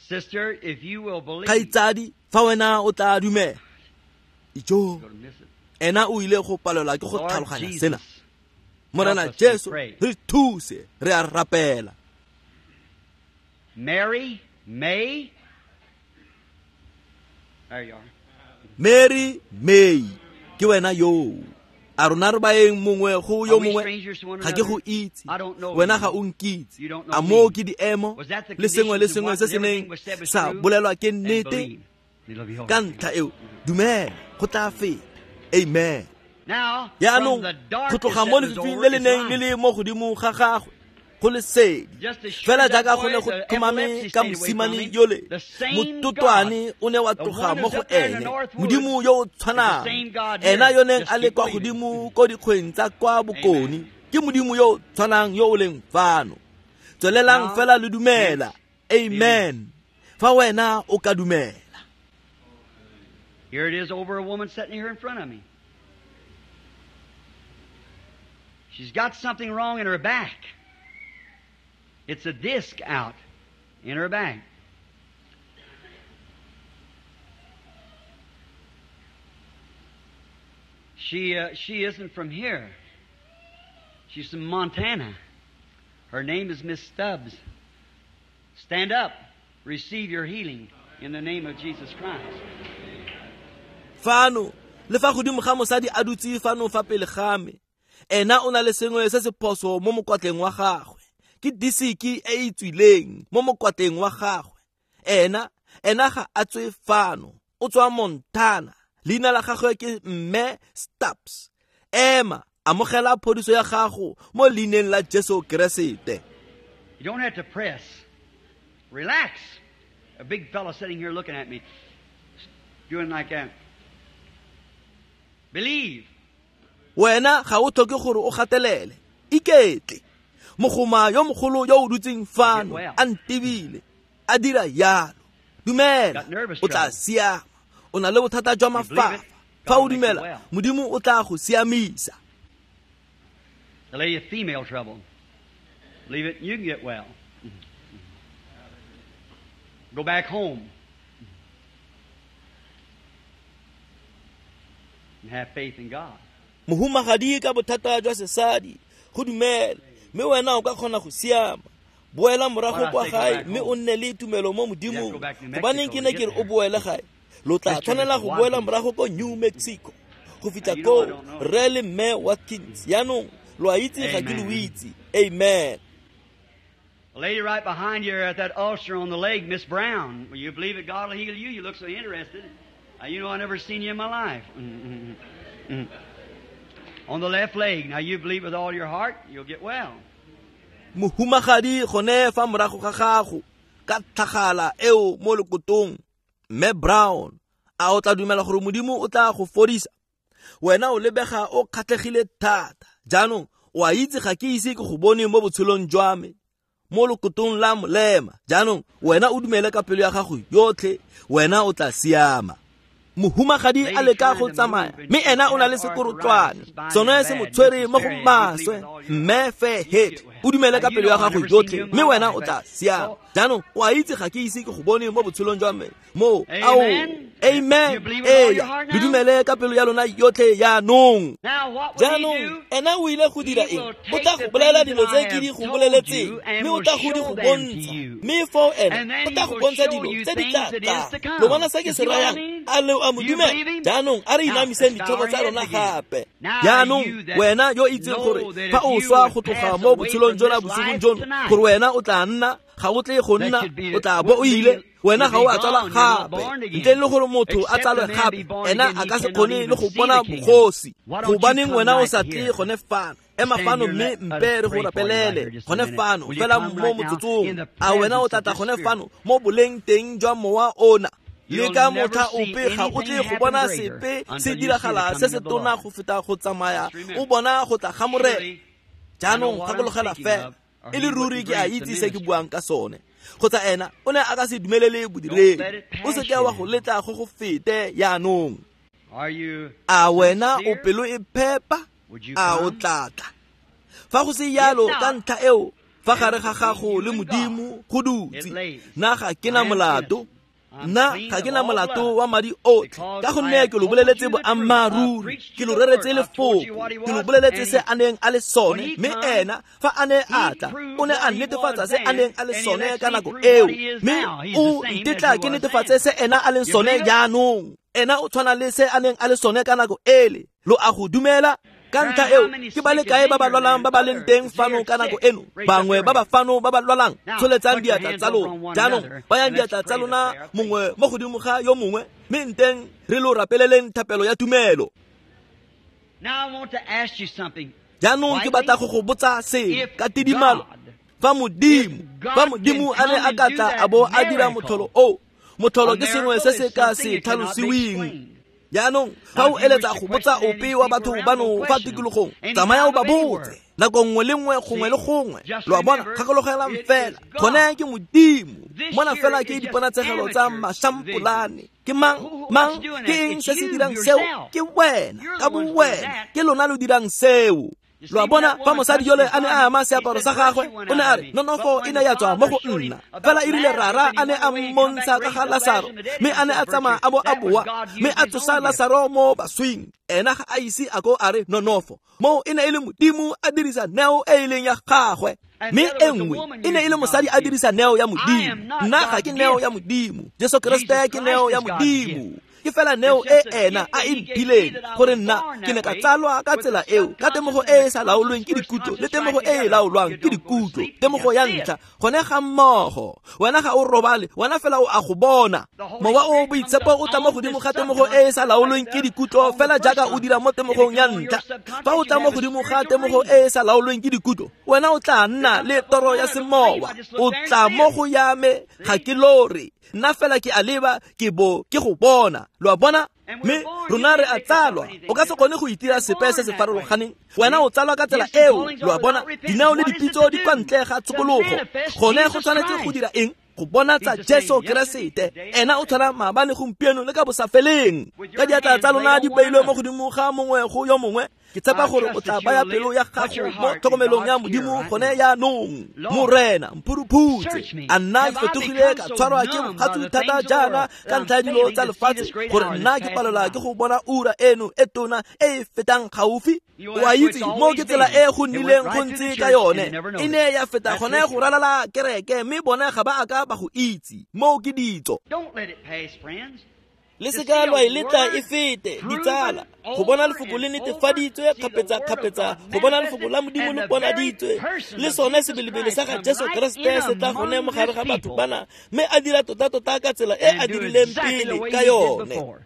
[SPEAKER 2] Sister, if you will believe.
[SPEAKER 1] Kgaitsadi, fa wena o tla dumela. Ijo, ena o ile go palelwa ke go tlhaloganya sena. Morena Jesu, re thuse, re a rapela.
[SPEAKER 2] Mary May. There you are.
[SPEAKER 1] Mary May, ke wena yo. A rona re baeng mongwe go yo mongwe, ga ke go itse, wena ga o nkitse. A moo ke diemo le sengwe le sengwe se se neng sa bolelwa ke nnete? Ka ntlha eo, dumela, go tla feta. Amen. Jaanong go tloga mo lefifing le le neng le le mo godimo ga gagwe go lesedi, fela jaaka go ne go tlhomame ka mosimane yole, mototwane o ne wa tloga mo go ene. Modimo yo o tshwanang, ena yo neng a le kwa godimo ko dikgweng tsa kwa bokone, ke Modimo yo o tshwanang yo o leng fano. Tswelelang fela le dumela. Amen. Fa wena o ka dumela.
[SPEAKER 2] Here it is over a woman sitting here in front of me. She's got something wrong in her back. It's a disc out in her back. She isn't from here. She's from Montana. Her name is Miss Stubbs. Stand up. Receive your healing in the name of Jesus Christ.
[SPEAKER 1] Fano, le fa godimo ga mosadi a dutse fano fa pele ga me. Ena o na le sengwe se se phoso mo mokwatleng wa gagwe. Ke disiki e e tswileng mo mokwatleng wa gagwe. Ena ga a tswe fano, o tswa Montana. Leina la gagwe ke Mme Stubbs. Ema, amogela phodiso ya gago mo leineng la Jesu Keresete.
[SPEAKER 2] You don't have to press. Relax. A big fellow sitting here looking at me, doing like that. Believe.
[SPEAKER 1] Wena ga o tlhoke gore o gatelele. Iketle. Mogoma yo mogolo yo o dutseng fano a ntebile, a dira yalo. Dumela, o tla siama. O na le bothata jwa mafafa. Fa o dumela, Modimo o tla go siamisa.
[SPEAKER 2] The lady of female trouble. Believe it, you can get well. Go back home and have faith in God.
[SPEAKER 1] Mohumagadi ka bothata jwa sesadi, go dumela, mme wena o ka kgona go siama. Boela morago kwa gae mme o nne le tumelo mo Modimong. Gobaneng ke ne ke re o boele gae? Lo tla tshwanela go boela morago ko New Mexico go fitlha ko Rre le Mme Watkins. Jaanong lo a itse ga ke lo itse. Amen.
[SPEAKER 2] A lady right behind you at that ulcer on the leg, Miss Brown. Will you believe that God will heal you? You look so interested. You know, I never seen you in my life. On the left leg. Now you believe with all your heart, you'll get well.
[SPEAKER 1] Mohumagadi gone fa morago ga gago ka tlhagala eo mo lekotong, Mme Brown, a o tla dumela gore Modimo o tla go fodisa? Wena o lebega o kgatlhegile thata. Jaanong o a itse ga ke ise ke go bone mo botshelong jwa me, mo lekotong la molema. Jaanong wena o dumele ka pelo ya gago yotlhe, wena o tla siama. Mohumagadi a leka go tsamaya, mme ena o na le sekorotlwane, sone se mo tshwere mo go maswe. Mme Fairhead, o dumele ka pelo ya gago yotlhe, mme wena o tla siama. Jaanong o a itse ga ke ise ke go bone mo botshelong jwa me mo. Ao, amen. Eya, le dumele ka pelo ya lona yotlhe jaanong. Jaanong ena o ile go dira eng? O tla go bolela dilo tse ke di go boleletseng, mme o tla go di go bontsha. Mme foo ena o tla go bontsha dilo tse di tla tlang. Lo bona se ke se rayang? A le a mo dumela? Jaanong a re inamiseng ditlhogo tsa rona gape. Jaanong wena yo itseng gore fa o swa go tloga mo botshelong jona bosigong jono, gore wena o tla nna, ga o tle go nna, o tla bo o ile, wena ga o a tsala gape. Ntle le gore motho a tsalwe gape, ena a ka se kgone le go bona bogosi. Gobaneng wena o sa tle gone fano? Ema fano mme mpe re go rapelele gone fano fela mo motsotsong. A wena o tla tla gone fano mo boleng teng jwa mowa ona? Le ka motlha ope ga o tle go bona sepe se diragala se se tona go feta go tsamaya o bona go tla ga Morena. Jaanong gakologela fela, e le ruri ke a itse se ke buang ka sone. Kgotsa ena o ne a ka se dumelele bodiredi. O se ke wa go letla go go fete jaanong. A wena o pelo e phepa? A o tla tla? Fa go se yalo ka ntlha eo, fa gare ga gago le Modimo go dutse, nna ga ke na molato. Nna ga ke na molato wa madi otlhe, ka gonne ke lo boleletse boammaaruri, ke lo reretse lefoko, ke lo boleletse se a neng a le sone, mme ena fa a ne a tla, o ne a netefatsa se a neng a le sone ka nako eo, mme o ntetla ke netefatse se ena a leng sone jaanong. Ena o tshwana le se a neng a le sone ka nako ele. Lo a go dumela? Ka ntlha eo, ke ba le kae ba ba lwalang ba ba leng teng fano ka nako eno? Bangwe ba ba fano ba ba lwalang, tsholetsang diatla tsa lona. Jaanong, bayang diatla tsa lona mongwe mo godimo ga yo mongwe, mme nteng re lo rapeleleng thapelo ya tumelo. Jaanong ke batla go go botsa sengwe ka tidimalo. Fa Modimo a ne a ka tla a bo a dira motlholo o, motlholo ke sengwe se se ka se tlhalosiweng. Jaanong, fa o eletsa go botsa ope wa batho bano fa tikologong, tsamaya o ba botse nako nngwe le nngwe, gongwe le gongwe. Lo a bona, gakologelang fela, gone ke Modimo. Mona fela ke diponatsegelo tsa mašampolane. Ke mang? Mang? Ke eng se se dirang seo? Ke wena, ka bo wena. Ke lona lo dirang seo. Lo a bona, fa mosadi yole a ne a ama seaparo sa gagwe, o ne a re, nonofo e ne ya tswa mo go nna. Fela e rile Rara a ne a mmontsha ka ga Lasaro, mme a ne a tsamaya a bo a boa, mme a tsosa Lasaro mo baswing. Ena ga a ise a ko a re nonofo. Moo e ne e le Modimo a dirisa neo e e leng ya gagwe. Mme e nngwe e ne e le mosadi a dirisa neo ya Modimo. Nna ga ke neo ya Modimo. Jesu Kriste ke neo ya Modimo. Ke fela neo e ena a e mphileng, gore nna ke ne ka tsalwa ka tsela eo, ka temogo e e sa laolweng ke dikutlo le temogo e e laolwang ke dikutlo, temogo ya ntlha gone ga mmogo. Wena ga o robale, wena fela o a go bona. Mowa o Boitshepo o tla mo godimo ga temogo e e sa laolweng ke dikutlo, fela jaaka o dira mo temogong ya ntlha. Fa o tla mo godimo ga temogo e e sa laolweng ke dikutlo, wena o tla nna le toro ya semowa. O tla mo go ya me, ga ke lore, nna fela ke a leba, ke bo ke go bona. Lo a bona? Mme rona re a tsalwa. O ka se kgone go itira sepe se se farologaneng. Wena o tsalwa ka tsela eo. Lo a bona? Dinao le dipitso di kwa ntle ga tshokologo. Gone go tshwanetse go dira eng? Go bonatsa Jesu Keresete. Ena o tshwana maabane, gompieno le ka bosafeleng. Ka diatla tsa lona di beilwe mo godimo ga mongwe go yo mongwe, ke tshepa gore o tla baya pelo ya gago mo tlhokomelong ya Modimo gone jaanong. Morena, mphuruphutse. A nna ke fetogile ka tshwarwa ke bogatsu thata jaana ka ntlha ya dilo tsa lefatshe, gore nna ke palelwa ke go bona ura eno e tona e e fetang gaufi? O a itse, mo ke tsela e go nnileng go ntse ka yone. E ne ya feta gone go ralala kereke, mme bone ga ba a ka ba go itse. Moo ke ditso. Le se ka lwa e letla e fete, ditsala. Go bona lefoko le netefaditswe kgapetsa-kgapetsa, go bona lefoko la Modimo le bonaditswe, le sone sebelebele sa ga Jesu Kriste se tla gone mo gare ga batho bana, mme a dira tota-tota ka tsela e a dirileng pele ka yone.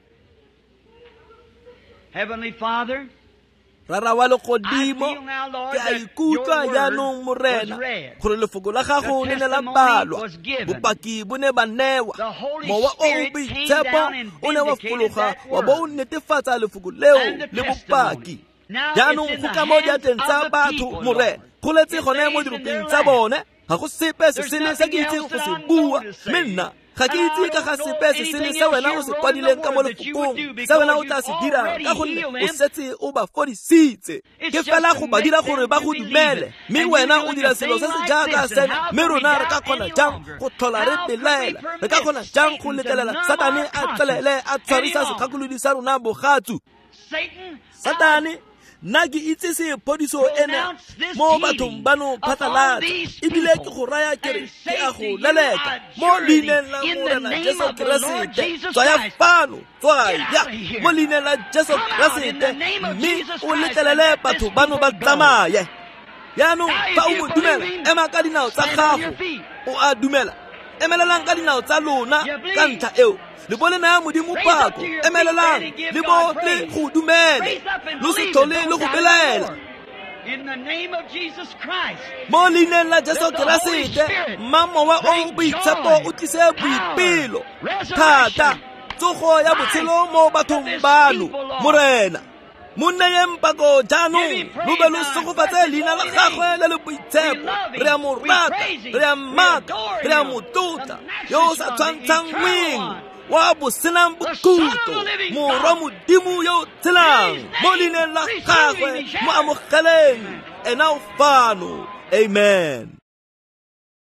[SPEAKER 2] Heavenly Father,
[SPEAKER 1] Rara wa legodimo, ke a ikutlwa jaanong, Morena, gore lefoko la gago le ne la balwa, bopaki bo ne ba newa, Mowa o o Boitshepo o ne wa fologa wa bo o netefatsa lefoko leo le bopaki. Jaanong go ka mo diatleng tsa batho, Morena, go letse gone mo diropeng tsa bone. Ga go sepe se sele se ke itseng go se bua, mme nna ga ke itse ka ga sepe se sele se wena o se kwadileng ka mo lefokong, se wena o tla se dirang, ka gonne o setse o ba fodisitse. Ke fela go ba dira gore ba go dumele, mme wena o dira selo se se jaaka sena. Mme rona re ka kgona jang go tlhola re belaela? Re ka kgona jang go letlelela Satane a tswelele a tshwarisa segakolodi sa rona bogatsu? Satane, nna ke itse se phodiso ena mo bathong bano phatlalatsa, ebile ke go raya ke re ke a go leleka mo leineng la Morena Jesu Keresete. Tswaya fano, tswaya mo leineng la Jesu Keresete, mme o letlelele batho bano ba tsamaye. Jaanong fa o mo dumela, ema ka dinao tsa gago. O a dumela? Emelelang ka dinao tsa lona ka ntlha eo. Le bo le naya Modimo pako. Emelelang, le bo le go dumele, lo se tlhole le go belaela. Mo leineng la Jesu Keresete, mma Mowa o o Boitshepo o tlise boipelo, thata, tsogo ya botshelo mo bathong bano, Morena. Mo neyeng pako jaanong, lo be lo segofatse leina la gagwe le le boitshepo. Re a mo rata, re a mmaka, re a mo tlotla, yo o sa tshwantshangweng, Wa bosenang bokhutlo, Morwa Modimo yo o tshelang, mo leineng la gagwe, mo amogeleng, ena o fano. Amen.